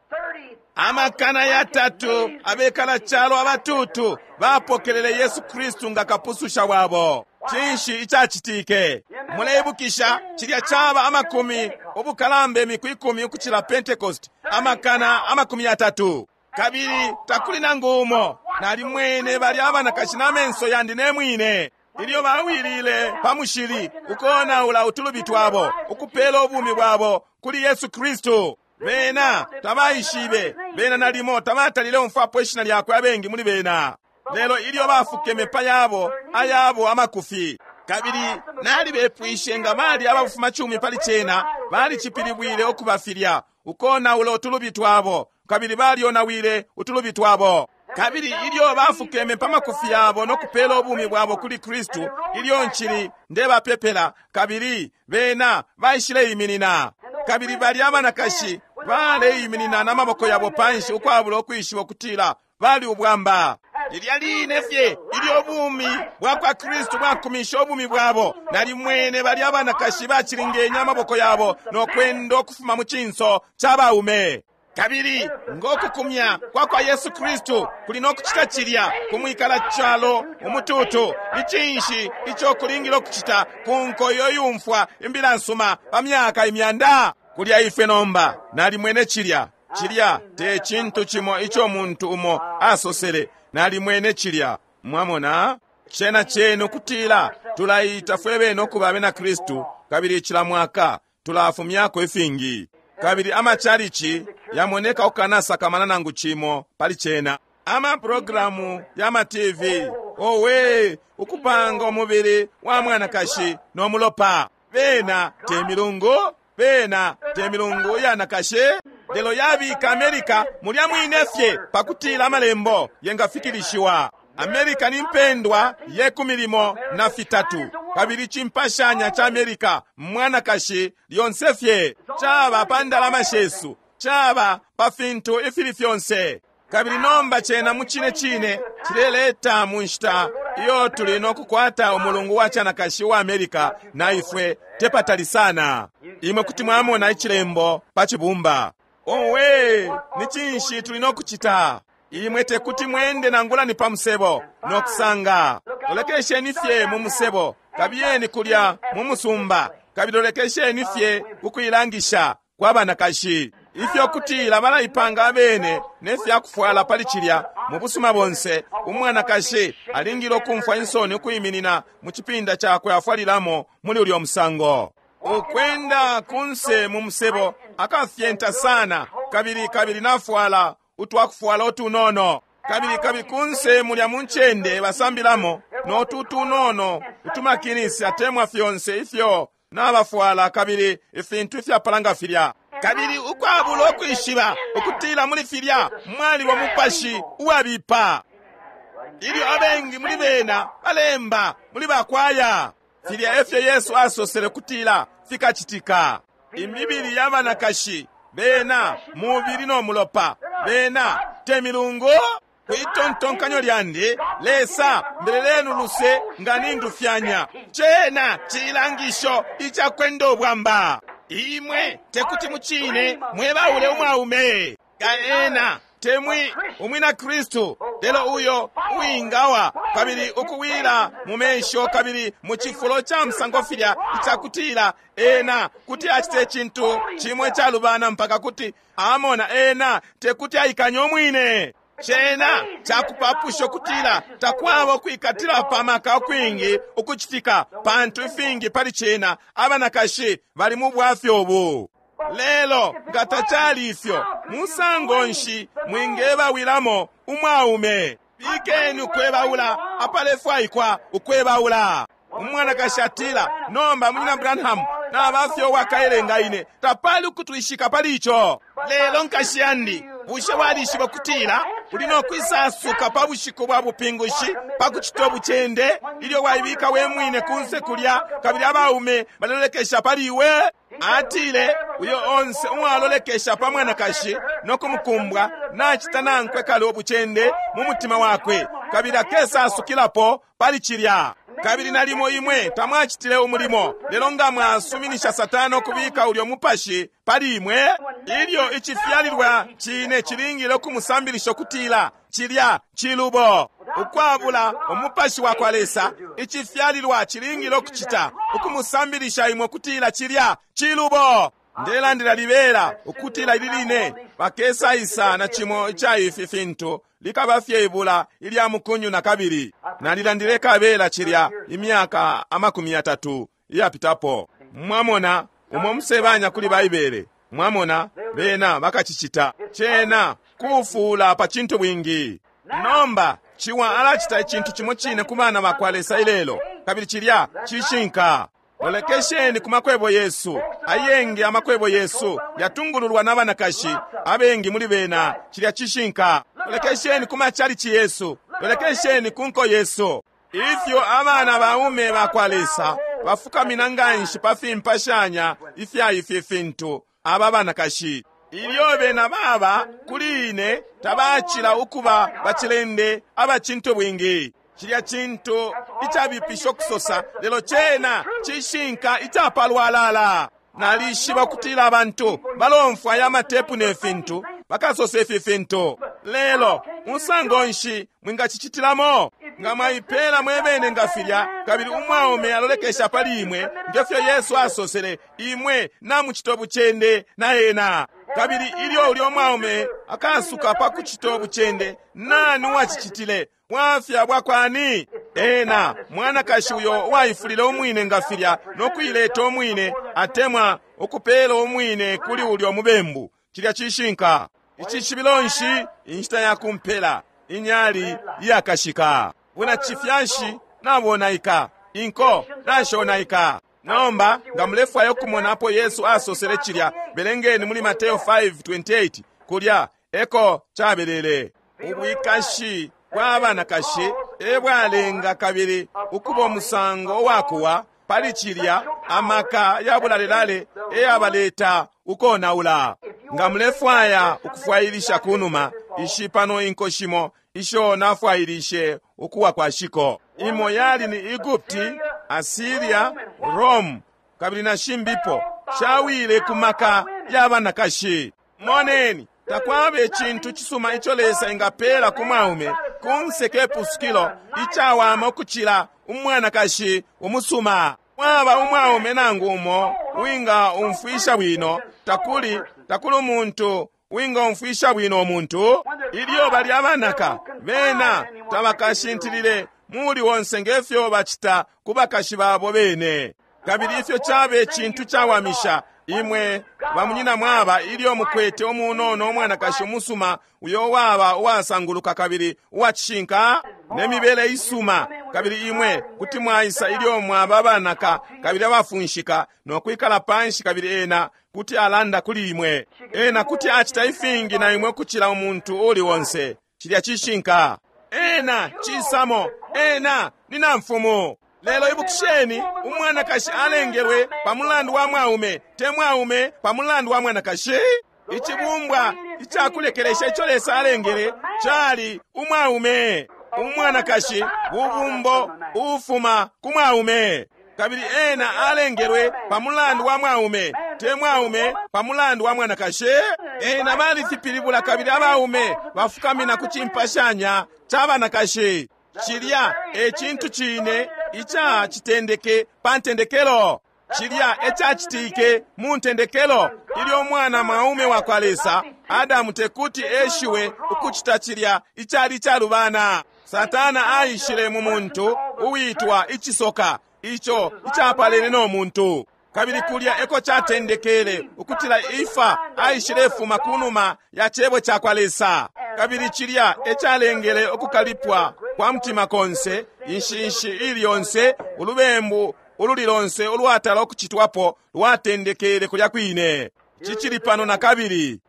300,000 abekala calo abatutu bapokelele Yesu Kristu nga kapususha wabo. Cinshi icacitike? Muleibukisha cilya caba amakumi ubukalamba imiku 10 ukucila Pentecost, 30,000. Kabili takuli nangu umo. Nalimwene bali abanakashi na menso yandi ne mwine ilyo bawilile pa mushili ukonaula utulubi twabo ukupela ubumi bwabo kuli Yesu Kristu. Bena tabaishibe, bena nalimo tabatalile umfwapo ishina lyakwe abengi muli bena. Lelo ilyo bafukeme pa yabo ayabo amakufi, kabili nalibepwishe nga bali abafuma cumi pali cena, balicipilibwile ukubafilya ukonaula utulubi twabo, kabili balionawile utulubi twabo. Kabili ilyo bafukeme pa makufi yabo no kupela ubumi bwabo kuli Kristu, ilyo nchili ndebapepela, kabili bena baishileiminina. Kabili bali abanakashi baleiminina na maboko yabo panshi ukwabula ukwishiba ukutila bali ubwamba. Lilya line fye ilyo ubumi bwa kwa Kristu bwakumisha ubumi bwabo, nalimwene balya abanakashi bacilingenye amaboko yabo no kwenda ukufuma mu cinso ca baume. Kabili ngokukumya kwa kwa Yesu Kristu kuli no kucita cilya kumwikala calo umututu, ni cinshi ico kulingile ukucita ku nko iyo yumfwa imbila nsuma pa myaka imyanda? Kulya ifwe nomba nalimwene cilya. Cilya te cintu cimo ico muntu umo asosele, nalimwene cilya. Mwamona? Cena cenu kutila tulaita fwe bene ukuba abena Kristu, kabili cila mwaka tulafumyako ifingi. Kabili amachalichi yamoneka ukanasakamana nangu cimo pali cena. Ama programu ya ma TV, owe, ukupanga umubili wa mwanakashi no mulopa. Bena te milungu, bena te milungu yanakashi. Lelo yabika Amerika mulya mwine fye pakutila amalembo yengafikilishiwa. Amerika ni mpendwa ye 13, kabili cimpashanya ca Amerika mwanakashi lyonse fye. Caba pa ndalama shesu, caba pa fintu ifili fyonse. Kabili nomba cena mu cine cine cileleta mu nshita iyo tuli no kukwata umulungu wa canakashi wa Amerika na ifwe tepatali sana. Imwe kuti mwamona icilembo pa cibumba. Owe, ni cinshi tuli no kucita? Imwe tekuti mwende nangula ni pa musebo no kusanga. Lolekesheni fye mu musebo, kabiyeni kulya mu musumba, kabili lolekesheni fye ukuilangisha kwa banakashi. Ifyo kutila balaipanga abene ne fya kufwala pali cilya mu busuma bonse. Umwanakashi alingile ukumfwa insoni ukwiminina mu cipinda cakwe afwalilamo muli ulyo musango. Ukwenda kunse mu musebo akafyenta sana, kabili kabili nafwala utwakufwala utunono, kabili kabili kunse mulya mu ncende basambilamo no tunono utumakinisi atemwa fyonse ifyo nabafwala, kabili ifintu ifyapalanga filya. Kabili ukwabula ukwishiba ukutila muli filya mwaliba mupashi uwabipa. Ilyo abengi muli bena balemba muli bakwaya, filya efyo Yesu asosele kutila fikacitika. Imibili ya banakashi bena mubili no mulopa, bena te milungu. Kwitontonkanyo lyandi, Lesa mbelelenu luse nga nindufyanya. Cena cilangisho icakwenda ubwamba. Imwe tekuti mucine mwebaule umwaume kaena temwi umwina Kristu, lelo uyo uwingawa kabili ukuwila mu mesho kabili mu cifulo ca musango filya icakutila ena kuti acite cintu cimwe calubana mpaka kuti amona ena tekuti aikanye umwine. Cena cakupapusha ukutila takwaba ukwikatila pa maka ukwingi ukucitika, pantu ifingi pali cena abanakashi bali mu bwafya ubu. Lelo nga tacali ifyo, musango nshi mwingebawilamo umwaume? Bikeni ukwebaula apalefwaikwa ukwebaula. Umwanakashi atila, nomba Munyina Branham nabafye uwakaelenga ine, tapali ukutwishika pali ico. Lelo nkashi yandi, bushe walishiba kutila uli no kwisasuka pa bushiku bwa bupingushi pa kucita ubucende ilyo waibika we mwine kunse kulya, kabili abaume balolekesha pali iwe? Atile, uyo onse uwalolekesha pa mwanakashi no kumukumbwa nacita nankwe kale ubucende mu mutima wakwe, kabili akesasukilapo pali cilya. Kabili nalimo imwe tamwacitile umulimo, lelo nga mwasuminisha Satana ukubika ulyo mupashi pali imwe, ilyo icifyalilwa cine cilingile ukumusambilisha ukutila cilya cilubo. Ukwabula umupashi wa kwa Lesa, icifyalilwa cilingile ukucita ukumusambilisha imwe ukutila cilya cilubo. Ndelandila libela ukutila ili line bakesaisa na cimo ica ifi fintu likaba fye ibula ilya mukunyu na kabili. Nalilandile kabela cilya imyaka 30 iyapitapo. Mwamona umo musebanya kuli Baibele, mwamona bena bakacicita cena kufuula pa cintu bwingi. Nomba ciwa alacita icintu cimo cine ku bana bakwa Lesa ilelo, kabili cilya cishinka. Lolekesheni ku makwebo yesu ayengi. Amakwebo yesu yatungululwa n'abanakashi abengi muli bena, cilya cishinka. Lolekesheni ku machalichi yesu, lolekesheni ku nko yesu. Ifyo abana baume bakwa Lesa bafukamina nganshi pa fimpashanya ifya ifi fintu aba banakashi. Ilyo bena baba kuli ine tabacila ukuba bacilende abacintu bwingi. Cilya cintu icabipisha ukusosa, lelo cena cishinka icapalwalala. Nalishiba ukutila abantu balomfwa aya matepu ne fintu, bakasosa ifi fintu. Lelo musango nshi mwingacicitilamo? Nga mwaipela mwebene nga filya, kabili umwaume alolekesha pali imwe, ngefyo Yesu asosele, imwe namucito bucende na ena. Kabili ilyo ulyo mwaume akasuka pa kucito bucende, nani uwacicitile? Bwafya bwakwani? Ena mwanakashi uyo uwaifulile umwine nga filya no kuileta umwine, atemwa ukupela umwine kuli ulyo mubembu. Cilya cishinka. Icishibilo nshi? Inshita ya kumpela, inyali iyakashika. Buna cifyashi nabonaika, inko nashonaika. Nomba nga mulefwaya ukumona apo Yesu asosele cilya, belengeni muli Mateo 5:28. Kulya eko cabelele. Ubwikashi bwa banakashi ebwalenga kabili ukuba umusango uwakuwa pali cilya amaka ya bulalelale eyabaleta ukonaula. Nga mulefwaya ukufwailisha kunuma, ishi pano inko shimo isho nafwailishe ukuwa kwa shiko. Imo yali ni Egupti, Asiria, Rome, kabili na shimbipo shawile ku maka ya banakashi. Moneni, takwaba icintu cisuma ico Lesa engapela ku mwaume kunse ke pusukilo icawama ukucila umwanakashi umusuma. Mwaba umwaume nangu umo winga umfwisha bwino, takuli umuntu winga umfwisha bwino umuntu. Ilyo bali abanaka, bena tabakashintilile muli wonse ngefyo bacita ku bakashi babo bene. Kabili ifyo cabe cintu cawamisha imwe bamunyina mwaba ilyo mukwete umunono umwanakashi umusuma uyo waba uwasanguluka kabili uwacishinka ne mibele isuma, kabili imwe kuti mwaisa ilyo mwaba abanaka kabili abafunshika no kwikala panshi, kabili ena kuti alanda kuli imwe. Ena kuti acita ifingi na imwe kucila umuntu uli wonse. Cilya cishinka. Ena cisamo, ena ni namfumu. Lelo ibukisheni, umwanakashi alengelwe pa mulandu wa mwaume, te mwaume pa mulandu wa mwanakashi. Icibumbwa icakulekelesha ico Lesa alengele cali umwaume. Umwanakashi bubumbo ufuma ku mwaume, kabili ena alengelwe pa mulandu wa mwaume, te mwaume pa mulandu wa mwanakashi. Ena balifipilibula, kabili abaume bafukamina ku cimpashanya ca banakashi. Cilya e cintu cine icacitendeke pa ntendekelo. Cilya ecacitike mu ntendekelo ilyo umwana mwaume wa kwa Lesa Adamu tekuti eshiwe ukucita cilya icali calubana. Satana aishile mu muntu uwitwa icisoka, ico icapalene no muntu. Kabili kulya eko catendekele ukutila Efa aishilefuma kunuma ya cebo ca kwa Lesa. Kabili cilya ecalengele ukukalipwa kwa mutima konse, inshinshi ili yonse, ulubembu ululi lonse ulwatala ukucitwapo lwatendekele kulya kwine. Cicili pano na kabili.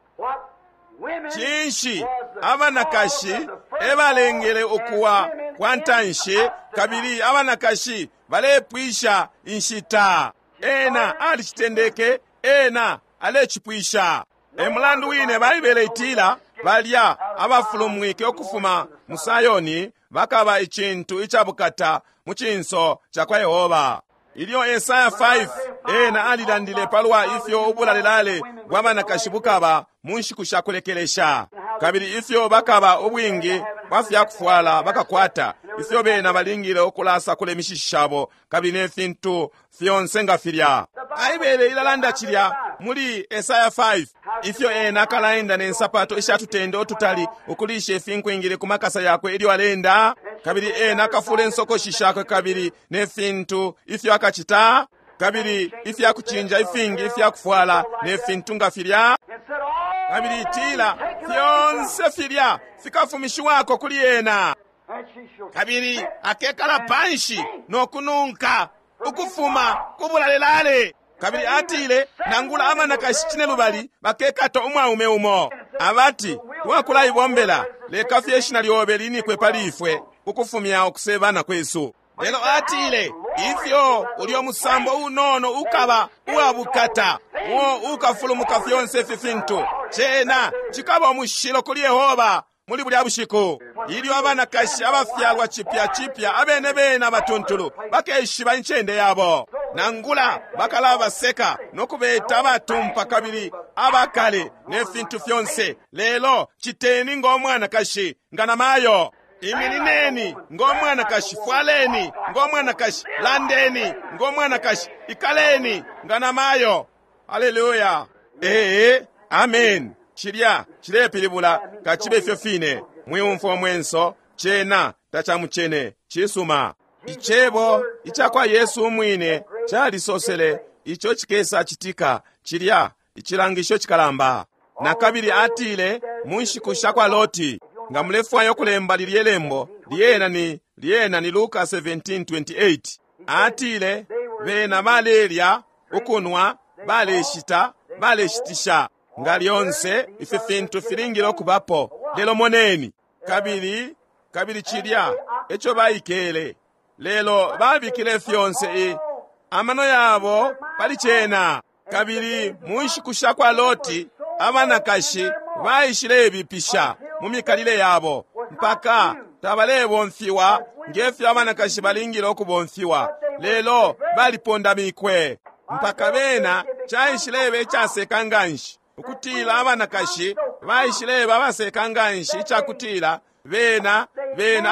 Cinshi abanakashi ebalengele ukuwa kwa ntanshi, kabili abanakashi balepwisha inshita. Ena alicitendeke, ena alecipwisha. E mulandu wine Baibele itila balya abafulumwike ukufuma mu Sayoni bakaba icintu icabukata mu cinso ca kwa Yehova. Ilyo Esaya 5 ena alilandile palwa ifyo ubulalelale bwa banakashi bukaba mu nshiku sha kulekelesha, kabili ifyo bakaba ubwingi bwa fyakufwala bakakwata, ifyo bena balingile ukulasakula imishishi shabo, kabili ne fintu fyonse nga filya. Baibele ilalanda cilya muli Esaya 5, ifyo ena akalaenda ne nsapato ishatutende ututali, ukulisha ifinkwingile ku makasa yakwe ilyo alenda, kabili ena akafula insokoshi shakwe, kabili ne fintu ifyo akacita, kabili ifyakucinja ifingi ifyakufwala ne fintu nga filya. Kabili itila fyonse filya fikafumishiwako kuli ena, kabili akekala panshi no kununka ukufuma ku bulalelale. Kabili atile nangula abanakashi cine lubali bakekata umwaume umo, abati twakulaibombela, leka fye ishina lyobe linikwe pali ifwe ukufumya ukusebana kwesu. Lelo atile ifyo ulyo musambo unono ukaba uwabukata, uo ukafulumuka fyonse ifi fintu. Cena cikaba umushilo kuli Yehoba muli bulya bushiku, ilyo abanakashi abafyalwa cipya cipya abene bene abatuntulu bakeshiba incende yabo, nangula bakalabaseka no kubeta abatumpa kabili abakale ne fintu fyonse. Lelo citeni ngo mwanakashi, nga namayo. Iminineni ngo mwanakashi, fwaleni ngo mwanakashi, landeni ngo mwanakashi, ikaleni nga namayo. Haleluya! Ee, amen. Cilya cilepilibula kacibe ifyo fine. Mwiumfwa mwenso, cena tacamucene. Cisuma. Icebo icakwa Yesu umwine calisosele ico cikesa citika, cilya icilangisho cikalamba. Na kabili atile mu nshiku sha kwa Loti. Nga mulefwaya ukulemba lilye lembo, lyena ni Luka 17:28. Atile bena balelya, ukunwa, baleshita, baleshitisha. Nga lyonse ifi fintu filingile ukubapo. Lelo moneni, kabili cilya eco baikele. Lelo babikile fyonse amano yabo pali cena. Kabili mu nshiku sha kwa Loti abanakashi baishilebipisha mu mikalile yabo mpaka tabalebomfiwa ngefyo abanakashi balingile ukubomfiwa, lelo balipondamikwe mpaka bena caishileba icaseka nganshi ukutila abanakashi baishileba abaseka nganshi icakutila bena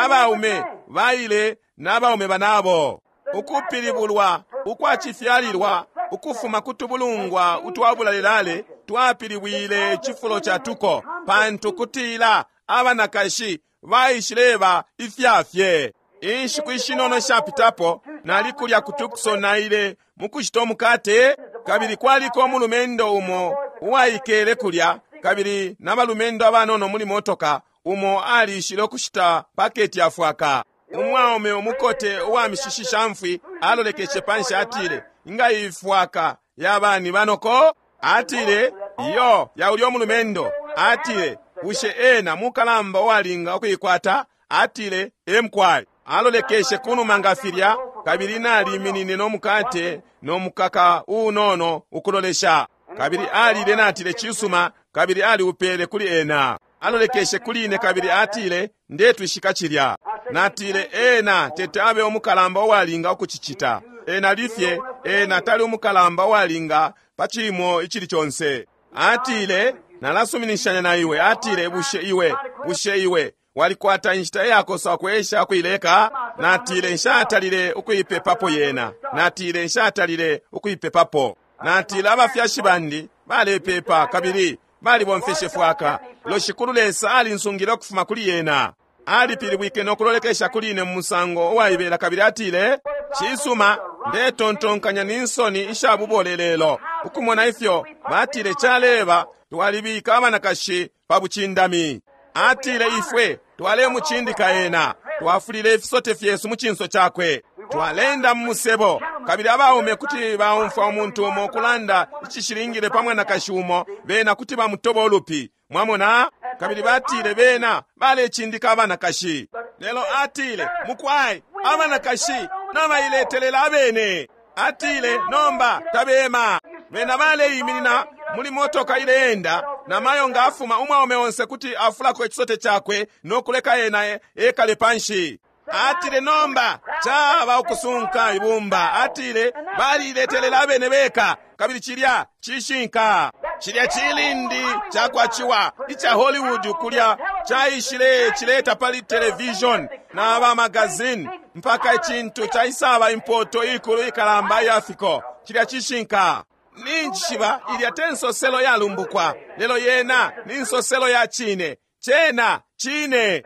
abaume baile n'abaume banabo. Ukupilibulwa ukwacifyalilwa ukufuma kutubulungwa utwabulalelale twapilibwile cifulo ca tuko, pantu kutila abanakashi baishileba ifyafye. Inshiku ishinono shapitapo nali kulya ku Tucson, naile mukushita umukate, kabili kwaliko umulumendo umo uwaikele kulya, kabili n'abalumendo abanono muli motoka. Umo alishile ukushita paketi ya fwaka. Umwaume umukote uwa mishishi shamfwi alolekeshe panshi, atile, inga ifwaka yabani banoko? Atile, iyo ya ulyo mulumendo. Atile, bushe ena mukalamba uwalinga ukuikwata? Atile, emkwai. Alolekeshe kunuma nga filya, kabili naliminine no mukate no mukaka unono ukulolesha. Kabili alile, natile, cisuma, kabili aliupele kuli ena. Alolekeshe kuli ine kabili atile, ndetwishika cilya. Natile, ena tete abe umukalamba uwalinga ukucicita. Ena lifye, ena tali umukalamba uwalinga pa cimo icili conse. Atile, nalasuminishanya na iwe. Atile, bushe iwe walikwata inshita iyakosa ukwesha ukuileka? Natile, nshatalile ukuipepapo yena. Natile, nshatalile ukuipepapo. Natile, abafyashi bandi balepepa kabili balibomfeshe fwaka. Lo Shikulu Lesa alinsungile ukufuma kuli yena. Alipilibwike no kulolekesha kuli ine mu musango uwaibela kabili atile, cisuma, ndetontonkanya ni nsoni ishabubole lelo ukumona ifyo batile caleba twalibika abanakashi pa bucindami. Atile ifwe twalemucindika ena, twafulile ifisote fyesu mu cinso cakwe, twalenda mu musebo, kabili abaume kuti baumfwa umuntu umo kulanda icishilingile pa mwanakashi umo, bena kuti bamutoba ulupi. Mwamona? Kabili batile bena balecindika abanakashi. Lelo atile, mukwai, abanakashi nabailetelela abene. Atile, nomba tabema. Bena baleiminina muli motoka ileenda, na mayo nga afuma umwaume onse kuti afulako ichisote chakwe no kuleka ena ekale panshi. Atile, nomba chaba ukusunka ibumba. Atile, baliletelela abene beka, kabili chilya chishinka. Chilya chilindi chakwachiwa icha Hollywood kulya chaishile chileta pali television na ba magazine mpaka ichintu chaisaba impoto ikulu ikalamba yafiko. Chilya chishinka. Ninjishiba ilya te nsoselo yalumbukwa, lelo yena ni nsoselo ya chine. Chena chine.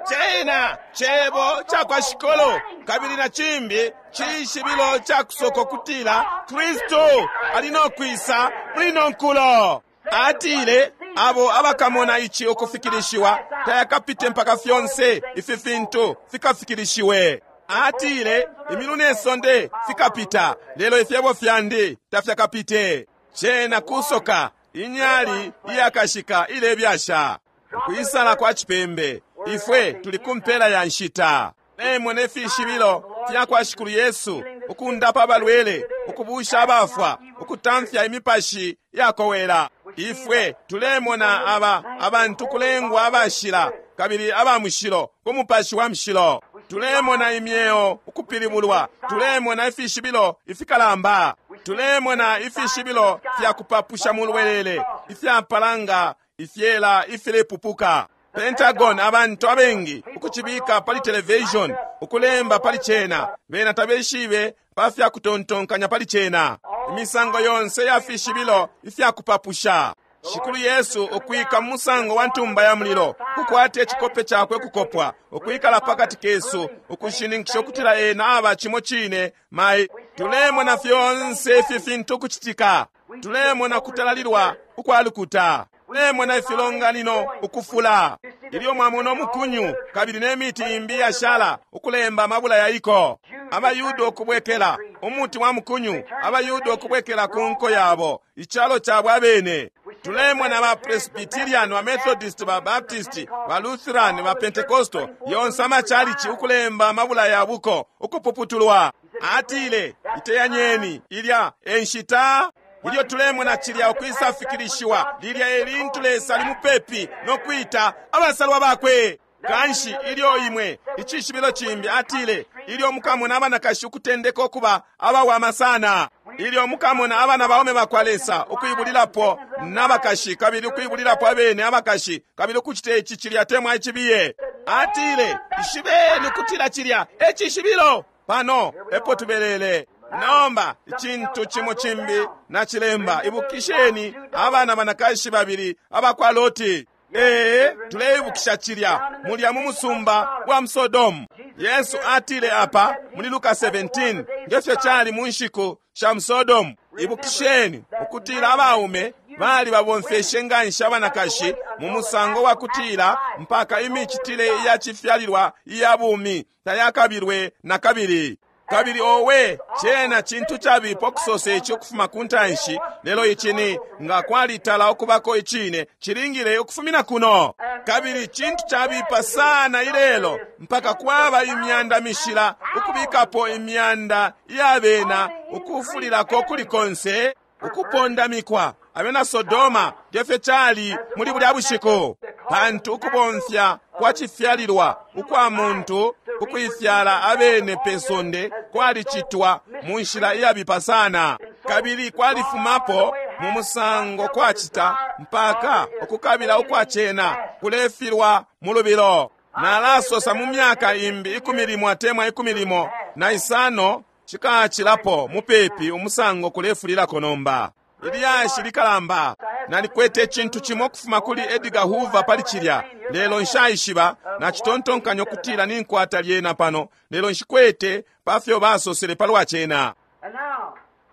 Chena chebo chakwa shikolo, kabili na chimbi chishibilo cha kusoko kutila Kristo ali no kwisa muli nonkulo. Atile abo abakamona ichi ukufikilishiwa tayakapite mpaka fyonse ifi fintu fikafikilishiwe. Atile imilu ne sonde fikapita, lelo ifyebo fyandi tafyakapite. Chena kusoka inyali iyakashika ilebyasha kuisala kwa chipembe. Ifwe tuli kumpela ya nshita. Nemwe fishibilo fya kwa Shikulu Yesu, ukundapa abalwele, ukubusha abafwa, ukutamfya imipashi yakowela. Ifwe tulemona aba abantu kulengwa abashila kabili aba mushilo ku Mupashi wa Mushilo. Tulemona imyeo ukupilibulwa, tulemona ifishibilo ifikalamba, tulemona ifishibilo fya kupapusha mu lwelele ifyapalanga ifyela ifilepupuka. Pentagon, abantu abengi ukucibika pali television, ukulemba pali cena, bena tabeshibe pa fya kutontonkanya pali cena. Imisango yonse ya fishibilo ifya kupapusha. Shikulu Yesu ukwika mu musango wa ntumba ya mulilo, kukwata icikope cakwe kukopwa, ukwikala pakati kesu, ukushininkisha ukutila ena aba cimo cine mai. Tulemona fyonse ifi fintu ukucitika. Tulemona kutalalilwa ukwa lukuta. Tulemona ifilonganino ukufula. Ilyo mwamona umukunyu kabili ne miti imbi yashala ukulemba amabula yaiko. AbaYuda ukubwekela umuti wa mukunyu, abaYuda ukubwekela ku nko yabo, icalo cabo abene. Tulemona ba Presbyterian, ba Methodist, ba Baptist, ba Lutheran, ba Pentecostal, yonse amachalichi ukulemba amabula yabuko ukupuputulwa. Atile, iteyanyeni, ilya enshita. Ilyo tulemona cilya ukwisa fikilishiwa, lilya elintu Lesa ali mupepi no kwita abasalwa bakwe. Kanshi ilyo imwe icishibilo cimbi, atile, ilyo mukamona abanakashi ukutendeka ukuba abawama sana, ilyo mukamona abana baume bakwa Lesa ukuibulilapo n'abakashi kabili ukuibulilapo abene abakashi kabili ukucita ici cilya temwa icibiye. Atile, ishibeni ukutila cilya e cishibilo. Pano epo tubelele. Nomba icintu cimo cimbi nacilemba. Ibukisheni abana banakashi babili abakwa Loti. Ee, tuleibukisha cilya mulya mu musumba wa Sodomu. Yesu atile apa muli Luka 17 ngefyo cali mu nshiku sha Sodomu. Ibukisheni ukutila abaume bali babomfeshe nganshi abanakashi mu musango wa kutila mpaka imicitile ya cifyalilwa iya bumi tayakabilwe na kabili. Kabili owe, cena cintu cabipa ukusosa ici ukufuma ku ntanshi, lelo ici ni nga kwalitala ukubako icine cilingile ukufumina kuno. Kabili cintu cabipa sana ilelo mpaka kwaba imyanda mishila ukubikapo imyanda iya bena ukufulilako kuli konse ukupondamikwa abena Sodoma ngefyo cali muli bulya bushiku. Pantu ukubomfya kwa cifyalilwa ukwa muntu ukuifyala abene pe sonde kwalicitwa mu nshila iyabipa sana, kabili kwalifumapo mu musango kwacita mpaka ukukabila ukwa cena kulefilwa mu lubilo. Nalasosa mu myaka imbi 11 atemwa 15 cikacilapo mupepi umusango kulefulilako nomba. Ilyashi likalamba. Nalikwete icintu cimo ukufuma kuli Edgar Hoover pali cilya, lelo nshaishiba nacitontonkanya ukutila ninkwata lyena pano, lelo nshikwete pafyo basosele palwa cena.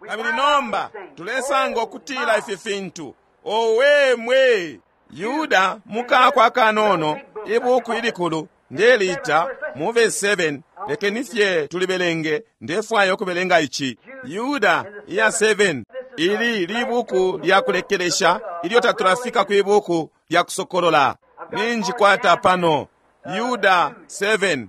Kabili nomba tulesanga ukutila ifi fintu. Owe mwe! Yuda mukakwa akanono, ibuku ilikulu ndelita mu verse 7, lekeni fye tulibelenge, ndefwaya ukubelenga ici. Yuda iya 7. Ili libuku lya kulekelesha ilyo tatulafika kwi buku lya kusokolola. Ninjikwata pano Yuda 7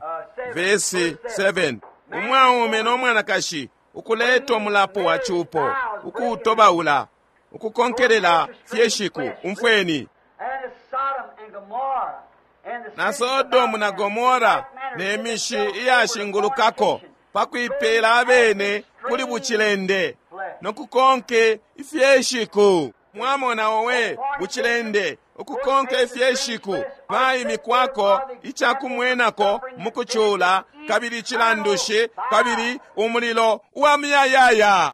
verse 7. Umwaume no mwanakashi ukuleta umulapo wa cupo, ukuutobaula, ukukonkelela fye shiku. Umfweni. Na Sodomu na Gomora ne mishi iyashingulukako pakuipela abene kuli bucilende nokukonke ifyeshiku. Mwamona owe bucilende ukukonke ifyeshiku baimikwako icakumwenako mukucula kabili icilandushi kabili umulilo uwa muyayaya.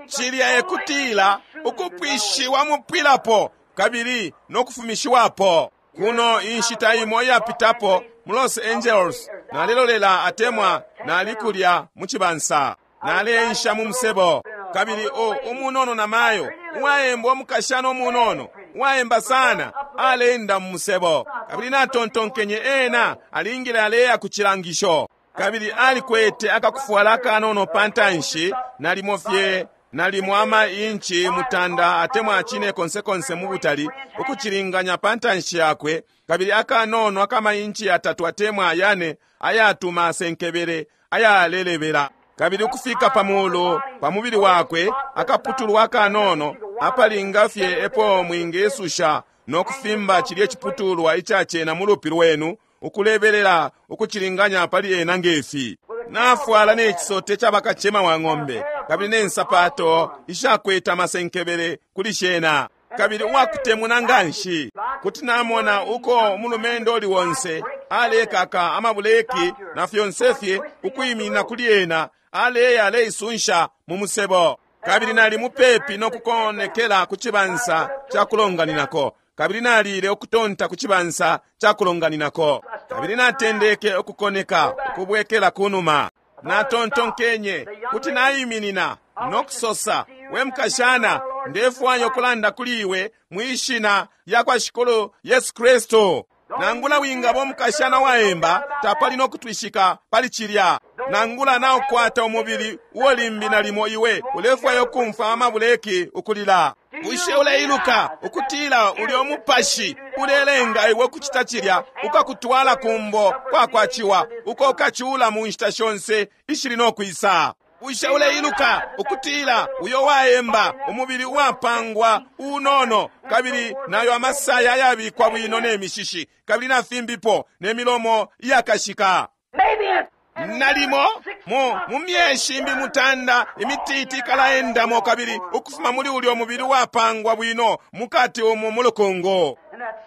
Cilya ekutila ukupwishiwa mupwilapo kabili nokufumishiwapo. Kuno inshita imo iyapitapo mu Los Angeles nalilolela atemwa nalikulya mu cibansa, naleensha mu musebo, kabili umunono na mayo uwaemba umukashana umunono uwaemba sana aleenda mu musebo, kabili natontonkenye ena alingile aleya ku cilangisho, kabili alikwete akakufwala akanono pantanshi nalimo fye nalimo ama inchi mutanda atemwa cine konse konse mu butali ukucilinganya pantanshi yakwe, kabili akanono akama inchi 3 atemwa 4 ayatuma senkebele ayalelebela, kabili ukufika pa mulu pa mubili wakwe akaputulwa akanono Apalinga fye epo mwingesusha no kufimba cilye ciputulwa icacena mu lupi lwenu, ukulebelela ukucilinganya pali ena ngefi. Nafwala ne cisote ca bakacema wa ng'ombe, kabili ne nsapato ishakwete amasenkebele kuli shena, kabili uwakutemuna nganshi. Kuti namona uko umulumendo uli onse alekaka amabuleki na fyonse fye ukwiminina kuli ena, aleya aleisunsha mu musebo. Kabili nali mupepi no kukonekela ku cibansa ca kulonganinako, kabili nalile ukutonta ku cibansa ca kulonganinako, kabili natendeke ukukoneka ukubwekela kunuma. Natontonkenye kuti naiminina no kusosa, we mukashana, ndefwaya ukulanda kuli iwe mwi shina lya kwa Shikulu Yesu Kristu. Nangula wingaba umukashana waemba, tapali no kutwishika pali cilya. Nangula naukwata umubili uo limbi nalimo iwe ulefwaya ukumfwa amabuleki ukulila. Bushe uleiluka ukutila ulyo mupashi ulelenga iwe ukucita cilya ukakutwala kumbo kwakwaciwa uko ukacula mu nshita shonse ishili no kwisa? Bushe uleiluka ukutila uyo waemba umubili uwapangwa unono, kabili nayo amasaya ayabikwa bwino ne mishishi, kabili na fimbipo ne milomo iyakashika? Nalimo mu myeshi imbi mutanda imititi ikalaendamo, kabili ukufuma muli ulyo mubili wapangwa bwino mukati umu mulukungu,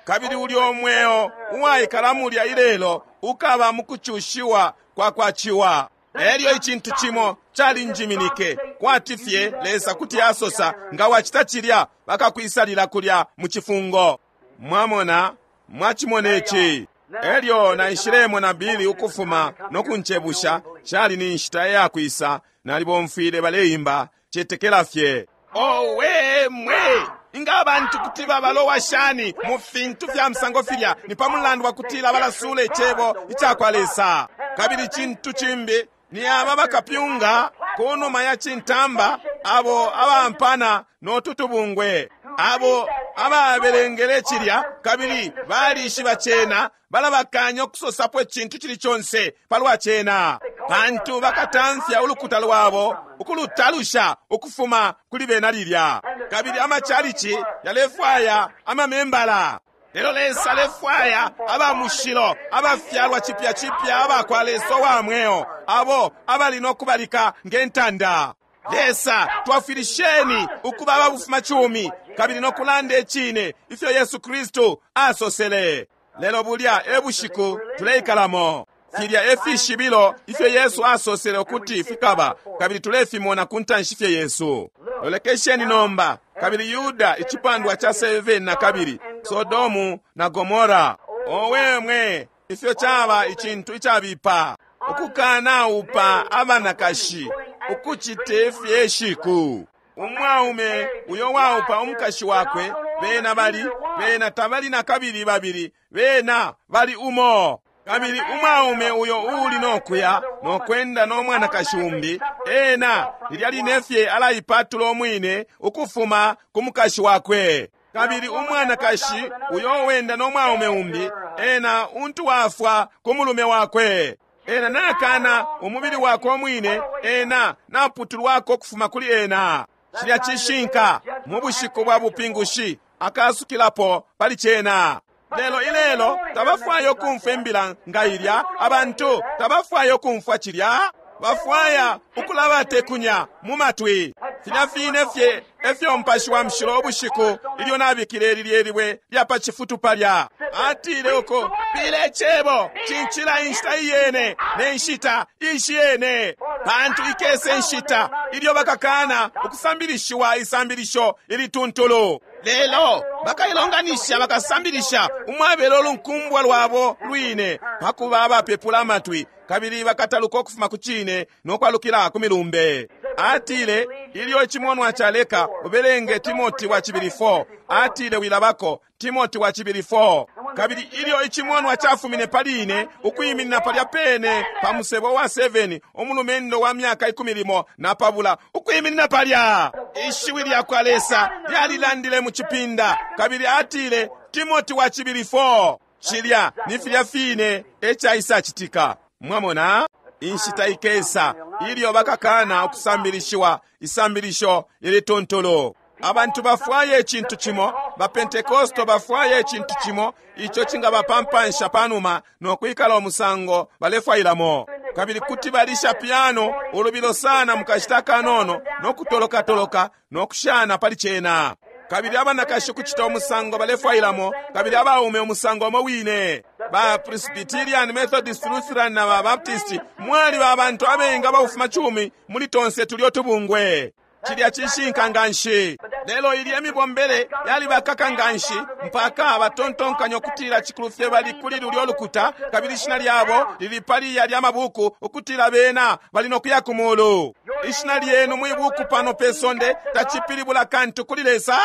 kabili ulyo mweo uwaikala mulya ilelo ukaba mukucushiwa kwa kwaciwa. Elyo icintu cimo calinjiminike, kwati fye Lesa kuti asosa, nga wacita cilya bakakwisalila kulya mu cifungo. Mwamona, mwachimona ici. Elyo naishilemo Bili ukufuma no kunchebusha, cali ni nshita yakwisa, nalibomfwile baleimba cetekela fye. Owe mwe! Inga abantu kuti babalowa shani mu fintu fya musango filya? Ni pa mulandu wa kutila balasula icebo icakwa Lesa. Kabili cintu cimbi ni aba bakapyunga kunuma ya cintamba, abo abampana no tutubungwe, abo ababelengele cilya kabili balishiba cena, balabakanya ukusosapo icintu cili conse palwa cena, pantu bakatamfya ulukuta lwabo ukulutalusha ukufuma kuli bena lilya. Kabili amachalichi yalefwaya amamembala, lelo Lesa alefwaya aba mushilo, abafyalwa cipya cipya abakwa Lesa wa mweo, abo abali no kubalika nge ntanda. Lesa, twafwilisheni ukuba ababufuma cumi kabili no kulanda icine ifyo Yesu Kristu asosele. Lelo bulya e bushiku tuleikalamo. Filya e fishibilo ifyo Yesu asosele ukuti fikaba, kabili tulefimona ku ntanshi fye Yesu. Lolekesheni nomba, kabili Yuda icipandwa ca 7 na kabili Sodomu na Gomora. Owe mwe, ifyo caba icintu icabipa ukukana upa abanakashi ukucite fye shiku. Umwaume uyo waupa umukashi wakwe, bena bali, bena tabali na kabili babili, bena bali umo. Kabili umwaume uyo uli nokuya nokwenda no mwanakashi umbi, ena lilya line fye alaipatula umwine ukufuma ku mukashi wakwe. Kabili umwanakashi uyo wenda no mwaume umbi, ena untu wafwa ku mulume wakwe. Ena nakana umubili wakwe umwine, ena naputulwako ukufuma kuli ena. Cilya cishinka mu bushiku bwa bupingushi akasukilapo pali cena. Lelo ilelo tabafwaya ukumfwa imbila nga ilya, abantu tabafwaya ukumfwa cilya, bafwaya ukulabatekunya mu matwi. Filya fine fye efyo Mupashi wa Mushilo ubushiku ilyo nabikile lilye libwe lya pa cifutu palya, atile uko pile cebo cincila inshita iyene ne nshita ishiyene, pantu ikese inshita ilyo bakakana ukusambilishiwa isambilisho ilituntulu. Lelo bakailonganisha bakasambilisha umwabelo ulunkumbwa lwabo lwine, pakuba abapepula amatwi, kabili bakataluka ukufuma ku cine no kwalukila ku milumbe. Atile ilyo icimonwa caleka, ubelenge Timoti wa cibili 4. Atile wilabako Timoti wa cibili 4. Kabili ilyo icimonwa cafumine pali ine, ukwiminina palya pene pa musebo wa 7, umulumendo wa myaka 15 na pabula, ukwiminina palya, ishiwi lya kwa Lesa lyalilandile mu cipinda, kabili atile Timoti wa cibili 4. Cilya ni filya fine ecaisacitika. Mwamona, inshita ikesa ilyo bakakana ukusambilishiwa isambilisho ilituntulu. Abantu bafwaya icintu cimo, ba Pentekosto bafwaya icintu cimo ico cingabapampansha panuma no kwikala umusango balefwailamo. Kabili kuti balisha piano ulubilo sana mukashita kanono no kutolokatoloka no kushana pali cena. Kabili abanakashi kucita umusango balefwailamo, kabili abaume umusango umo wine. Ba Presbyterian, Methodist, Lutheran na ba Baptist mwaliba abantu abengi abafuma cumi muli tonse tulyo tubungwe. Cilya cishinka nganshi. Lelo ilya mibombele yalibakaka nganshi mpaka batontonkanya ukutila cikulu fye bali kuli lulyo lukuta, kabili ishina lyabo lili pali yalya mabuku ukutila bena bali no kuya ku mulu. Ishina lyenu mwi buku pano pe sonde tacipilibula kantu kuli Lesa.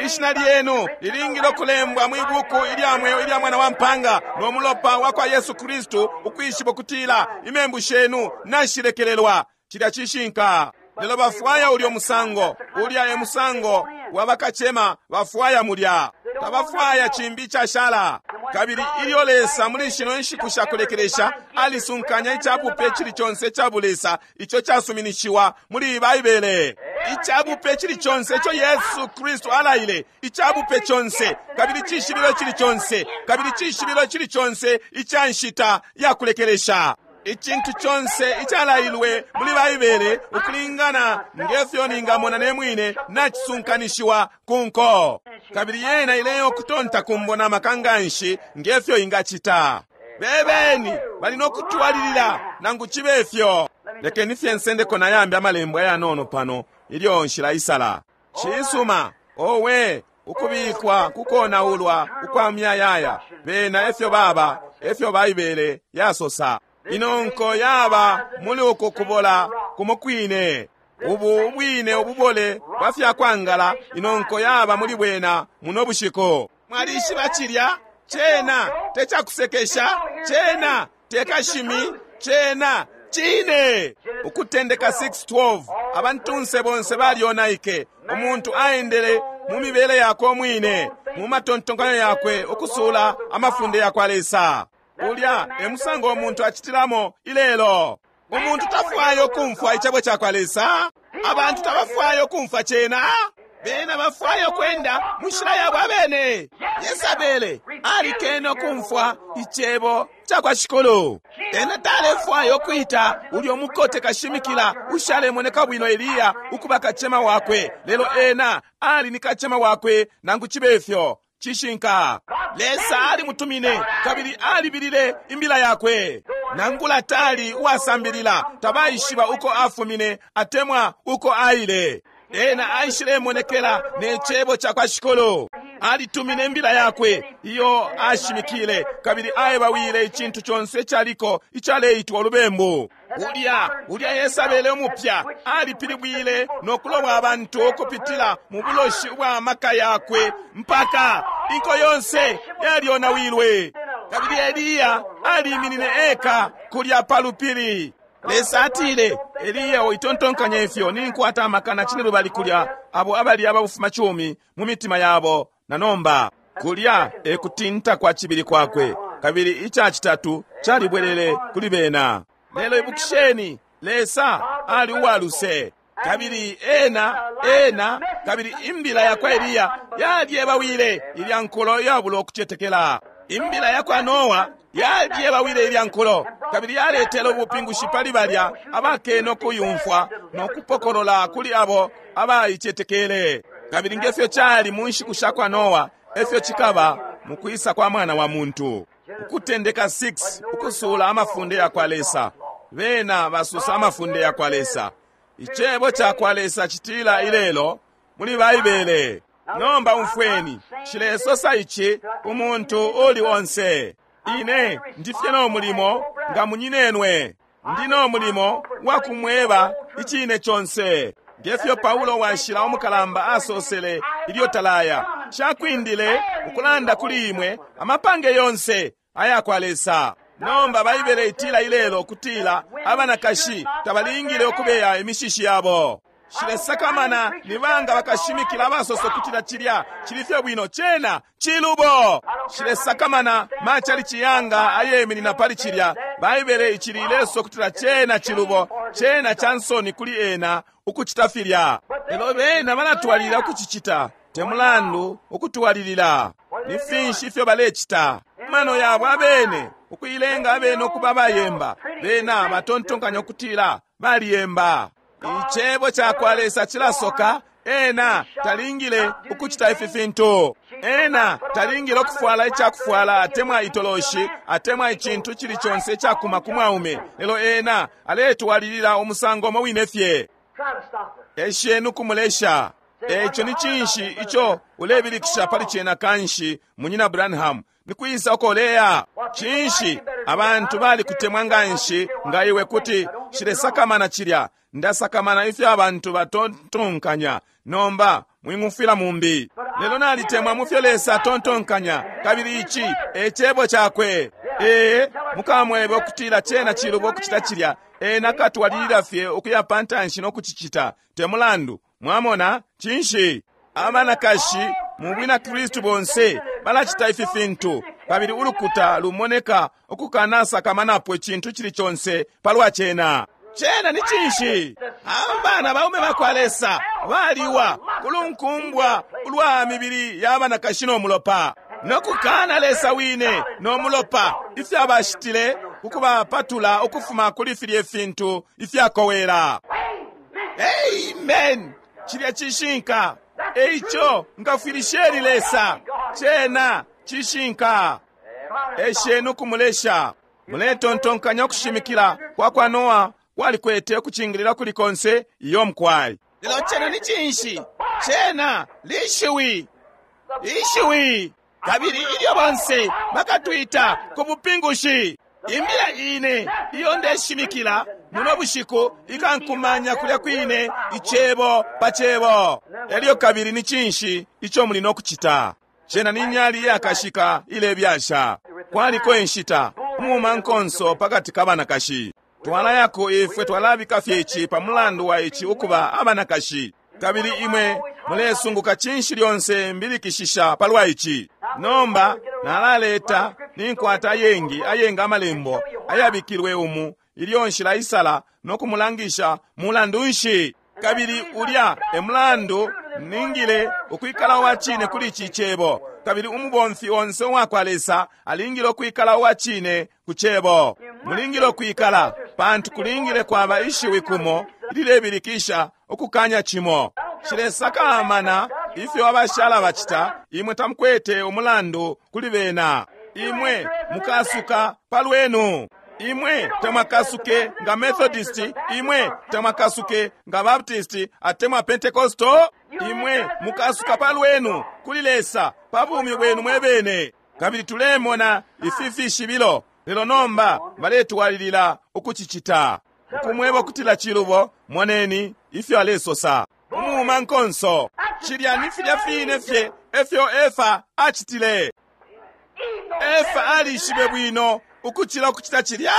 Ishina lyenu lilingile ukulembwa mwi buku ilya mweo ilya Mwana wa Mpanga no mulopa wa kwa Yesu Kristu, ukwishiba ukutila imembu shenu nashilekelelwa. Cilya cishinka. Lelo bafwaya ulyo musango, ulya e musango wa bakacema bafwaya mulya. Tabafwaya cimbi icashala. Kabili ilyo Lesa muli shino nshiku shakulekelesha alisunkanya icabupe cili conse ica bulesa ico casuminishiwa muli Baibele. Icabupe cili conse ico Yesu Kristu alaile, icabupe conse, kabili cishibilo cili conse, kabili cishibilo cili conse ica nshita ya kulekelesha. Icintu conse icalailwe muli Baibele ukulingana ngefyo ningamona ne mwine nacisunkanishiwa ku nko. Kabili yena ileyo kutonta kumbo na maka nganshi ngefyo ingacita. Bebeni bali no kutwalilila nangu cibe fyo. Lekeni fye nsendeko na yambi amalembo ayanono pano ilyo nshilaisala. Cisuma, owe, ukubikwa kukonaulwa ukwa myayaya. Bena efyo baba, efyo Baibele yasosa. Ino nko yaba muli uku kubola kumo kwine. Ubu ubwine ububole bwa fyakwangala ino nko yaba muli bwena muno bushiku. Mwalishiba cilya? Cena tecakusekesha, cena tekashimi, cena cine. Ukutendeka 6:12, abantunse bonse balyonaike. Umuntu aendele mu mibele yakwe umwine, mu matontonkanyo yakwe, ukusula amafunde yakwa Lesa. Ulya e musango umuntu acitilamo ilelo. Umuntu tafwaya ukumfwa icebo cakwa Lesa. Abantu tabafwaya ukumfwa cena. Bena bafwaya ukwenda mu nshila yabo abene. Yesabele alikene ukumfwa icebo cakwa Shikulu. Ena talefwaya ukwita ulyo mukote kashimikila ushalemoneka bwino Eliya ukuba kacema wakwe, lelo ena ali ni kacema wakwe nangu cibe fyo. Cishinka. Lesa alimutumine kabili alibilile imbila yakwe. Nangula tali uwasambilila, tabaishiba uko afumine atemwa uko aile. Ena aishilemonekela ne cebo cakwa Shikulu. Alitumine imbila yakwe iyo ashimikile, kabili aebawile icintu conse icaliko icaleitwa ulubembu. Ulya Yesabele umupya alipilibwile no kuloba abantu ukupitila mu buloshi ubwa maka yakwe mpaka inko yonse yalyonawilwe. Kabili Eliya aliminine eka kulya pa lupili. Lesa atile, Eliya, uitontonkanya ifyo ninkwata amakana cine lubali kulya abo abali ababufuma cumi mu mitima yabo na nomba. Kulya e kutinta kwa cibili kwakwe, kabili ica citatu calibwelele kuli bena. Lelo ibukisheni, Lesa ali uwaluse, kabili ena kabili imbila yakwa Eliya yalyebawile ilya nkulo yabulo ukucetekela. Imbila yakwa Noa yalyebawile ilya nkulo, kabili yaletele ubupingushi pali balya abakene ukuyumfwa no kupokolola kuli abo abaicetekele. Kabili ngefyo cali mu nshiku shakwa Noa, efyo cikaba mu kwisa kwa Mwana wa Muntu. Ukutendeka 6, ukusula amafunde yakwa Lesa. Bena basusa amafunde yakwa Lesa. Icebo cakwa Lesa citila ilelo muli Baibele. Nomba umfweni, nshilesosa ici umuntu uli onse. Ine ndifye no mulimo nga munyinenwe. Ndi no mulimo wa kumweba icine conse. Ngefyo Paulo washila umukalamba asosele ilyo talaya, shakwindile ukulanda kuli imwe amapange yonse ayakwa Lesa. Nomba Baibele itila ilelo ukutila abanakashi tabalingile ukubeya imishishi yabo. Shilesakamana ni banga bakashimikila abasosa ukutila cilya cili fye bwino, cena cilubo. Shilesakamana machali ciyanga ayeminina pali cilya. Baibele icili ileso ukutila cena cilubo. Cena cansoni kuli ena ukucita filya. Lelo bena balatwalilila ukucicita, te mulandu ukutwalilila. Ni finshi ifyo balecita? Mano yabo abene, ukuilenga abene ukuba abayemba. Bena batontonkanya ukutila baliyemba. Icebo cakwa Lesa cilasoka, ena talingile ukucita ifi fintu. Ena talingile ukufwala icakufwala atemwa itoloshi atemwa icintu cili conse icakuma ku mwaume, lelo ena aletwalilila umusango umo wine fye. Try to stop her. Esheni ukumulesha. Eco ni cinshi ico ulebilikisha pali cena kanshi, Munyina Branham? Nikwisa uko uleya? Cinshi abantu balikutemwa nganshi nga iwe kuti shilesakamana cilya. Ndasakamana ifyo abantu batontonkanya. Nomba mwing'umfwila mumbi. Lelo nalitemwa mu fyo Lesa atontonkanya, kabili ici e cebo cakwe. Ee, mukamwebe ukutila cena cilubo ukucita cilya. Ena akatwalilila fye ukuya pantanshi no kucicita, te mulandu. Mwamona, cinshi? Abanakashi mu bwina Kristu bonse balacita ifi fintu, kabili ulukuta lumoneka ukukanasakamanapo icintu cili conse palwa cena. Cena ni cinshi? Abana baume bakwa Lesa baliwa kulunkumbwa ulwa mibili ya banakashi no mulopa, no kukana Lesa wine no mulopa ifyo bashitile ukubapatula ukufuma kuli filye fintu ifyakowela. Amen. Cilya cishinka. Eico ngafwilisheni Lesa. Cena cishinka. Esheni ukumulesha. Muletontonkanya ukushimikila kwa kwa Noa kwalikwete ukucingilila kuli konse iyo mkwai. Lelo cena ni cinshi? Cena lishiwi. Ishiwi. Kabili ilyo bonse bakatwita ku bupingushi. Imbila ine iyo ndeshimikila muno bushiku ikankumanya kulya kwine icebo pa cebo. Elyo kabili ni cinshi ico muli no kucita? Cena ni nyali iyakashika ilebyasha. Kwaliko inshita umumankonso pakati ka banakashi. Twalayako ifwe twalabika fye ici pa mulandu wa ici ukuba abanakashi. Kabili imwe mulesunguka cinshi lyonse mbilikishisha palwa ici. Nomba nalaleta ninkwata ayengi ayengi amalembo ayabikilwe umu ilyo nshilaisala no kumulangisha mulandu nshi. Kabili ulya e mulandu ningile ukwikala uwa cine kuli ici cebo. Kabili umubomfi onse uwa kwa Lesa alingile ukwikala uwa cine ku cebo. Mulingile ukwikala, pantu kulingile kwaba ishiwi kumo ililebilikisha ukukanya cimo. Shilesakamana ifyo abashala bacita, imwe tamukwete umulandu kuli bena. Imwe mukasuka palwenu. Imwe tamwakasuke nga Methodist, imwe tamwakasuke nga Baptist atemwa Pentecostal. Imwe mukasuka palwenu kuli Lesa pa bumi bwenu mwebene. Kabili tulemona ifi fishibilo, lelo nomba baletwalilila ukucicita. Ukumweba ukutila cilubo, moneni ifyo alesosa. Umumankonso, cilya ni filya fine fye efyo Efa acitile. Efa alishibe bwino ukucila ukucita cilya.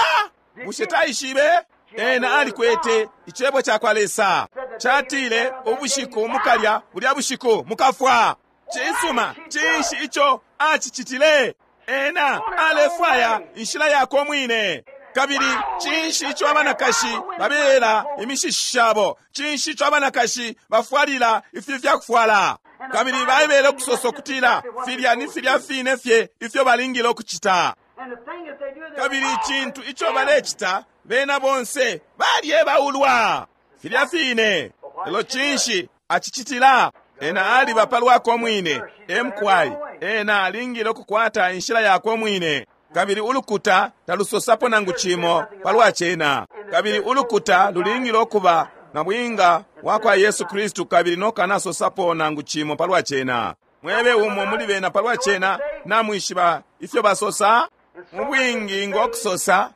Bushe taishibe? Ena alikwete icebo cakwa Lesa. Catile ubushiku mukalya, bulya bushiku mukafwa. Cisuma, cinshi ico acicitile? Ena alefwaya inshila yakwe mwine. Kabili cinshi ico abanakashi babela imishishi shabo? Cinshi ico abanakashi bafwalila ifi fyakufwala? Kabili baibele ukusosa ukutila filya ni filya fine fye ifyo balingile ukucita. And the thing that they do, they're Kabili icintu ico balecita, bena bonse balyebaulwa filya fine. Lelo cinshi acicitila? Ena aliba palwakwe mwine, emkwai. Ena alingile ukukwata inshila yakwe mwine. Kabili ulukuta talusosapo nangu cimo palwa cena. Kabili ulukuta lulingile ukuba na bwinga wa kwa Yesu Kristu kabili nokanasosapo nangu cimo palwa cena. Mwebe umo muli bena palwa cena, namwishiba ifyo basosa? Mu bwingi ngokusosa,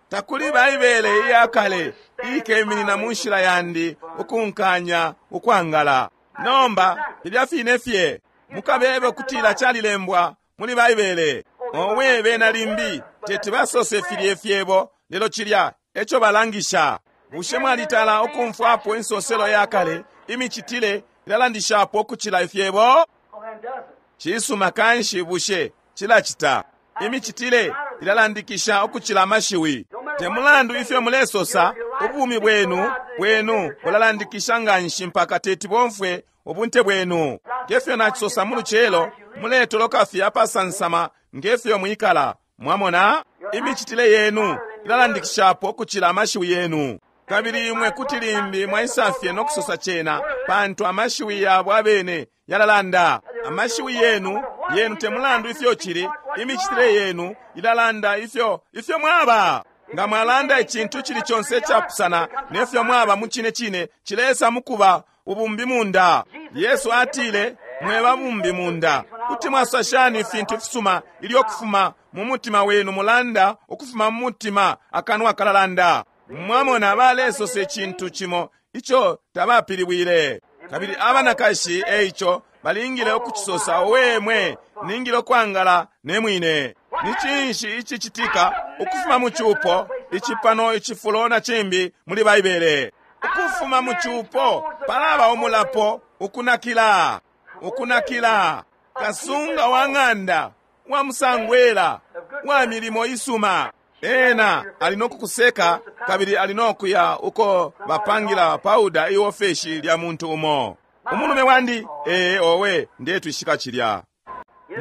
takuli Baibele iya kale ikeminina mu nshila yandi ukunkanya ukwangala. Nomba filya fine fye mukabebe ukutila calilembwa muli Baibele. Owe bena limbi teti basose filye fyebo, lelo cilya eco balangisha. Bushe mwalitala ukumfwapo insoselo ya kale imicitile ilalandishapo ukucila ifyebo? Oh, then does it. Cisuma kanshi bushe cilacita. Imicitile ilalandikisha ukucila amashiwi. Te mulandu ifyo mulesosa, Ubumi bwenu bwenu bulalandikisha nganshi mpaka teti bomfwe ubunte bwenu. Ngefyo nacisosa mu lucelo, muletoloka fye apasansama ngefyo mwikala. Mwamona, imicitile yenu ilalandikishapo ukucila amashiwi yenu. Kabili imwe kuti limbi mwaisafye no kusosa cena, pantu amashiwi yabo abene yalalanda. Amashiwi yenu yenu temulandu ifyo cili, imicitile yenu ilalanda ifyo ifyo mwaba. Nga mwalanda icintu cili conse icapusana nefyo mwaba mu cine cine, cilesa mukuba ubumbi munda. Yesu atile, mweba bumbi munda, kuti mwasosa shani ifintu ifisuma ilyo kufuma mu mutima wenu mulanda, ukufuma mu mutima akanwa kalalanda. Mwamona, balesosa icintu cimo ico tabapilibwile. Kabili abanakashi eico balingile ukucisosa, owe mwe, ningile ukwangala ne mwine. Ni cinshi icicitika ukufuma mu cupo ici pano icifulo na cimbi muli Baibele? Ukufuma mu cupo palaba umulapo, ukunakila, ukunakila. Kasunga wa ng'anda wa musangwela wa milimo isuma, ena ali no kukuseka kabili ali no kuya uko bapangila pauda iofeshi lya muntu umo. Umulume wandi, ee owe, ndetwishika cilya.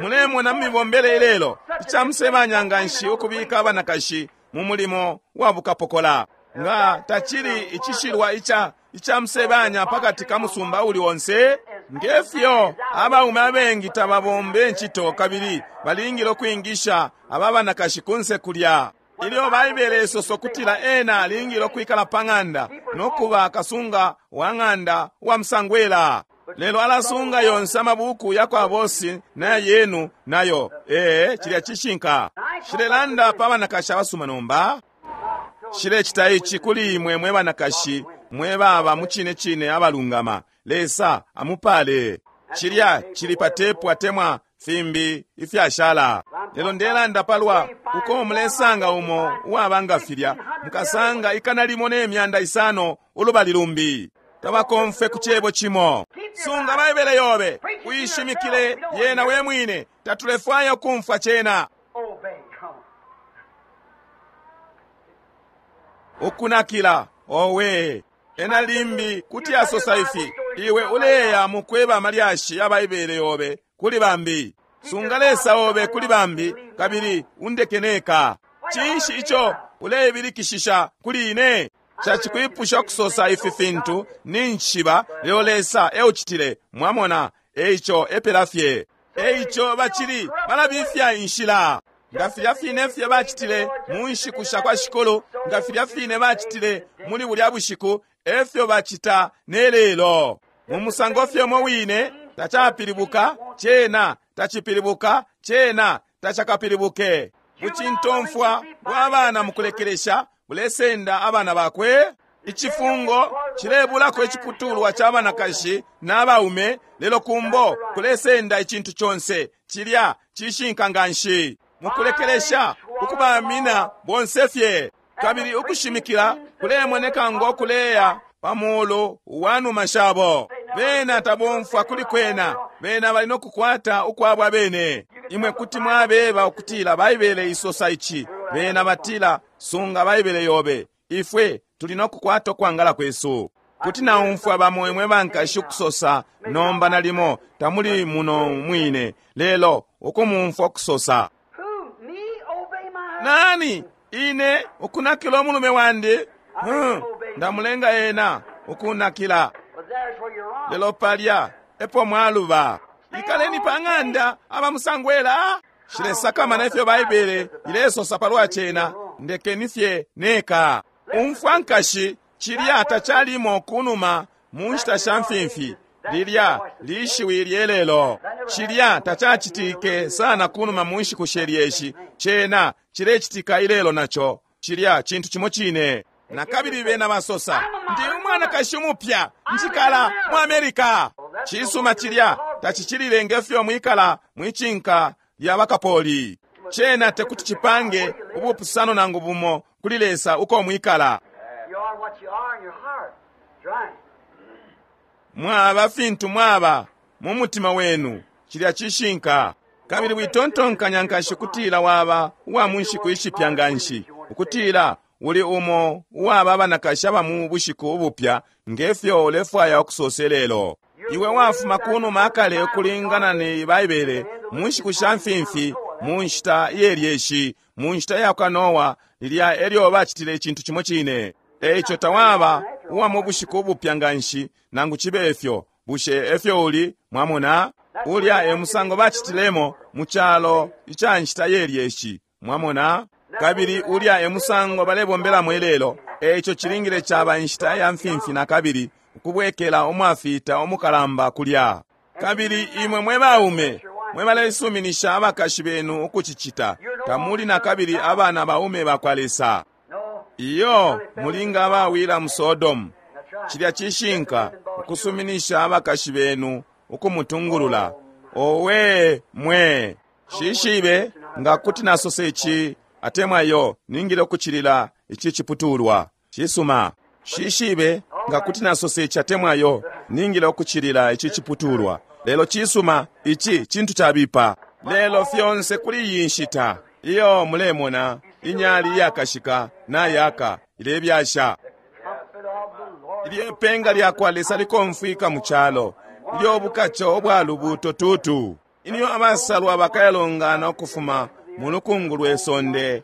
Mulemona mumibombele ilelo icamusebanya nganshi ukubika abanakashi mu mulimo wa bukapokola. Nga tacili icishilwa ica icamusebanya pakati ka musumba uli onse, ngefyo abaume abengi tababombe ncito kabili balingile ukwingisha aba banakashi kunse kulya. Ilyo Baibele isoso kutila ena alingile ukwikala pa ng'anda no kuba kasunga wa ng'anda wa musangwela, lelo alasunga yonse amabuku ya kwa bosi na yenu nayo. Ee, cilya cishinka. Shilelanda pa banakashi abasuma nomba. Shilecita ici kuli imwe mwe banakashi mwe baba mu cine cine abalungama. Lesa amupale. Cilya cili pa tepu atemwa fimbi ifyashala. Lelo ndelanda palwa uko mulesanga umo uwaba nga filya, mukasanga 1,500 ulubali lumbi. Tabakomfwe ku cebo cimo. Sunga Baibele yobe, uishimikile yena we mwine. Tatulefwaya ukumfwa cena. Obey, come on. Ukunakila, owe. Ena limbi kuti asosa ifi, iwe uleya mukweba amalyashi ya Baibele yobe kuli bambi. Sunga Lesa obe kuli bambi, kabili undekeneka. Cinshi ico uleibilikishisha kuli ine? Cacikwipusha kusosa ifi fintu ninshiba, lelo Lesa eucitile. Mwamona, eico epela fye. Eico bacili balabifya inshila. Nga filya fine fye bacitile mu nshiku sha kwa Shikulu, nga filya fine bacitile muli bulya bushiku, efyo bacita ne lelo. Mu musango fye umo wine, tacapilibuka, cena tacipilibuka, cena tacakapilibuke. Bucintomfwa bwa bana mukulekelesha bulesenda abana bakwe. Icifungo cilebulako iciputulwa ca banakashi n'abaume, lelo kumbo kulesenda icintu conse. Cilya cishinka nganshi. Mukulekelesha ukubamina bonse fye. Kabili ukushimikila kulemoneka ngo kuleya pa mulu wa numa shabo. Bena tabomfwa kuli kwena, bena bali no kukwata ukwabo abene. Imwe kuti mwabeba ukutila Baibele isosa ici, bena batila sunga Baibele yobe. Ifwe tuli no kukwata ukwangala kwesu. Kuti naumfwa bamo imwe bankashi ukusosa nomba nalimo tamuli muno mwine, lelo ukumumfwa ukusosa. Who, me obey my husband? Nani ine ukunakila umulume wandi? Ndamulenga ena ukunakila. But there's where you're wrong. Lelo palya epo mwaluba. Ikaleni pa ng'anda abamusangwela. Shilesakamana ifyo Baibele ilesosa palwa cena, ndekeni fye neka. Umfwa nkashi, cilya tacalimo kunuma mu nshita sha mfimfi. Lilya lishiwi lyelelo. Cilya tacacitike sana kunuma mu nshiku shelyeshi. Cena cilecitika ilelo naco. Cilya cintu cimo cine. Na kabili bena basosa, ndi umwanakashi umupya, njikala mu Amerika. Cisuma cilya tacicilile ngefyo mwikala mwicinka lya bakapoli. Cena tekuti cipange ubupusano nangu bumo kuli Lesa uko mwikala. You are what you are in your heart. That's right. Mwaba fintu mwaba mu mutima wenu, cilya cishinka. Kabili witontonkanya nkashi kutila waba uwa mu nshiku ishipya nganshi, ukutila uli umo uwaba abanakashi aba mu bushiku ubupya, nge fyo ulefwaya ukusose lelo. Iwe wafuma kunuma akale ukulingana ne Baibele, mu nshiku sha mfimfi, mu nshita iye lyeshi, mu nshita ya kwa Noa, lilya elyo bacitile icintu cimo cine. Eico tawaba uwa mu bushiku ubupya nganshi, nangu cibe ifyo. Bushe efyo uli? Mwamona? Ulya e musango bacitilemo mu calo ica nshita ye lyeshi. Mwamona? Kabili ulya e musango balebombelamo ilelo. Eico cilingile caba inshita ya mfimfi na kabili, ukubwekela umwafita umukalamba kulya. Kabili imwe mwe baume, mwe balesuminisha abakashi benu ukucicita, tamuli na kabili abana baume bakwa Lesa. Iyo, mulinga abawila mu Sodomu. Cilya cishinka, ukusuminisha abakashi benu ukumutungulula. Owe mwe, shishibe nga kuti nasosa ici atemwa iyo, ningile ukucilila ici ciputulwa. Cisuma. Shishibe nga kuti nasosa ici atemwa iyo, ningile ukucilila ici ciputulwa. Lelo cisuma, ici cintu cabipa. Lelo fyonse kuli iyi nshita, iyo mulemona inyali iyakashika nayaka ilebyasha. Ilyo ipenga lyakwa Lesa likomfwika mu calo, ilyo bukaco ubwa lubuto tutu, ilyo abasalwa bakayalongana ukufuma mu lukungu lwe sonde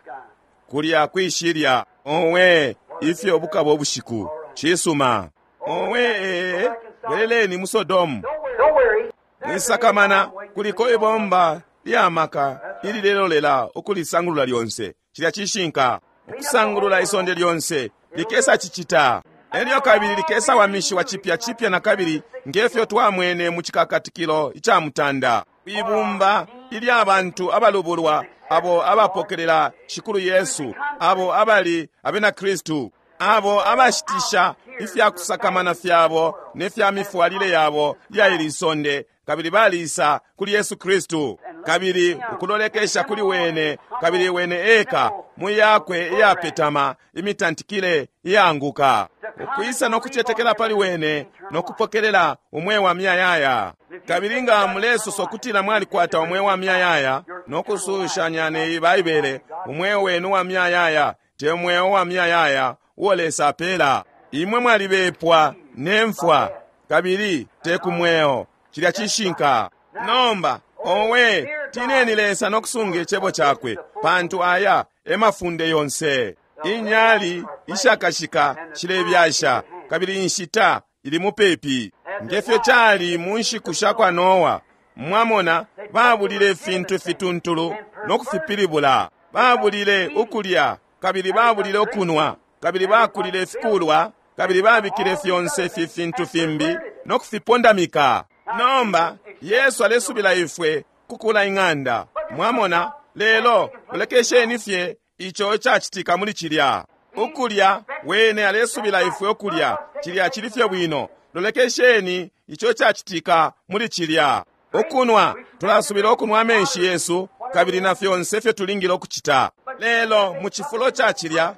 kulya kwishilya. Owe, ifyo bukaba ubushiku! Cisuma. Owe, bweleleni mu Sodomu. Don't worry. Mwisakamana, kuliko ibomba lya maka ililelolela ukulisangulula lyonse. Cilya cishinka, ukusangulula isonde lyonse likesa cicita. Elyo kabili likesa wamishiwa cipya cipya na kabili, ngefyo twamwene mu cikakatikilo ica mutanda. Ibumba ilya bantu abalubulwa, abo abapokelela Shikulu Yesu, abo abali abena Kristu, abo abashitisha ifya kusakamana fyabo ne fya mifwalile yabo ya ili sonde, kabili balisa kuli Yesu Kristu, kabili ukulolekesha kuli wene, kabili wene eka mu yakwe iyapetama imitantikile iyaanguka, ukwisa no kucetekela pali wene no kupokelela umweo wa miyayaya. Kabili nga mulesosa ukutila mwalikwata umweo wa miyayaya no kusushanya ne Baibele, umweo wenu wa miyayaya te mweo wa miyayaya uo Lesa apela. Imwe mwalibepwa ne mfwa, kabili te ku mweo. Cilya cishinka. Nomba, owe, tineni Lesa no kusunga icebo cakwe, pantu aya e mafunde yonse. Inyali ishakashika shilebyasha, kabili inshita ili mupepi. Ngefyo cali mu nshiku sha kwa Noa, mwamona, babulile ifintu fituntulu no kufipilibula. Babulile ukulya, kabili babulile ukunwa, kabili bakulile ifikulwa, kabili babikile fyonse ifi fintu fimbi no kufipondamika. Nomba Yesu alesubila ifwe kukula ing'anda. Mwamona, lelo mulekesheni fye ico cacitika muli cilya. Ukulya, wene alesubila ifwe ukulya, cilya cili fye bwino. Lolekesheni ico cacitika muli cilya. Ukunwa, tulasubila ukunwa amenshi yesu, kabili na fyonse fye tulingile ukucita. Lelo mu cifulo ca cilya,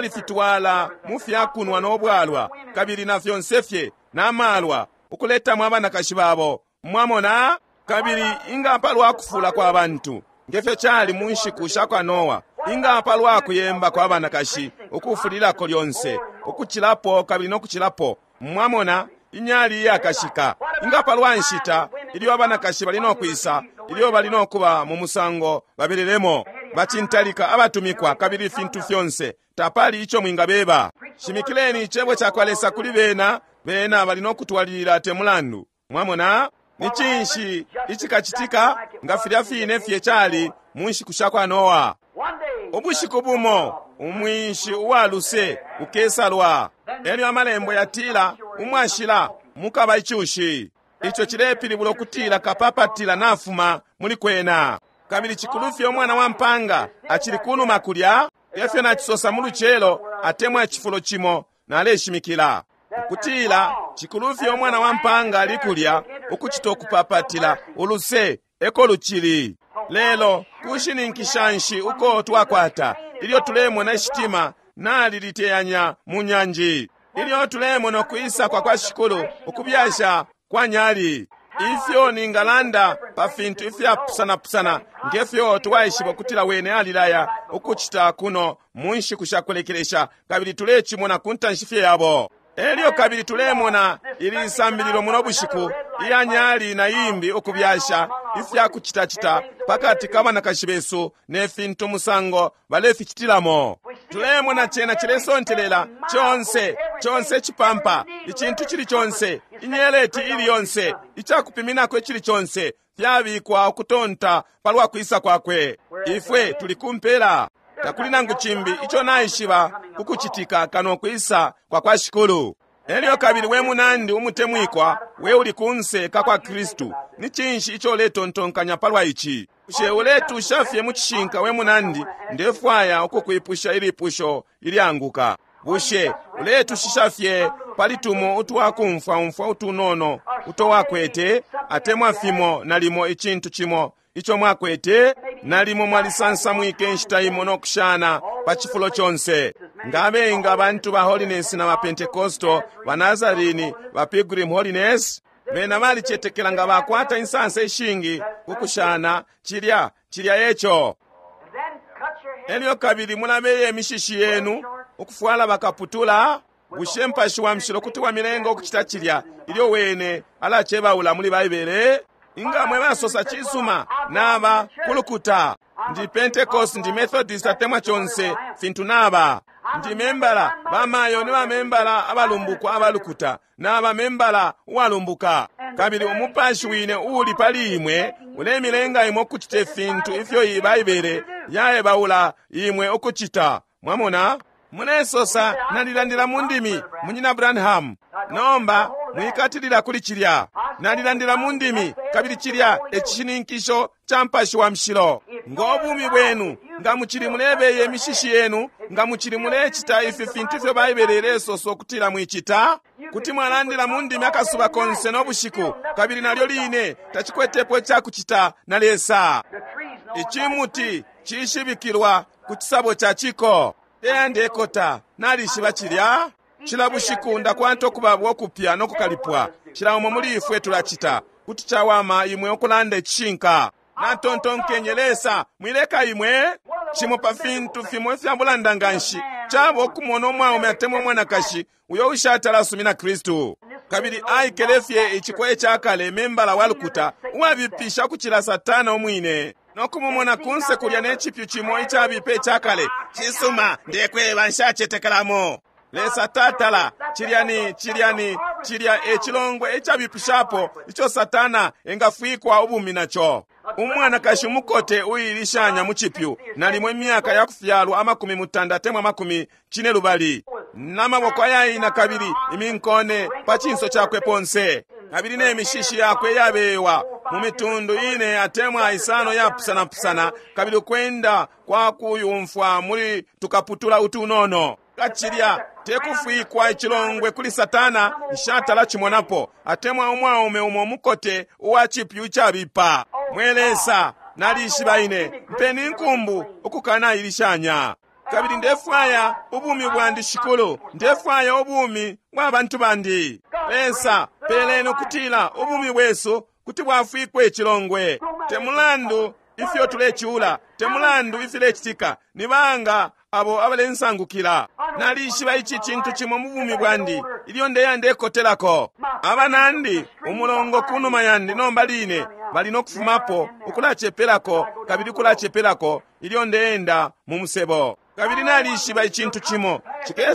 balifitwala mu fyakunwa no bwalwa, kabili na fyonse fye na malwa, ukuletamo abanakashi babo. Mwamona? Kabili inga palwa kufula kwa bantu, ngefyo cali mu nshiku sha kwa Noa, inga palwa kuyemba kwa banakashi ukufulilako lyonse, ukucilapo kabili no kucilapo. Mwamona? Inyali iyakashika. Inga palwa nshita ilyo abanakashi bali no kwisa, ilyo bali no kuba mu musango babelelemo, bacintalika abatumikwa kabili ifintu fyonse, tapali ico mwingabeba. Shimikileni icebo ca kwa Lesa kuli bena, bena bali no kutwalilila te mulandu. Mwamona? Ni cinshi icikacitika nga filya fine fye cali mu nshiku sha kwa Noa? One day, Ubushiku bumo umwinshi uwa luse ukesalwa. Elyo amalembo yatila umwashila mukaba icushi. Ico cilepilibula ukutila kapapatila nafuma muli kwena. Kabili cikulu fye umwana wa mpanga acili kunuma kulya, efyo nacisosa mu lucelo atemwa icifulo cimo naleshimikila. Ukutila cikulu fye umwana wa mpanga ali kulya ukucita ukupapatila uluse eko lucili. Lelo kushininkisha nshi uko twakwata ilyo tulemona ishitima naliliteyanya mu nyanji, ilyo tulemona ukwisa kwa kwa Shikulu ukubyasha kwa nyali. Ifyo ningalanda pa fintu ifyapusanapusana Nge fyo twaishiba ukutila Wene alilaya ukucita kuno mu nshiku sha kulekelesha, kabili tulecimona ku ntanshi fye yabo. Elyo kabili tulemona ili sambililo muno bushiku iya nyali na imbi ukubyasha ifya kucitacita pakati ka banakashi besu ne fintu musango baleficitilamo. Tulemona cena cilesontelela conse, conse cipampa, icintu cili conse, inyeleti ili yonse, icakupiminako icili conse, fyabikwa ukutonta palwa kwisa kwakwe. Ifwe tuli kumpela. Takuli nangu cimbi ico naishiba kukucitika kano kwisa kwa kwa Shikulu. Elyo kabili we munandi umutemwikwa, we uli kunse ka kwa Kristu, ni cinshi ico uletontonkanya palwa ici? Bushe uletusha fye mu cishinka, we munandi? Ndefwaya ukukwipusha ilipusho ilyanguka. Bushe uletushisha fye pali tumo utwakumfwaumfwa utunono uto wakwete, atemwa fimo nalimo icintu cimo ico mwakwete? Nalimo mwalisansamwike inshita imo no kushana pa cifulo conse. Nga abengi abantu ba Holiness na ba Pentecostal, ba Nazarene, ba Pilgrim Holiness, bena balicetekela nga bakwata insansa ishingi kukushana cilya, cilya eco. And then cut your hair. Elyo kabili mulabeye imishishi yenu ukufwala bakaputula. Bushe Mupashi wa Mushilo kuti wamilenga ukucita cilya ilyo wene alacebaula muli Baibele? Inga mwe basosa cisuma naba kulukuta, ndi Pentecost, ndi Methodist, atemwa conse fintu naba. Ndi membala bamayo ni bamembala abalumbukwa abalukuta, naba membala uwalumbuka. Kabili umupashi wine uuli pali imwe ulemilenga imwe ukucita ifintu ifyo iyi Baibele yaebaula imwe ukucita. Mwamona? Mulesosa, nalilandila mu ndimi, Munyina Branham. Nomba mwikatilila kuli cilya. Nalilandila mu ndimi, kabili cilya e cishininkisho ca Mupashi wa Mushilo. Ngo bumi bwenu, nga mucili mulebeye imishishi yenu, nga mucili mulecita ifi fintu ifyo Baibele ilesosa ukutila mwicita, kuti mwalandila mu ndimi akasuba konse no bushiku, kabili nalyo line tacikwetepo icakucita na Lesa. The trees know Icimuti cishibikilwa ku cisabo ca ciko. Teya ndekota, nalishiba cilya. Cila bushiku ndakwata ukubabwa ukupya no kukalipwa. Cila umo muli ifwe tulacita. Kuti cawama imwe ukulanda icishinka. Natontonkenye, Lesa, mwileka imwe. Cimo pa fintu fimo ifya bulanda nganshi caba ukumona umwaume atemwa umwanakashi uyo ushatala asumina Kristu. Kabili aikele fye icikoye ca kale, membala wa lukuta, uwabipisha ukucila Satana umwine, no kumumona kunse kulya ne cipyu cimo icabipa icakale. Cisuma, ndekweba, nshacetekelamo. Lesa tatala, cilya ni, cilya ni, cilya e cilongwe icabipishapo ico Satana engafwikwa ubumi naco. Umwanakashi umukote uilishanya mu cipyu, nalimo imyaka ya kufyalwa 90 atemwa 50, n'amaboko ayaina kabili iminkone pa cinso cakwe ponse, kabili ne mishishi yakwe yabewa mu mitundu ine atemwa isano yapusanapusana, kabili ukwenda kwa kuyumfwa muli tukaputula utunono. Kacilya tekufwikwa icilongwe kuli Satana, nshatala cimonapo, atemwa umwaume umo mukote uwa cipyu icabipa. Mwe Lesa, nalishiba ine, mpeni inkumbu ukukanailishanya. Kabili ndefwaya ubumi bwandi, Shikulu, ndefwaya ubumi bwa bantu bandi. Lesa, peleni ukutila ubumi bwesu kuti bwafwikwa icilongwe. Te mulandu ifyo tulecula, te mulandu ifilecitika, ni banga abo abalensangukila. Nalishiba ici cintu cimo mu bumi bwandi ilyo ndeya ndekotelako. Abanandi umulongo kunuma yandi nomba line bali no kufumapo ukulacepelako kabili ukulacepelako ilyo ndeenda mu musebo. Kabili nalishiba icintu cimo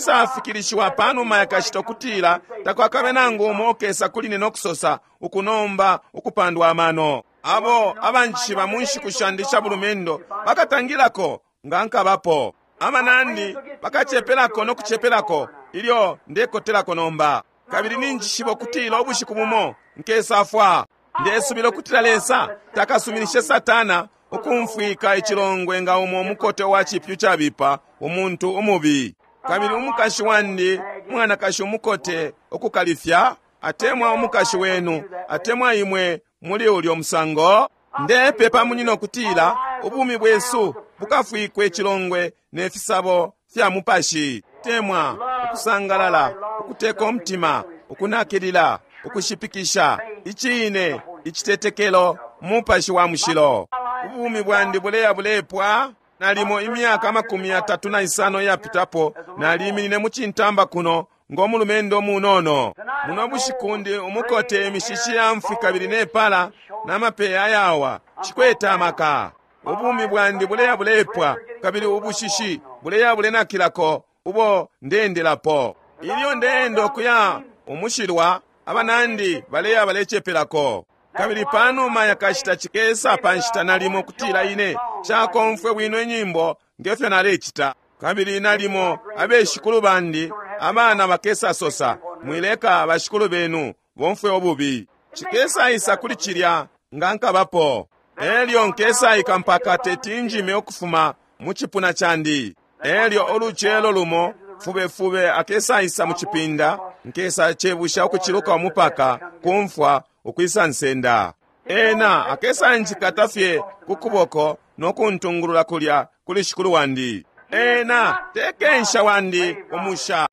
cikesafikilishiwa panuma yakashita ukutila takwakabe nangu umo okesa kuli ne no kusosa ukunomba ukupandwa amano. Abo abanjishiba mu nshiku shandi sha bulumendo bakatangilako nga nkabapo. Abanandi bakacepelako no kucepelako ilyo ndekotelako nomba. Kabili ninjishiba ukutila ubushiku bumo nkesafwa. Ndesubila ukutila Lesa takasuminishe Satana ukumfwika icilongwe nga umo mukote wa cipyu cabipa, umuntu umubi. Kabili umukashi wandi, umwanakashi umukote ukukalifya, atemwa umukashi wenu, atemwa imwe muli ulyo musango. Ndepepa munyina ukutila ubumi bwesu bukafwikwe icilongwe ne fisabo fya mupashi, temwa, ukusangalala, ukuteka umutima, ukunakilila, ukushipikisha, icine, icitetekelo, mupashi wa mushilo. Ubumi bwandi buleya bulepwa. Nalimo imyaka 35 iyapitapo naliminine mu cintamba kuno ngo mulumendo munono. Muno bushiku ndi umukote, imishishi ya mfwi kabili nepala na mapeya ayawa. Cikwete amaka. Ubumi bwandi buleya bulepwa kabili ubushishi buleya bulenakilako ubo ndeendelapo. Ilyo ndeenda ukuya umushilwa, abanandi baleya balecepelako. Kabili panuma yakashita cikesa pa nshita nalimo kutila ine shakomfwe bwino inyimbo ngefyo nalecita. Kabili nalimo abeshikulu bandi abana bakesa sosa, mwileka bashikulu benu bomfwe ububi. Cikesa isa kuli cilya nga nkabapo. Elyo nkesaika mpaka tetinjime ukufuma mu cipuna candi. Elyo ulucelo lumo fubefube akesaisa mu cipinda, nkesa cebusha ukuciluka umupaka kumfwa ukwisa nsenda. Ena akesanjikata fye ku kuboko no kuntungulula kulya kuli shikulu wandi. Ena tekensha wandi umusha.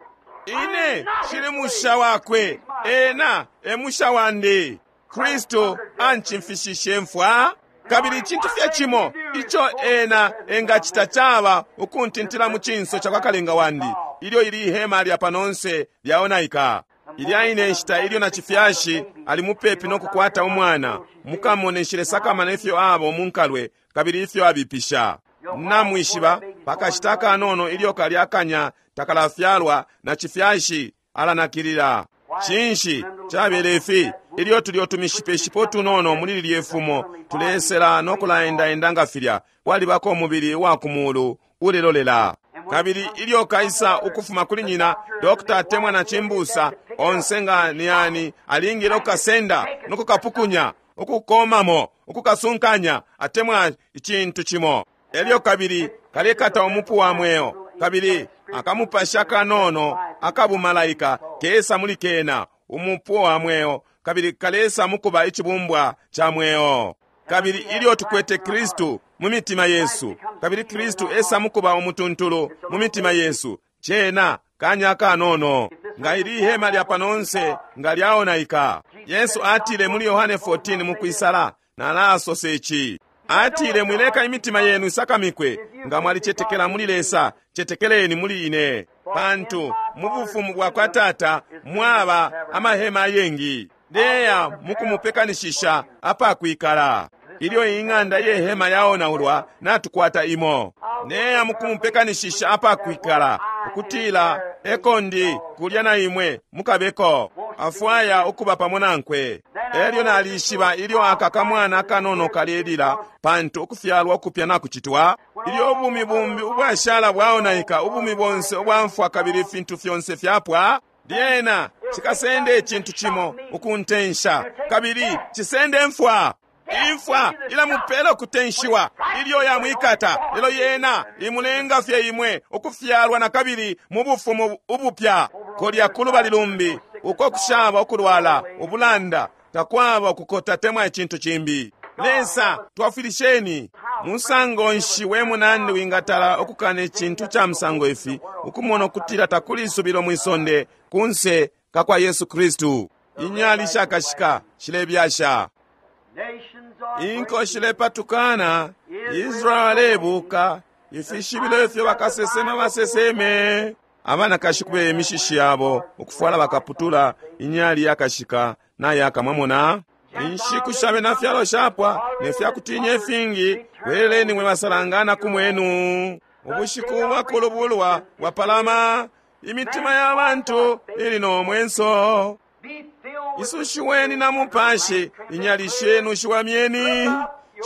Ine shili musha wakwe, ena e musha wandi. Kristu ancimfishishe mfwa. Kabili icintu fye cimo ico ena engacita caba ukuntintila mu cinso ca kwa kalenga wandi ilyo ili ihema lya panonse lyaonaika. Ilya ine nshita ilyo na cifyashi ali mupepi no kukwata umwana, mukamone nshilesakamana ifyo aba umunkalwe kabili ifyo abipisha. Namwishiba pakashita kanono ilyo kalya akanya takalafyalwa na cifyashi alanakilila. Cinshi cabele ifi? Ilyo tulyo tumishipeshipo tunono muli lilye fumo tulesela no kulaendaenda nga filya, kwalibako umubili wa ku mulu ulelolela. Kabili ilyo kaisa ukufuma kuli nyina, dokta atemwa na cimbusa onse nga ni ani alingile ukukasenda no kukapukunya, ukukomamo, ukukasunkanya atemwa icintu cimo. Elyo kabili kalekata umupu wa mweo, kabili akamupasha kanono akabumalaika kesa muli kena umupu wa mweo, kabili kalesa mukuba icibumbwa ca mweo. Kabili ilyo tukwete Kristu mu mitima yesu, kabili Kristu esa mukuba umutuntulu mu mitima yesu, cena kanya kanono nga ili ihema lya panonse nga lyaonaika. Yesu atile muli Yohane 14 mukwisala, nalasose ici. Atile, mwileka imitima yenu isakamikwe, nga mwalicetekela muli Lesa, cetekeleni muli ine. Pantu mu bufumu bwa kwa Tata mwaba amahema ayengi. Ndeya mukumupekanishisha apakwikala. Ilyo ing'anda ye hema yaonaulwa, natukwata imo. Ndeya mukumupekanishisha apakwikala, ukutila eko ndi kulya na imwe mukabeko. Afwaya ukuba pamo nankwe. Elyo nalishiba ilyo aka kamwana akanono kalelila, pantu ukufyalwa ukupya nakucitwa. Ilyo ubumi bumbi ubwashala bwaonaika, ubumi bonse ubwamfwa kabili ifintu fyonse fyapwa, lyena cikasende icintu cimo ukuntensha, kabili cisende mfwa. Imfwa ilamupela ukutenshiwa ilyo yamwikata, lelo yena imulenga fye imwe ukufyalwa na kabili mu bufumu ubupya. Kolya kulubali lumbi uko kushaba ukulwala, ubulanda, takwaba ukukota temwa icintu cimbi. Lesa, twafwilisheni. Musango nshi we munandi wingatala ukukana icintu ca musango ifi, ukumona ukutila takuli isubilo mwisonde kunse kakwa Yesu Kristu. Inyali shakashika shilebyasha, inko shilepatukana, Israeli alebuka, ifishibilo ifyo bakasesema baseseme. Abanakashi kubeye imishishi yabo, ukufwala bakaputula, inyali yakashika nayaka. Mwamona inshiku shabe na fyalo shapwa ne fyakutinya ifingi. Bweleleni mwe basalangana ku mwenu. Ubushiku bwa kulubulwa bwapalama, imitima ya bantu ili no mwenso. Isushiweni na mupashi, inyali shenu shiwamyeni.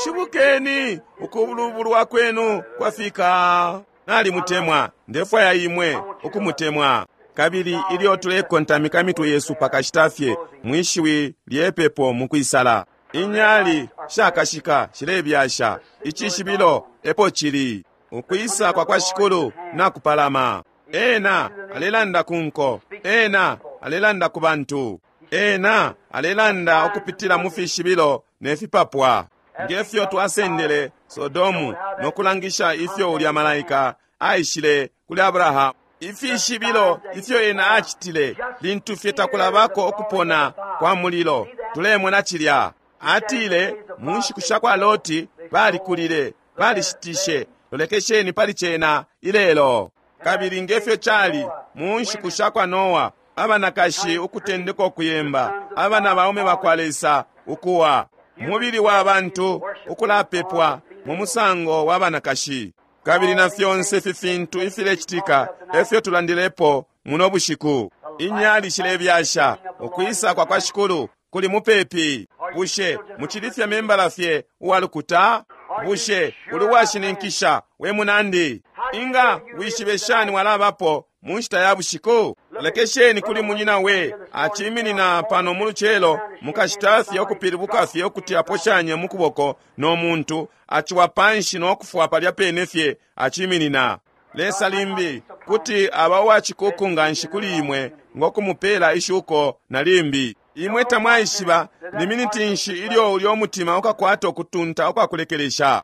Shibukeni, ukulubulwa kwenu kwafika. Nalimutemwa, ndefwaya imwe ukumutemwa. Kabili ilyo tulekontamika mitwe yesu pakashita fye mwishiwi lyepepo mukwisala, inyali shakashika shilebyasha, icishibilo epo cili. Ukwisa kwa kwa Shikulu nakupalama. Ena alelanda ku nko, ena alelanda ku bantu, ena alelanda ukupitila mu fishibilo ne fipapwa. Ngefyo twasendele Sodomu no kulangisha ifyo ulya malaika aishile kuli Abrahamu, ifishibilo ifyo ena acitile lintu fye takulabako ukupona kwa mulilo. Tulemona cilya. Atile mu nshiku sha kwa Loti Balikulile, balishitishe. Lolekesheni pali cena ilelo. Kabili ngefyo cali mu nshiku sha kwa Noa, abanakashi ukutendeka ukuyemba, abana baume bakwa Lesa ukuwa, mubili wa bantu ukulapepwa mu musango wa banakashi. Kabili na fyonse ifi fintu ifilecitika efyo tulandilepo muno bushiku. Inyali shilebyasha, ukwisa kwa kwa Shikulu kuli mupepi. Bushe mucili fye membala fye uwalukuta? Bushe uli washininkisha we munandi? Inga wishibe shani walabapo mu nshita ya bushiku? Lekesheni kuli munyina we aciminina pano mu lucelo mukashita fye ukupilibuka fye ukuti aposhanye mu kuboko no muntu aciwa panshi no kufwa palya pene fye aciminina. Lesa limbi kuti aba uwacikuku nganshi kuli imwe ngo kumupela ishuko na limbi. Imwe tamwaishiba ni miniti nshi ilyo ulyo mutima ukakwata ukutunta ukwakulekelesha.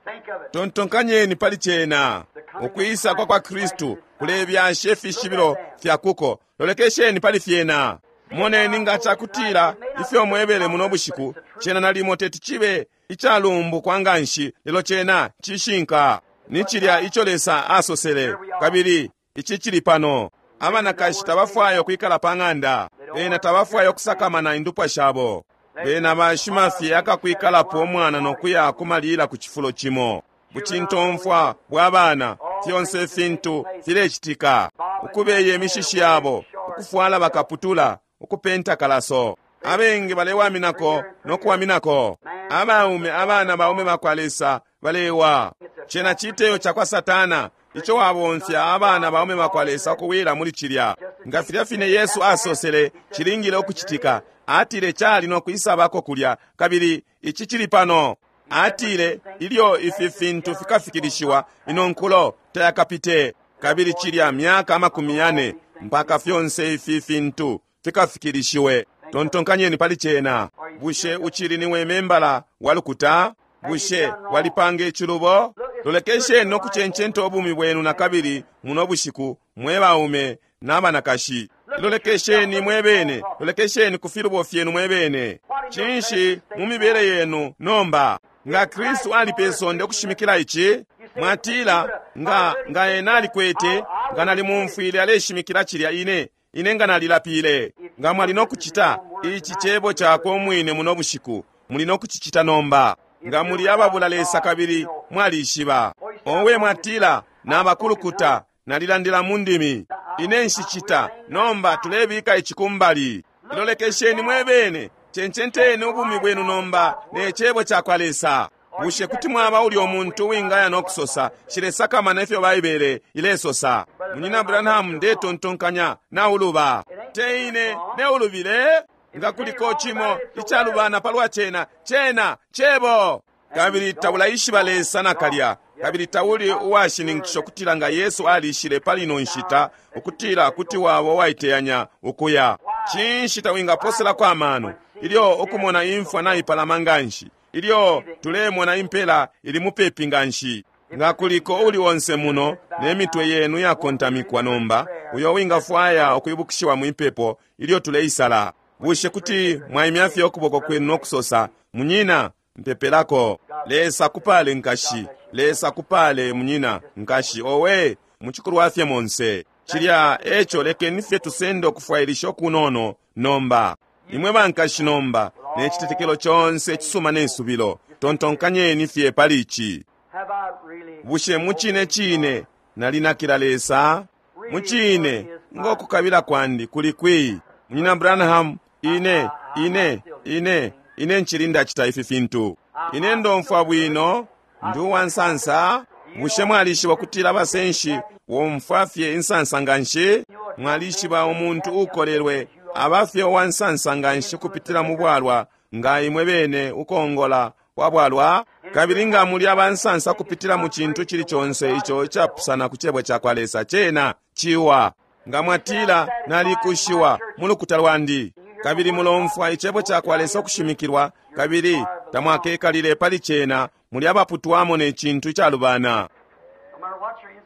Tontonkanyeni pali cena. Ukwisa kwa kwa Kristu kulebyasha ifishibilo fya kuko. Lolekesheni pali fyena. Moneni nga cakutila ifyo mwebele muno bushiku, cena nalimo teti chibe icalumbukwa nganshi, lelo cena cishinka. Ni cilya ico Lesa asosele, kabili ici cili pano. Abanakashi tabafwaya ukwikala pa ng'anda, bena tabafwaya ukusakamana indupwa shabo. Bena bashima fye akakwikalapo umwana no kuya kumalila ku cifulo cimo. Bucintomfwa bwa bana, fyonse ifintu filecitika. Ukubeye imishishi yabo, ukufwala bakaputula, ukupenta kalaso. Abengi balewaminako no kuwaminako. Abaume, abana baume bakwa Lesa balewa. Cena citeyo cakwa Satana ico wabomfya abana baume bakwa Lesa ukuwila muli cilya. Nga filya fine Yesu asosele cilingile ukucitika. Atile cali no kwisabako kulya, kabili ici cili pano. Atile ilyo ifi fintu fikafikilishiwa, ino nkulo tayakapite. Kabili cilya myaka 40 mpaka fyonse ifi fintu fikafikilishiwe. Tontonkanyeni pali cena. Bushe uchili niwe membala wa lukuta? Bushe walipanga icilubo? Lolekesheni no kucencenta ubumi bwenu na kabili muno bushiku, mwe baume n'abanakashi. Lolekesheni mwe bene, lolekesheni ku filubo fyenu mwe bene. Cinshi mu mibele yenu nomba? Nga Kristu ali pe sonde ukushimikila ici, mwatila nga ena alikwete, nga nalimumfwile aleshimikila cilya ine nga nalilapile. Nga mwali no kucita ici cebo cakwe umwine muno bushiku, muli no kucicita nomba. Nga muli ababula Lesa kabili mwalishiba. Owe mwatila nabakulukuta, nalilandila mu ndimi. Ine nshicita, nomba tulebika ici kumbali. Lolekesheni mwe bene, cencenteni ubumi bwenu nomba ne cebo cakwa Lesa. Bushe kuti mwaba ulyo muntu uwingaya no kusosa, shilesakamana ifyo Baibele ilesosa? Munyina Branham ndetontonkanya nauluba. Te ine neulubile? Nga kuliko cimo icalubana palwa cena, cena cebo. Kabili taulaishiba Lesa nakalya, kabili tauli uwashininkisha ukutila nga Yesu alishile pali ino nshita, ukutila kuti waba uwaiteyanya ukuya. Cinshi tawingaposelako amano ilyo ukumona imfwa naipalama nganshi, ilyo tulemona impela ili mupepi nganshi? Nga kuliko uli onse muno ne mitwe yenu yakontamikwa nomba, uyo wingafwaya ukwibukishiwa mwipepo ilyo tuleisala, bushe kuti mwaimya fye ukuboko kwenu no kusosa, munyina, mpepelako. Lesa kupale nkashi, Lesa kupale munyina, nkashi, owe muchikulwa fye monse. Cilya eco lekeni fye tusende ukufwailisha okunono nomba. Imwe bankashi nomba, ne citetekelo conse cisuma ne subilo, tontonkanyeni fye pali ici. Bushe mucine cine nalinakila Lesa? Mucine ngokukabila kwandi kuli kwi? Munyina Branham, ine ine ncili ndacita ifi fintu. Ine ndomfwa bwino, ndi uwansansa. Bushe mwalishiba kutila abasenshi womfwa fye insansa nganshi? Mwalishiba umuntu ukolelwe aba fye uwansansa nganshi kupitila mu bwalwa, nga imwe bene ukongola kwa bwalwa? Kabili nga muli abansansa kupitila mu cintu cili conse ico icapusana ku cebo cakwa Lesa, cena ciwa. Nga mwatila nalikushiwa mu lukuta lwandi, kabili mulomfwa icebo cakwa Lesa ukushimikilwa, kabili tamwakekalile pali cena, muli abaputwamo ne cintu icalubana.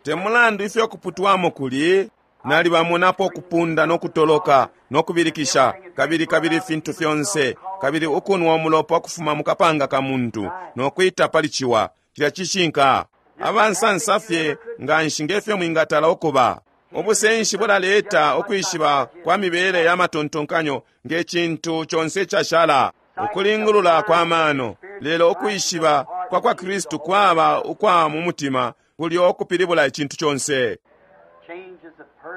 Te mulandu ifyo kuputwamo kuli, nalibamonapo kupunda no kutoloka no kubilikisha, kabili kabili fintu fyonse, kabili ukunwa umulopa ukufuma mu kapanga ka muntu no kwita pali ciwa. Cilya cishinka. Abansansa fye nganshi nge fyo mwingatala ukuba. Ubusenshi bulaleta ukwishiba kwa mibele ya matontonkanyo nge cintu conse cashala, ukulingulula kwa mano. Lelo ukwishiba kwa kwa Kristu kwaba ukwa mu mutima, kulyo kupilibula icintu conse.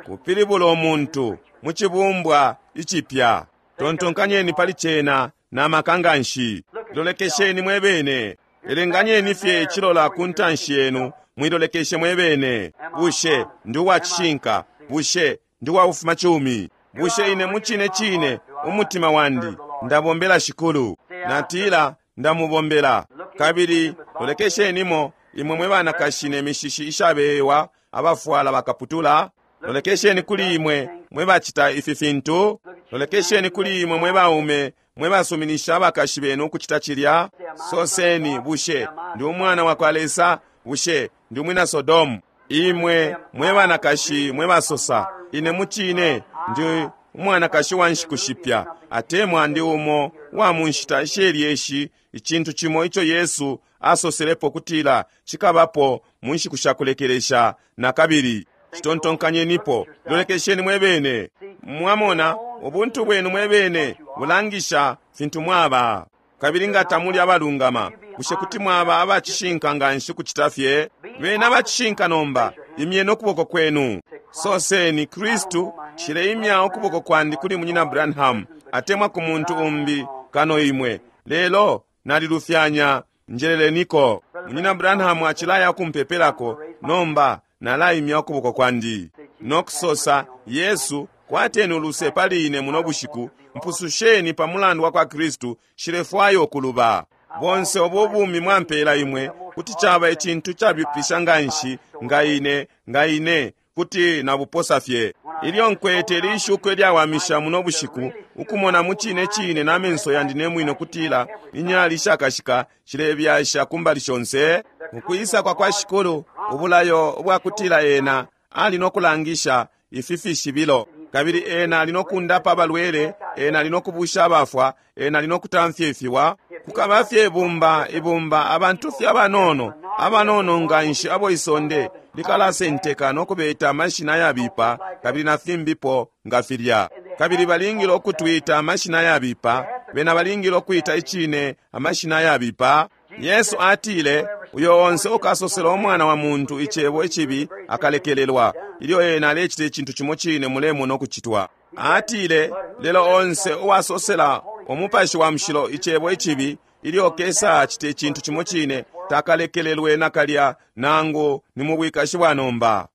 Kupilibula umuntu mu cibumbwa icipya. Tontonkanyeni pali cena na maka nganshi. Lolekesheni mwebene. Elenganyeni fye icilola ku ntanshi yenu, mwilolekeshe mwebene. Bushe ndi uwa cishinka? Bushe ndi uwa bufumacumi? Bushe ine mucine cine umutima wandi ndabombela Shikulu? Natila ndamubombela. Kabili lolekeshenimo imwe mwe banakashi ne mishishi ishabewa, abafwala bakaputula. Lolekesheni kuli imwe mwe bacita ifi fintu. Lolekesheni kuli imwe mwe baume mwe basuminisha abakashi benu ukucita cilya. Soseni, bushe ndi umwana wa kwa Lesa? Bushe ndi umwina Sodomu? Imwe mwe banakashi mwe basosa, ine mucine ndi umwanakashi wa nshiku shipya, atemwa ndi umo wa mu nshita ishelyeshi, icintu cimo ico Yesu asoselepo kutila cikabapo mu nshiku sha kulekelesha. Na kabili citontonkanyenipo, lolekesheni mwebene. Mwamona, ubuntu bwenu mwebene bulangisha fintu mwaba. Kabili nga tamuli abalungama, bushe kuti mwaba abacishinka nganshi kucita fye? Bena abacishinka nomba, imyeni ukuboko kwenu. Soseni, Kristu, nshileimya ukuboko kwandi kuli Munyina Branham, atemwa ku muntu umbi kano imwe. Lelo nalilufyanya, njeleleniko. Munyina Branham acilaya ukumpepelako, nomba nalaimya ukuboko kwandi. Nokusosa, Yesu, kwateni uluse pali ine muno bushiku, mpususheni pa mulandu wa kwa Kristu, nshilefwaya ukuluba. Bonse ubo bumi mwampela imwe, kuti caba icintu cabipisha nganshi nga ine, nga ine kuti nabuposa fye. Ilyo nkwete lishuko ilyawamisha muno bushiku, ukumona mu cine cine na menso yandi ne mwine kutila inyali ishakashika shilebyasha kumbali shonse, ukwisa kwa kwa Shikulu, ubulayo ubwakutila ena ali nokulangisha ifi fishibilo, kabili ena ali nokundapa abalwele, ena ali nokubusha abafwa, ena ali nokutamfya ifiwa. Kukaba fye ibumba ibumba abantu fye abanono, abanono nganshi abo isonde likalasenteka nokubeta amashina yabipa kabili na fimbipo nga filya. Kabili balingile ukutwita amashina yabipa, bena balingile ukwita icine amashina yabipa. Yesu atile, uyo onse ukasosela umwana wa muntu icebo icibi akalekelelwa, ilyo ena alecita icintu cimo cine mulemona ukucitwa. Atile, lelo onse uwasosela umupashi wa mushilo icebo icibi, ilyo kesa acita icintu cimo cine, takalekelelwe nakalya nangu ni mu bwikashi bwa nomba.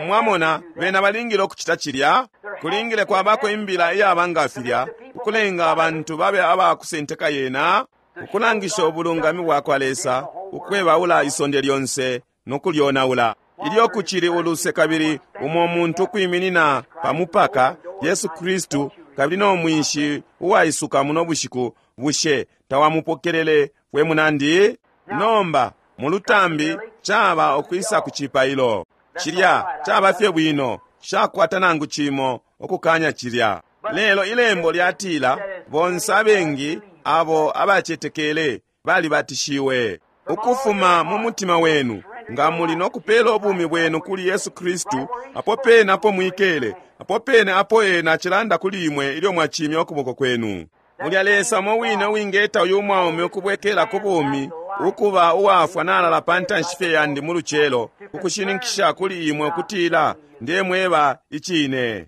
Mwamona, bena balingile ukucita cilya. Kulingile kwabako imbila iyaba nga filya, ukulenga abantu babe abakusenteka yena, ukulangisha ubulungami bwa kwa Lesa, ukwebaula isonde lyonse nokulyonaula. Ilyo kucili uluse kabili umo muntu ukwiminina pa mupaka, Yesu Kristu, kabili no mwinshi uwaisuka muno bushiku, bushe tawamupokelele we munandi? Nomba mu lutambi caba ukwisa ku cipailo. Cilya caba fye bwino, shakwata nangu cimo ukukanya cilya. Lelo ilembo lyatila bonse abengi abo abacetekele balibatishiwe. Ukufuma mu mutima wenu, nga muli nokupela ubumi bwenu kuli Yesu Kristu, apo pene apo mwikele, apo pene apo ena acilanda kuli imwe ilyo mwacimya ukuboko kwenu. Mulya Lesa umo wine uwingeta uyu mwaume ukubwekela ku bumi, ukuba uwafwa nalala pa ntanshi fye yandi mu lucelo, ukushininkisha kuli imwe ukutila ndemweba icine.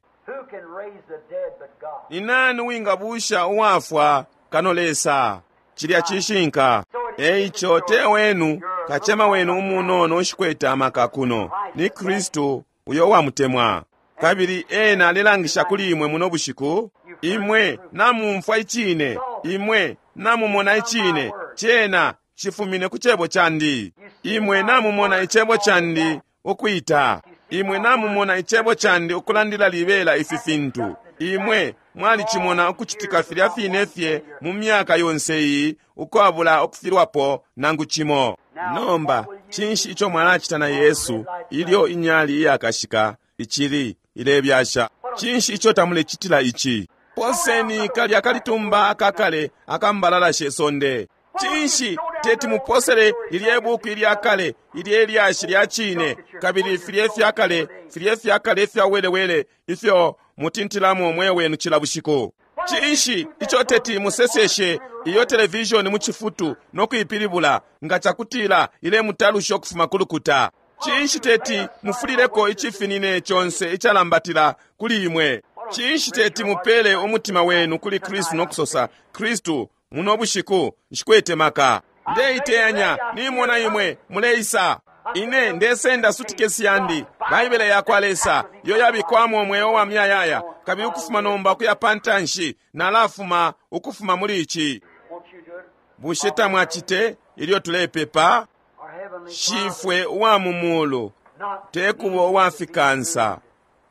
Ni nani uwingabusha uwafwa kano Lesa? Cilya cishinka. Eico te wenu, kacema wenu umunono ushikwete amaka kuno, ni Kristu uyo uwamutemwa. Kabili ena alelangisha kuli imwe muno bushiku, imwe namumfwa icine, imwe namumona icine, cena cifumine ku cebo candi. Imwe namumona icebo candi ukwita, imwe namumona icebo candi ukulandila libela ifi fintu. Imwe mwalicimona ukucitika filya fine fye mu myaka yonse iyi, ukwabula ukufilwapo nangu cimo. Nomba cinshi ico mwalacita na Yesu ilyo inyali iyakashika icili ilebyasha? Cinshi ico tamulecitila ici? Poseni kalya kalitumba akakale akambalala she sonde. Cinshi teti muposele lilye buku ilya kale ilye lyashi lya cine, kabili filye fyakale, filye fyakale ifya welewele ifyo mutintilamo mwe wenu cila bushiku? Cinshi ico teti museseshe iyo televishoni mu cifutu no kuipilibula nga cakutila ilemutalusha ukufuma ku lukuta? Cinshi teti mufulileko icifinine conse icalambatila kuli imwe? Cinshi teti mupele umutima wenu kuli Kristu no kusosa, Kristu, muno bushiku nshikwete maka, ndeiteyanya, nimona imwe muleisa. Ine ndesenda sutikesi yandi, Baibele yakwa Lesa iyo yabikwamo umweo wa muyayaya, kabili ukufuma nomba ukuya pantanshi nalafuma ukufuma muli ici. Won't you do it? Bushe tamwacite ilyo tulepepa? Our Heavenly Shifwe uwa mu mulu, Not tekuba uwafikansa,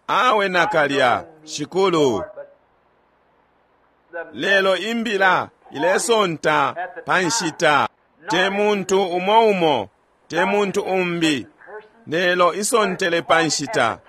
awe nakalya, Shikulu. the Lelo imbila ilesonta pa nshita, te muntu umo umo, te muntu umbi, lelo isontele pa nshita.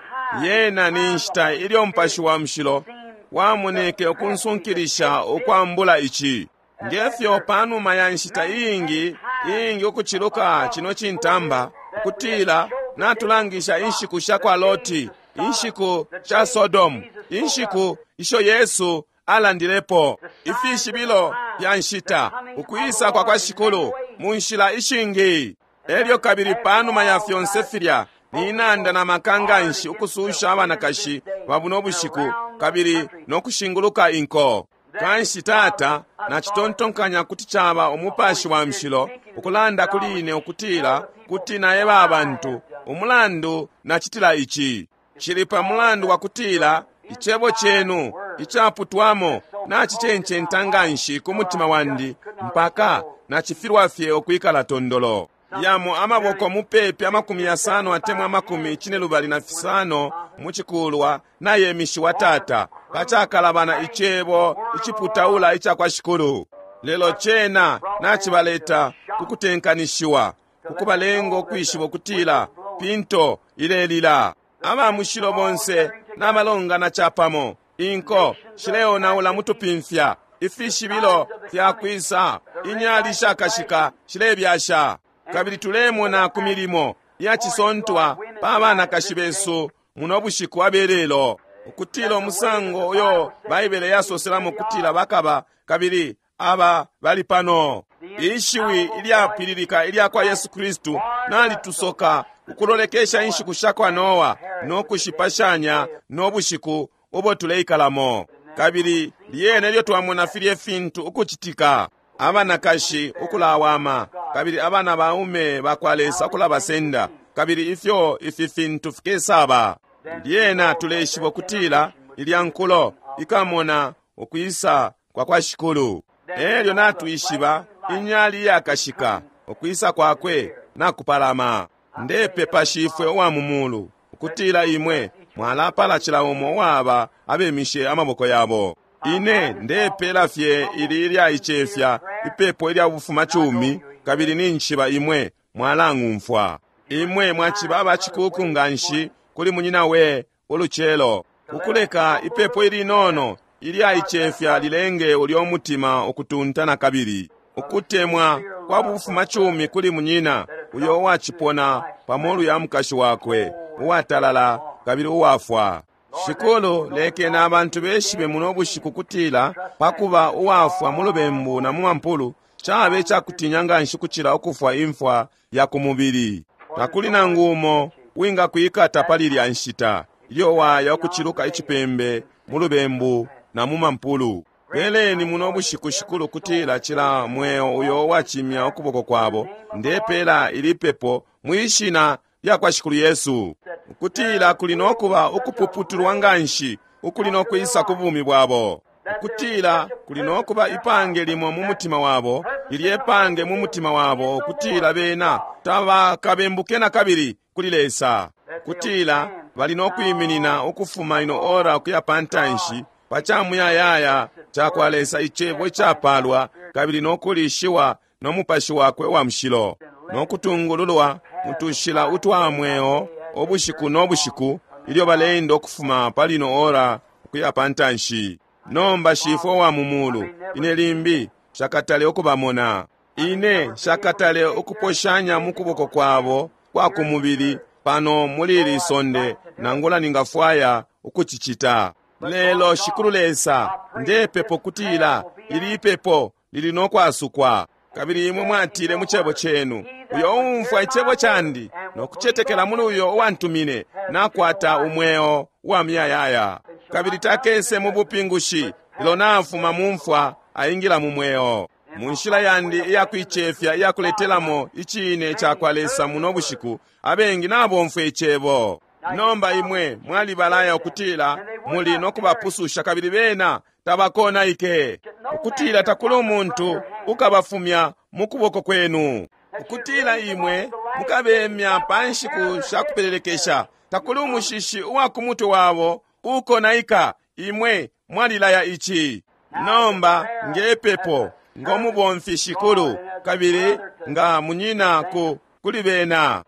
Yena ni nshita ilyo Mupashi wa Mushilo wamoneke ukunsunkilisha ukwambula ici. Ngefyo panuma ya nshita iingi iingi ukuciluka chino cintamba, ukutila natulangisha inshiku sha kwa Loti, inshiku sha Sodomu, inshiku isho Yesu alandilepo, ifishibilo fya nshita, ukwisa kwa kwa Shikulu mu nshila ishingi. Elyo kabili panuma ya fyonse filya, ninanda na maka nganshi ukususha abanakashi ba buno bushiku kabili no kushinguluka inko. Kanshi Tata, nacitontonkanya kuti caba Umupashi wa Mushilo ukulanda kuli ine ukutila kuti naeba abantu umulandu nacitila ici. Cili pa mulandu wa kutila icebo cenu icaputwamo nacicencenta nganshi ku mutima wandi mpaka nacifilwa fye ukwikala tondolo. Yamo amaboko mupepi 50 atemwa 75 mucikulwa nayemishiwa Tata, pacakalabana icebo iciputaula ica kwa Shikulu. Lelo cena nacibaleta kukutenkanishiwa, kukubalenga ukwishiba ukutila pinto ilelila. Aba mushilo bonse nabalongana capamo, inko shileonaula mutupimfya, ifishibilo fyakwisa, inyali shakashika shilebyasha. Kabili tulemona ku milimo yacisontwa pa banakashi besu muno bushiku abelelo, ukutila umusango uyo Baibele yasoselamo kutila bakaba, kabili aba bali pano. Ishiwi ilyapwililika ilya kwa Yesu Kristu nalitusoka ukulolekesha inshiku sha kwa Noa no kushipashanya no bushiku ubo tuleikalamo. Kabili lyene ilyo twamona filye fintu ukucitika, abanakashi ukulawama, kabili abana baume bakwa Lesa ukulabasenda, kabili ifyo ifi fintu fikesaba. Lyena tuleshiba ukutila ilya nkulo ikamona ukwisa kwa kwa Shikulu. Elyo natwishiba inyali iyakashika, ukwisa kwakwe nakupalama. Ndepepa Shifwe uwa mu mulu ukutila imwe mwalapala cila umo uwaba abemishe amaboko yabo. Ine ndepela fye ili ilyaicefya ipepo ilya bufumacumi, kabili ninjishiba imwe mwalang'umfwa. Imwe mwaciba abacikuku nganshi kuli munyina we ulucelo, ukuleka ipepo ilinono ilyaicefya lilenge ulyo mutima ukutunta na kabili. Ukutemwa kwa bufumacumi kuli munyina uyo uwacipona pa molu ya mukashi wakwe, uwatalala kabili uwafwa. Shikulu, lekeni abantu beshibe muno bushiku kutila pakuba uwafwa mu lubembu na mu mampulu cabe icakutinya nganshi kucila ukufwa imfwa ya ku mubili. Takuli nangu umo wingakwikata pali ilya nshita ilyo waya ukuciluka icipembe mu lubembu na mu mampulu. Peleni muno bushiku, Shikulu, kutila cila mweo uyo uwacimya ukuboko kwabo, ndepela ili pepo mwishina lya kwa Shikulu Yesu, ukutila kuli nokuba ukupuputulwa nganshi ukuli nokwisa ku bumi bwabo, ukutila kuli nokuba ipange limo mu mutima wabo, lilye pange mu mutima wabo, ukutila bena tabakabembuke na kabili kuli Lesa, kutila bali nokwiminina ukufuma ino ora ukuya pantanshi pa camuyayaya ca kwa Lesa, icebo icapalwa kabili nokulishiwa no Mupashi wakwe wa Mushilo, nokutungululwa mutushila utwa mweo ubushiku no bushiku ilyo baleenda ukufuma pali ino ora ukuya pantanshi. Nomba Shifwe wa mu mulu, ine limbi shakatale ukubamona. Ine nshakatale ukuposhanya mu kuboko kwabo kwa kumubili pano muli ili sonde, nangula ningafwaya ukucicita. Lelo Shikulu Lesa, ndepepo kutila ili ipepo lili no kwasukwa. Kabili imwe mwatile mu cebo cenu, uyo uumfwa icebo candi no kucetekela muli uyo uwantumine nakwata umweo wa muyayaya, kabili takese mu bupingushi, lelo nafuma mu mfwa aingila mu mweo. Mu nshila yandi iyakuicefya iyakuletelamo icine cakwa Lesa muno bushiku, abengi nabomfwa icebo. Nomba imwe mwalibalaya ukutila muli no kubapususha, kabili bena tabakonaike, ukutila takuli umuntu ukabafumya mu kuboko kwenu, ukutila imwe mukabemya pa nshiku sha kupelelekesha, takuli umushishi uwa ku mutwe wabo ukonaika. Imwe mwalilaya ici. Nomba ngepepo ngo mubomfi Shikulu, kabili nga munyina ku kuli bena,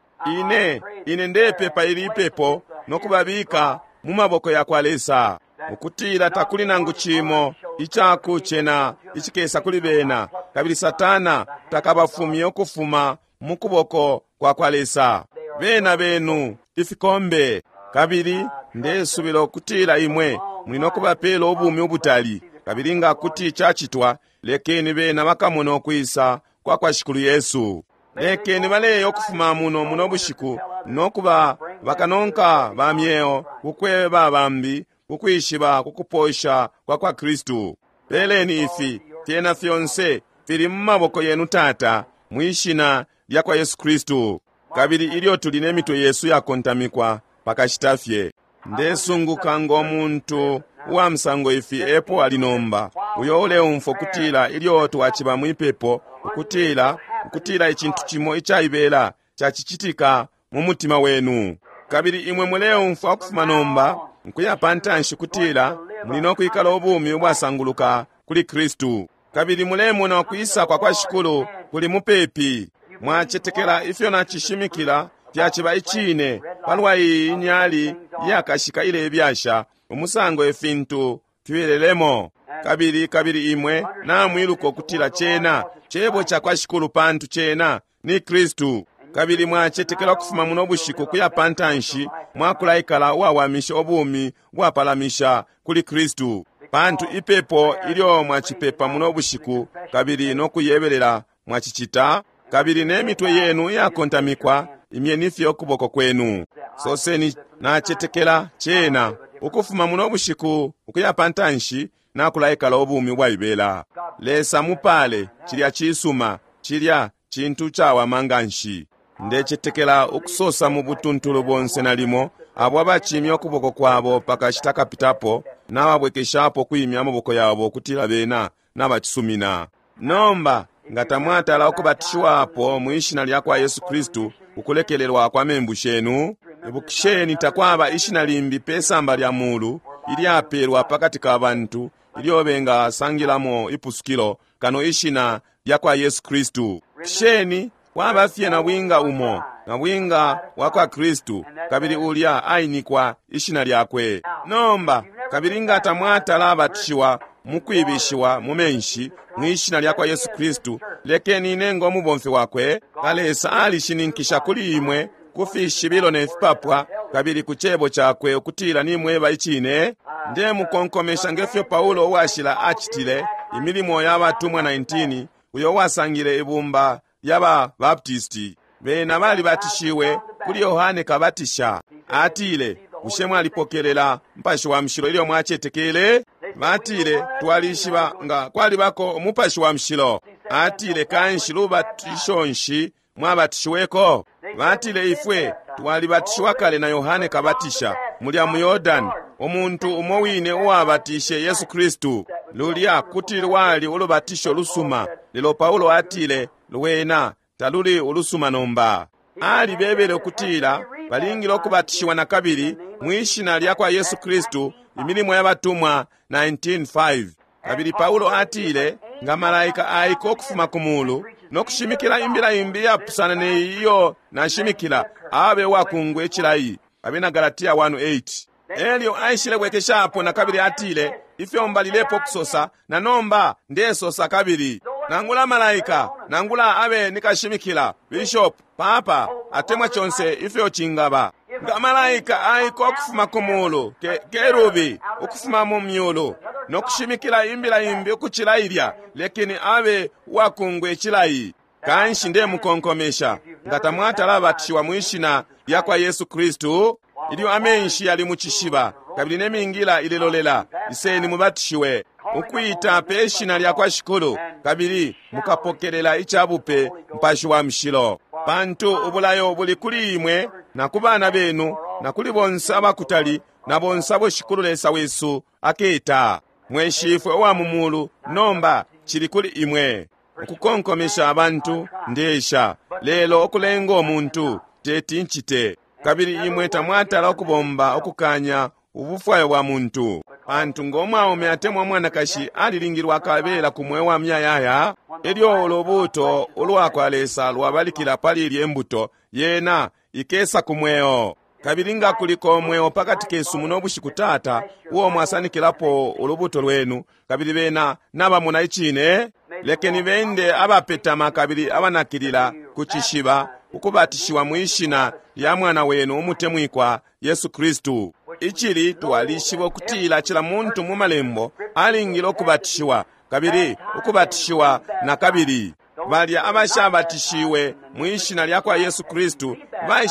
ine ndepepa ili ipepo no kubabika mu maboko ya kwa Lesa, ukutila takuli nangu cimo icakucena icikesa kuli bena, kabili Satana takabafumye ukufuma mu kuboko kwa kwa Lesa. Bena benu ifikombe, kabili ndesubila ukutila imwe muli no kubapela ubumi ubutali, kabili nga kuti cacitwa, lekeni bena bakamone ukwisa kwa kwa Shikulu Yesu. Lekeni baleya ukufuma muno muno bushiku no kuba bakanonka ba myeo, kukweba bambi kukwishiba kukuposha kwa kwa Kristu. Peleni ifi fyena fyonse fili mu maboko yenu Tata, mwishina lya kwa Yesu Kristu. Kabili ilyo tuli ne mitwe yesu yakontamikwa pakashita fye, ndesunguka ngo muntu uwa musango ifi epo ali nomba, uyo uleumfwa ukutila ilyo twaciba mwipepo, ukutila icintu cimo icaibela cacicitika mu mutima wenu, kabili imwe muleumfwa ukufuma nomba nkuya pantanshi kutila muli no kwikala ubumi ubwasanguluka kuli Kristu, kabili mulemona ukwisa kwa kwa Shikulu kuli mupepi. Mwacetekela ifyo nacishimikila fyaciba icine palwa iyi nyali iyakashika ilebyasha umusango ifintu fibelelemo, kabili imwe namwiluka ukutila cena cebo ca kwa Shikulu, pantu cena ni Kristu. Kabili mwacetekela ukufuma muno bushiku kuya pantanshi mwakulaikala uwawamisha ubumi bwapalamisha kuli Kristu, pantu ipepo ilyo mwacipepa muno bushiku kabili no kuyebelela mwacicita, kabili ne mitwe yenu iyakontamikwa, imyeni fye ukuboko kwenu, soseni, nacetekela cena ukufuma muno bushiku ukuya pantanshi nakulaikala ubumi ubwaibela. Lesa mupale. Cilya cisuma, cilya cintu cawama nganshi. Ndecetekela ukusosa mu butuntulu bonse nalimo abo abacimya ukuboko kwabo pakashita kapitapo nababwekeshapo kwimya amaboko yabo ukutila bena nabacisumina. Nomba nga tamwatala ukubatishiwapo mwishina lya kwa Yesu Kristu ukulekelelwa kwa membu shenu, ibukisheni takwaba ishina limbi pe samba lya mulu ilyapelwa pakati ka bantu ilyo bengasangilamo ipusukilo kano ishina lya kwa Yesu Kristu. Kisheni kwaba fye nabwinga umo, nabwinga wa kwa Kristu, kabili ulya ainikwa ishina lyakwe. Nomba kabili nga tamwatala abatishiwa mukwibishiwa mu menshi mwishina lya kwa Yesu Kristu, lekeni ine ngo mubomfi wakwe, Lesa alishininkisha kuli imwe ku fishibilo ne fipapwa kabili ku cebo cakwe ukutila nimweba icine. Ndemukonkomesha ngefyo Paulo uwashila acitile imilimo ya batumwa 19, uyo wasangile ibumba lya ba Baptisti. Bena balibatishiwe kuli Yohane Kabatisha. Atile, bushe mwalipokelela Mupashi wa Mushilo ilyo mwacetekele? Batile, twalishiba nga kwalibako Umupashi wa Mushilo. Atile, kanshi lubatisho nshi mwabatishiweko? Batile, ifwe twalibatishiwa kale na Yohane Kabatisha mulya mu Yordani, umuntu umo wine uwabatishe Yesu Kristu. Lulya kuti lwali ulubatisho lusuma, lelo Paulo atile lwena taluli ulusuma nomba. Alibebele ukutila balingile ukubatishiwa na kabili mwishina lya kwa Yesu Kristu, imilimo ya batumwa 19:5. Kabili Paulo atile nga malaika aika ukufuma ku mulu no kushimikila imbila imbi yapusana ne iyo nashimikila, abe wakungwe icilayi. Abena Galatia 1:8. Elyo aishile bwekeshapo na kabili atile, ifyo mbalilepo kusosa na nomba ndesosa kabili. Nangula malaika, nangula abe ni kashimikila, bishop, papa, atemwa conse ifyo cingaba. Nga malaika aika ukufuma ku mulu, ke, kerubi ukufuma mu myulu, no kushimikila imbila imbi ukucila ilya, lekeni abe uwakungwe cilayi. Kanshi ndemukonkomesha, nga tamwatala batishiwa mwishina lya kwa Yesu Kristu, ilyo amenshi yali mu cishiba, kabili ne mingila ilelolela, iseni mubatishiwe, ukwita pe shina lya kwa Shikulu, kabili mukapokelela icabupe Mupashi wa Mushilo. Pantu ubulayo buli kuli imwe, na ku bana benu, na kuli bonse abakutali, na bonse abo Shikulu Lesa wesu aketa. Mwe Shifwe uwa mu mulu, nomba cili kuli imwe. Ukukonkomesha abantu ndesha, lelo ukulenga umuntu teti ncite. Kabili imwe tamwatala ukubomba ukukanya ubufwayo bwa muntu. Pantu ngo mwaume atemwa mwanakashi alilingilwa akabela ku mweo wa muyayaya, elyo ulubuuto ulwa kwa Lesa lwabalikila pali ilye mbuto, yena ikesa ku mweo. Kabili nga kuliko mweo pakati kesu muno bushiku, Tata, uo mwasanikilapo ulubuto lwenu, kabili bena nabamona icine, lekeni bende abapetama kabili abanakilila ku cishiba, ukubatishiwa mwishina lya mwana wenu umutemwikwa Yesu Kristu. Icili twalishiba ukutila cila muntu mu malembo alingile ukubatishiwa, kabili ukubatishiwa na kabili. Balya abashabatishiwe mwishina lya kwa Yesu Kristu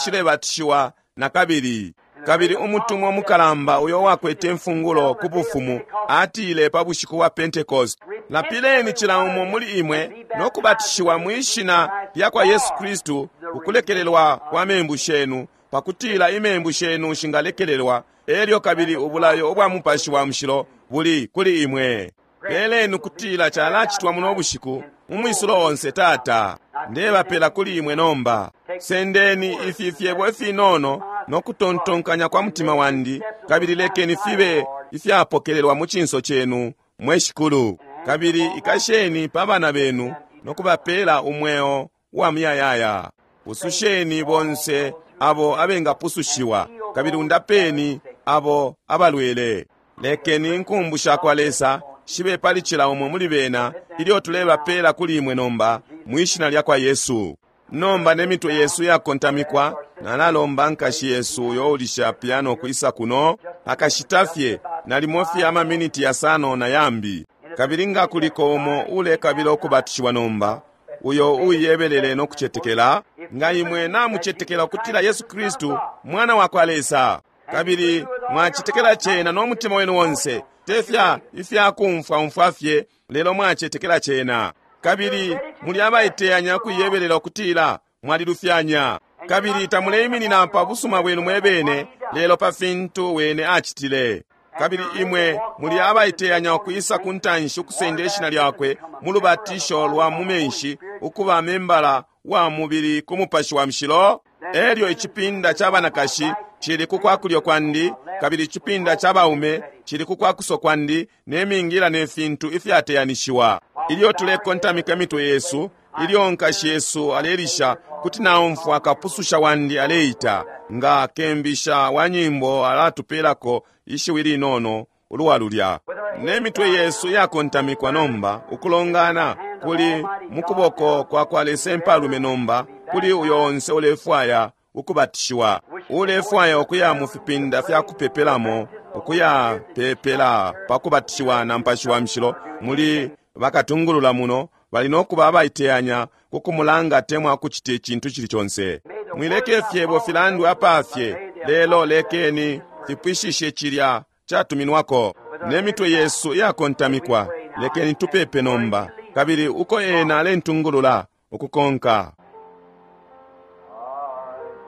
baishilebatishiwa na kabili. Kabili umutumwa mukalamba uyo wakwete imfungulo ku bufumu atile pa bushiku bwa Pentecost, lapileni cila umo muli imwe no kubatishiwa mwishina lya kwa Yesu Kristu ukulekelelwa kwa membu shenu, pakutila imembu shenu shingalekelelwa, elyo kabili ubulayo ubwa Mupashi wa Mushilo buli kuli imwe. Peleni kutila calacitwa muno bushiku mu mwisulo onse. Tata, ndebapela kuli imwe nomba. Sendeni ifi fyebo ifinono no kutontonkanya kwa mutima wandi, kabili lekeni fibe ifyapokelelwa mu cinso cenu, mwe Shikulu. Kabili ikasheni pa bana benu no kubapela umweo wa muyayaya. Pususheni bonse abo abengapusushiwa, kabili undapeni abo abalwele. Lekeni inkumbu sha kwa Lesa shibe pali cila umo muli bena ilyo tulebapela kuli imwe nomba, mwishina lya kwa Yesu. Nomba ne mitwe yesu yakontamikwa, nalalomba nkashi yesu uyo ulisha piano kwisa kuno akashita fye nalimo fye amaminiti yasano na yambi. Kabili nga kuliko umo ulekabila ukubatishiwa nomba, uyo uiyebelele no kucetekela, nga imwe namucetekela ukutila Yesu Kristu mwana wa kwa Lesa, kabili mwacetekela cena no mutima wenu wonse, tefya ifyakumfwa umfwa fye, lelo mwacetekela cena, kabili muli abaiteyanya kuiyebelela ukutila mwalilufyanya, kabili tamuleiminina pa busuma bwenu mwebene, lelo pa fintu wene acitile, kabili imwe muli abaiteyanya ukwisa ku ntanshi ukusenda ishina lyakwe mu lubatisho lwa mu menshi, ukuba membala wa mubili ku Mupashi wa Mushilo. Elyo icipinda ca banakashi cili ku kwa kulyo kwandi, kabili icipinda ca baume cili ku kwa kuso kwandi, ne mingila ne fintu ifyateyanishiwa. Ilyo tulekontamika imitwe yesu, ilyo nkashi yesu alelisha, kuti naumfwa kapususha wandi aleita, nga kembisha wa nyimbo alatupelako ishiwi linono ulwa lulya. Ne mitwe yesu yakontamikwa nomba, ukulongana kuli mukuboko kwa kwa Lesa impalume nomba, kuli uyo onse ulefwaya ukubatishiwa, ulefwaya ukuya mu fipinda fya kupepelamo, ukuya pepela pa kubatishiwa na Mupashi wa Mushilo, muli bakatungulula muno bali no kuba abaiteyanya ku kumulanga temwa kucita icintu cili conse. Mwileke fyebo filandwe apafye, lelo lekeni fipwishishe cilya catuminwako. Ne mitwe yesu yakontamikwa, lekeni tupepe nomba, kabili uko ena alentungulula ukukonka.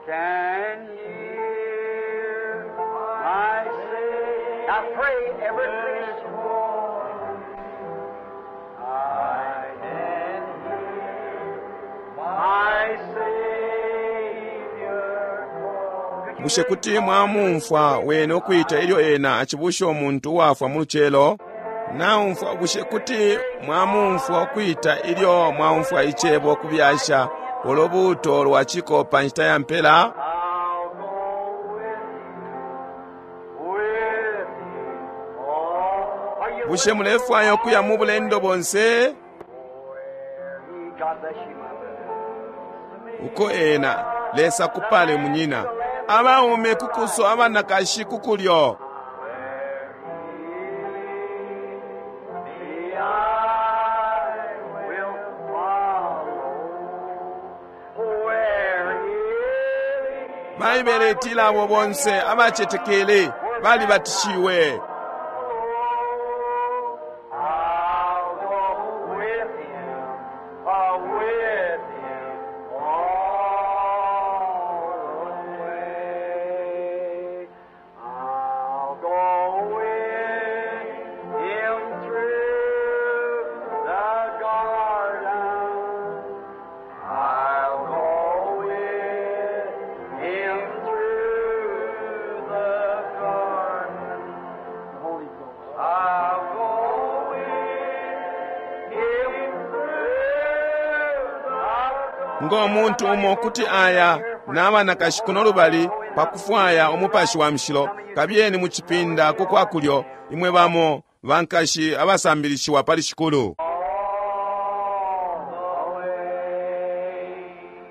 Can hear my say. I pray every Christian. I can hear my Savior call. Bushe kuti mwamumfwa wene ukwita ilyo ena acibusha umuntu uwafwa mu lucelo? Naumfwa, bushe kuti mwamumfwa ukwita ilyo mwaumfwa icebo kubyasha ulubuuto lwa ciko pa nshita ya mpela? I'll go with you, with you all. Are you Bushe mulefwaya ukuya mu bulendo bonse? bless you, my brother. Uko ena Lesa kupale munyina. Abaume kukuso, abanakashi kukulyo. Me, I will follow where he leads. Baibele itila abo bonse abacetekele balibatishiwe. I'll go with him, with him all the way. I'll go with him through the garden. I'll go with him through the garden. The Holy Ghost. I'll go with him through the Ngo muntu umo kuti aya n'abanakashi kuno lubali pakufwaya umupashi wa mushilo, kabiyeni mu cipinda ku kwakulyo, imwe bamo bankashi abasambilishiwa pali Shikulu. all the way.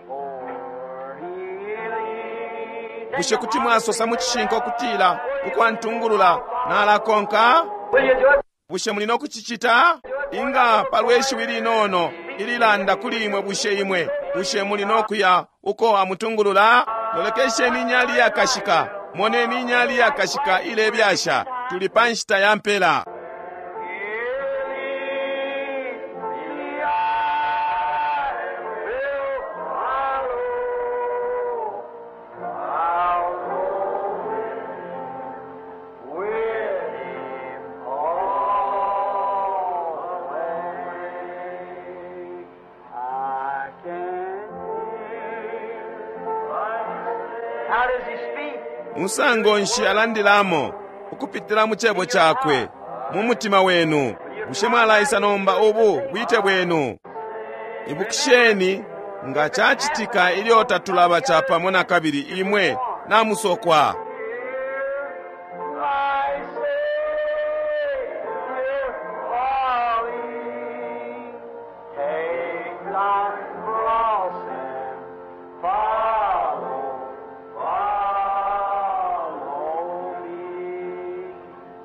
For he leads. Bushe kuti mwasosa mu cishinka ukutila ukwantungulula nalakonka? Will you do it? Bushe muli no kucicita? Inga palwe shiwi linono ililanda kuli imwe, bushe imwe bushe muli no kuya uko amutungulula? Lolekesheni inyali yakashika, moneni inyali yakashika ilebyasha. Tuli pa nshita ya mpela. How does he speak? Musango nshi alandilamo ukupitila mu cebo cakwe mu mutima wenu? Bushe mwalaisa nomba ubu bwite bwenu? Ibukisheni nga cacitika ilyo tatulaba capamo na kabili imwe namusokwa. I Savior, calling, take thy cross and follow, follow me.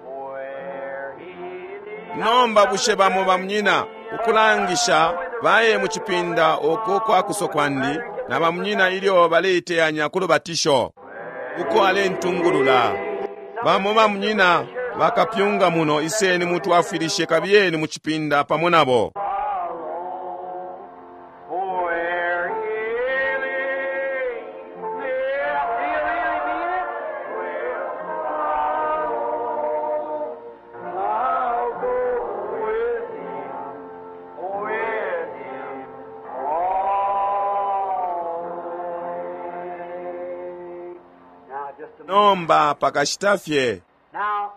Where he leads. Nomba bushe bamo bamunyina ukulangisha baye mu cipinda uku kwakuso kwandi na bamunyina ilyo baleiteyanya ku lubatisho uko alentungulula. Bamo bamunyina bakapyunga muno, iseni mutwafwilishe, kabiyeni mu cipinda pamo nabo. Where he leads, do you really mean it? Well, I'll go with him, with him all the way. Now, just a moment. Nomba pakashita fye. Now,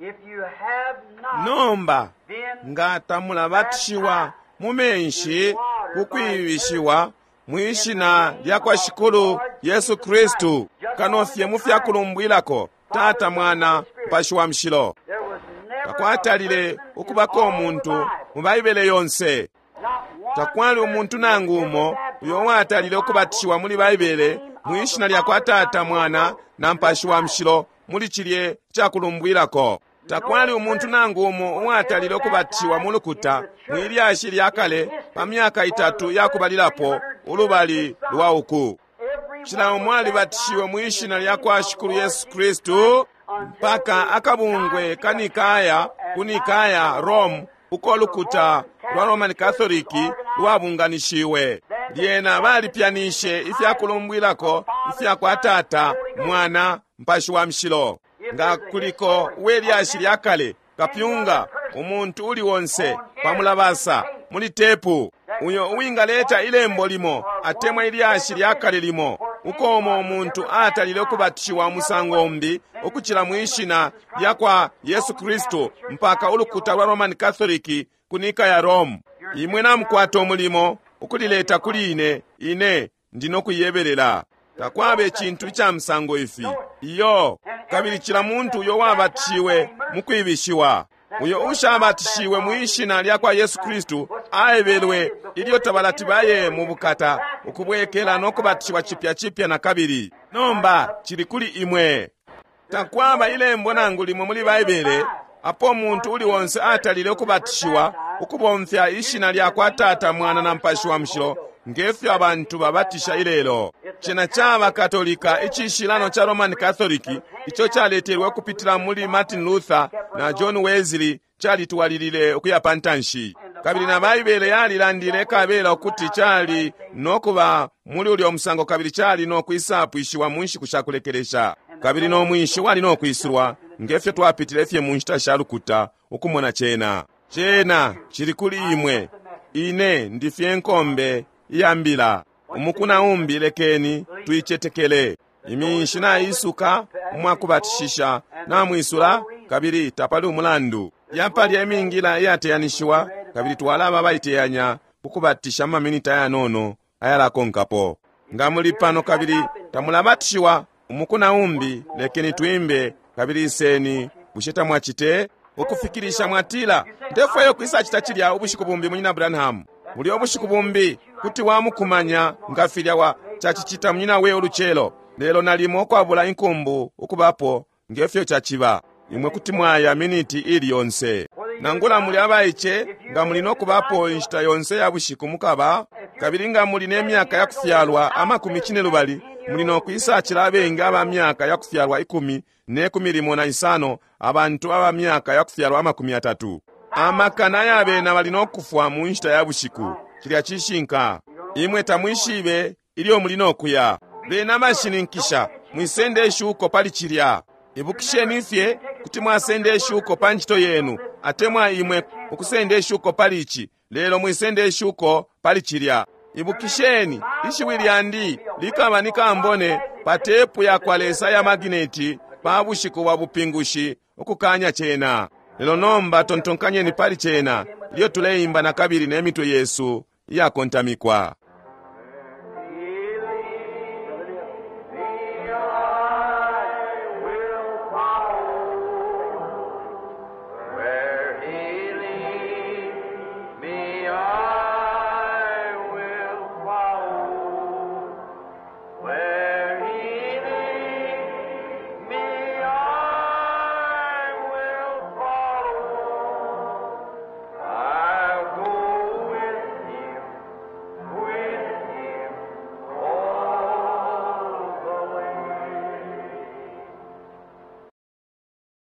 if you have not Nomba been nga tamulabatishiwa mu menshi kukwibishiwa mwishina lya kwa Shikulu Yesu Kristu, kano fye mu fyakulumbwilako Tata, Mwana, Mupashi wa Mushilo. There was never a Takwatalile person in ukubako all umuntu the Bible, mu Baibele yonse. not one Takwali umuntu nangu umo uyo watalile ukubatishiwa muli Baibele mwishina lya kwa Tata, Mwana na Mupashi wa Mushilo muli cilye cakulumbwilako. Takwali umuntu nangu umo uwatalile ukubatishiwa mu lukuta mwilyashi lya kale pa myaka itatu yakubalilapo ulubali lwa uku. every Cila umo alibatishiwe mwishina lya kwa Shikulu Yesu Kristu mpaka akabungwe ka Nikaya ku Nikaya, Rome, uko lukuta lwa Roman Catholic lwabunganishiwe. Lyena balipyanishe ifyakulumbwilako ifya kwa Tata, Mwana, Mpashi wa Mushilo. Nga kuliko uwe lyashi lya kale, kapyunga, umuntu uli wonse pamulabasa muli tepu uyo uwingaleta ilembo limo atemwa ilyashi lya kale limo uko umo umuntu atalile ukubatishiwa umusango umbi ukucila mwishina lya kwa Yesu Kristu mpaka ulukuta lwa Roman Catholic ku Nika ya Rome. Imwe namukwata umulimo ukulileta kuli ine, ine ndino kuyebelela. Takwaba icintu ica musango ifi iyo. Kabili cila muntu uyo wabatishiwe mu kwibishiwa, uyo ushabatishiwe mwishina lya kwa Yesu Kristu aebelwe ilyo tabalati baye mu bukata, ukubwekela no kubatishiwa cipya cipya na kabili. Nomba cili kuli imwe. Takwaba ilembo nangu limo muli Baibele apo umuntu uli onse atalile ukubatishiwa ukubomfya ishina lya kwa Tata, Mwana na Mupashi wa Mushilo ngefyo abantu babatisha ilelo. Cena caba Katolika, icishilano ca Roman Catholic ico caletelwe ukupitila muli Martin Luther na John Wesley, calitwalilile ukuya pa ntanshi. Kabili na Baibele yalilandile kabela ukuti cali no kuba muli ulyo musango, kabili cali no kwisapwishiwa mu nshiku sha kulekelesha. Kabili no mwinshi wali no kwisulwa ngefyo twapitile fye mu nshita sha lukuta ukumona cena. Cena cili kuli imwe. Ine ndi fye nkombe iya mbila. Umuku na umbi lekeni tuicetekele. Iminshi naisuka umwakubatishisha namwisula, kabili tapali umulandu. Yapalya imingila iyateyanishiwa, kabili twalaba abaiteyanya ukubatisha mu maminiti ayanono ayalakonkapo. Nga muli pano kabili tamulabatishiwa, umuku na umbi lekeni twimbe kabili iseni. Bushe tamwacite? Ukufikilisha mwatila, ndefwayo kwisacita cilya ubushiku bumbi, Munyina Branham. Bulya ubushiku bumbi kuti wamukumanya nga filya wa cacicita munyina we ulucelo, lelo nalimo ukwabula inkumbu ukubapo ngefyo caciba. Imwe kuti mwaya miniti ili yonse. Nangula muli abaice, nga muli no kubapo inshita yonse ya bushiku mukaba, kabili nga muli ne myaka ya kufyalwa amakumi cinelubali, muli no kwisacila abengi aba myaka ya kufyalwa ikumi ne kumi limo na isano, abantu aba myaka ya kufyalwa amakumi atatu. Amakana ya bena bali no kufwa mu nshita ya bushiku. Cilya cishinka. Imwe tamwishibe ilyo muli no kuya. Bena bashininkisha, mwisende ishuko pali cilya. Ibukisheni fye kuti mwasenda ishuko pa ncito yenu, atemwa imwe ukusenda ishuko pali ici, lelo mwisende ishuko pali cilya. Ibukisheni, ishiwi lyandi likaba ni kambone pa tepu ya kwa Lesa ya magineti pa bushiku bwa bupingushi ukukanya cena. Lelo nomba tontonkanyeni pali cena ilyo tuleimba na kabili ne mitwe yesu iyakontamikwa.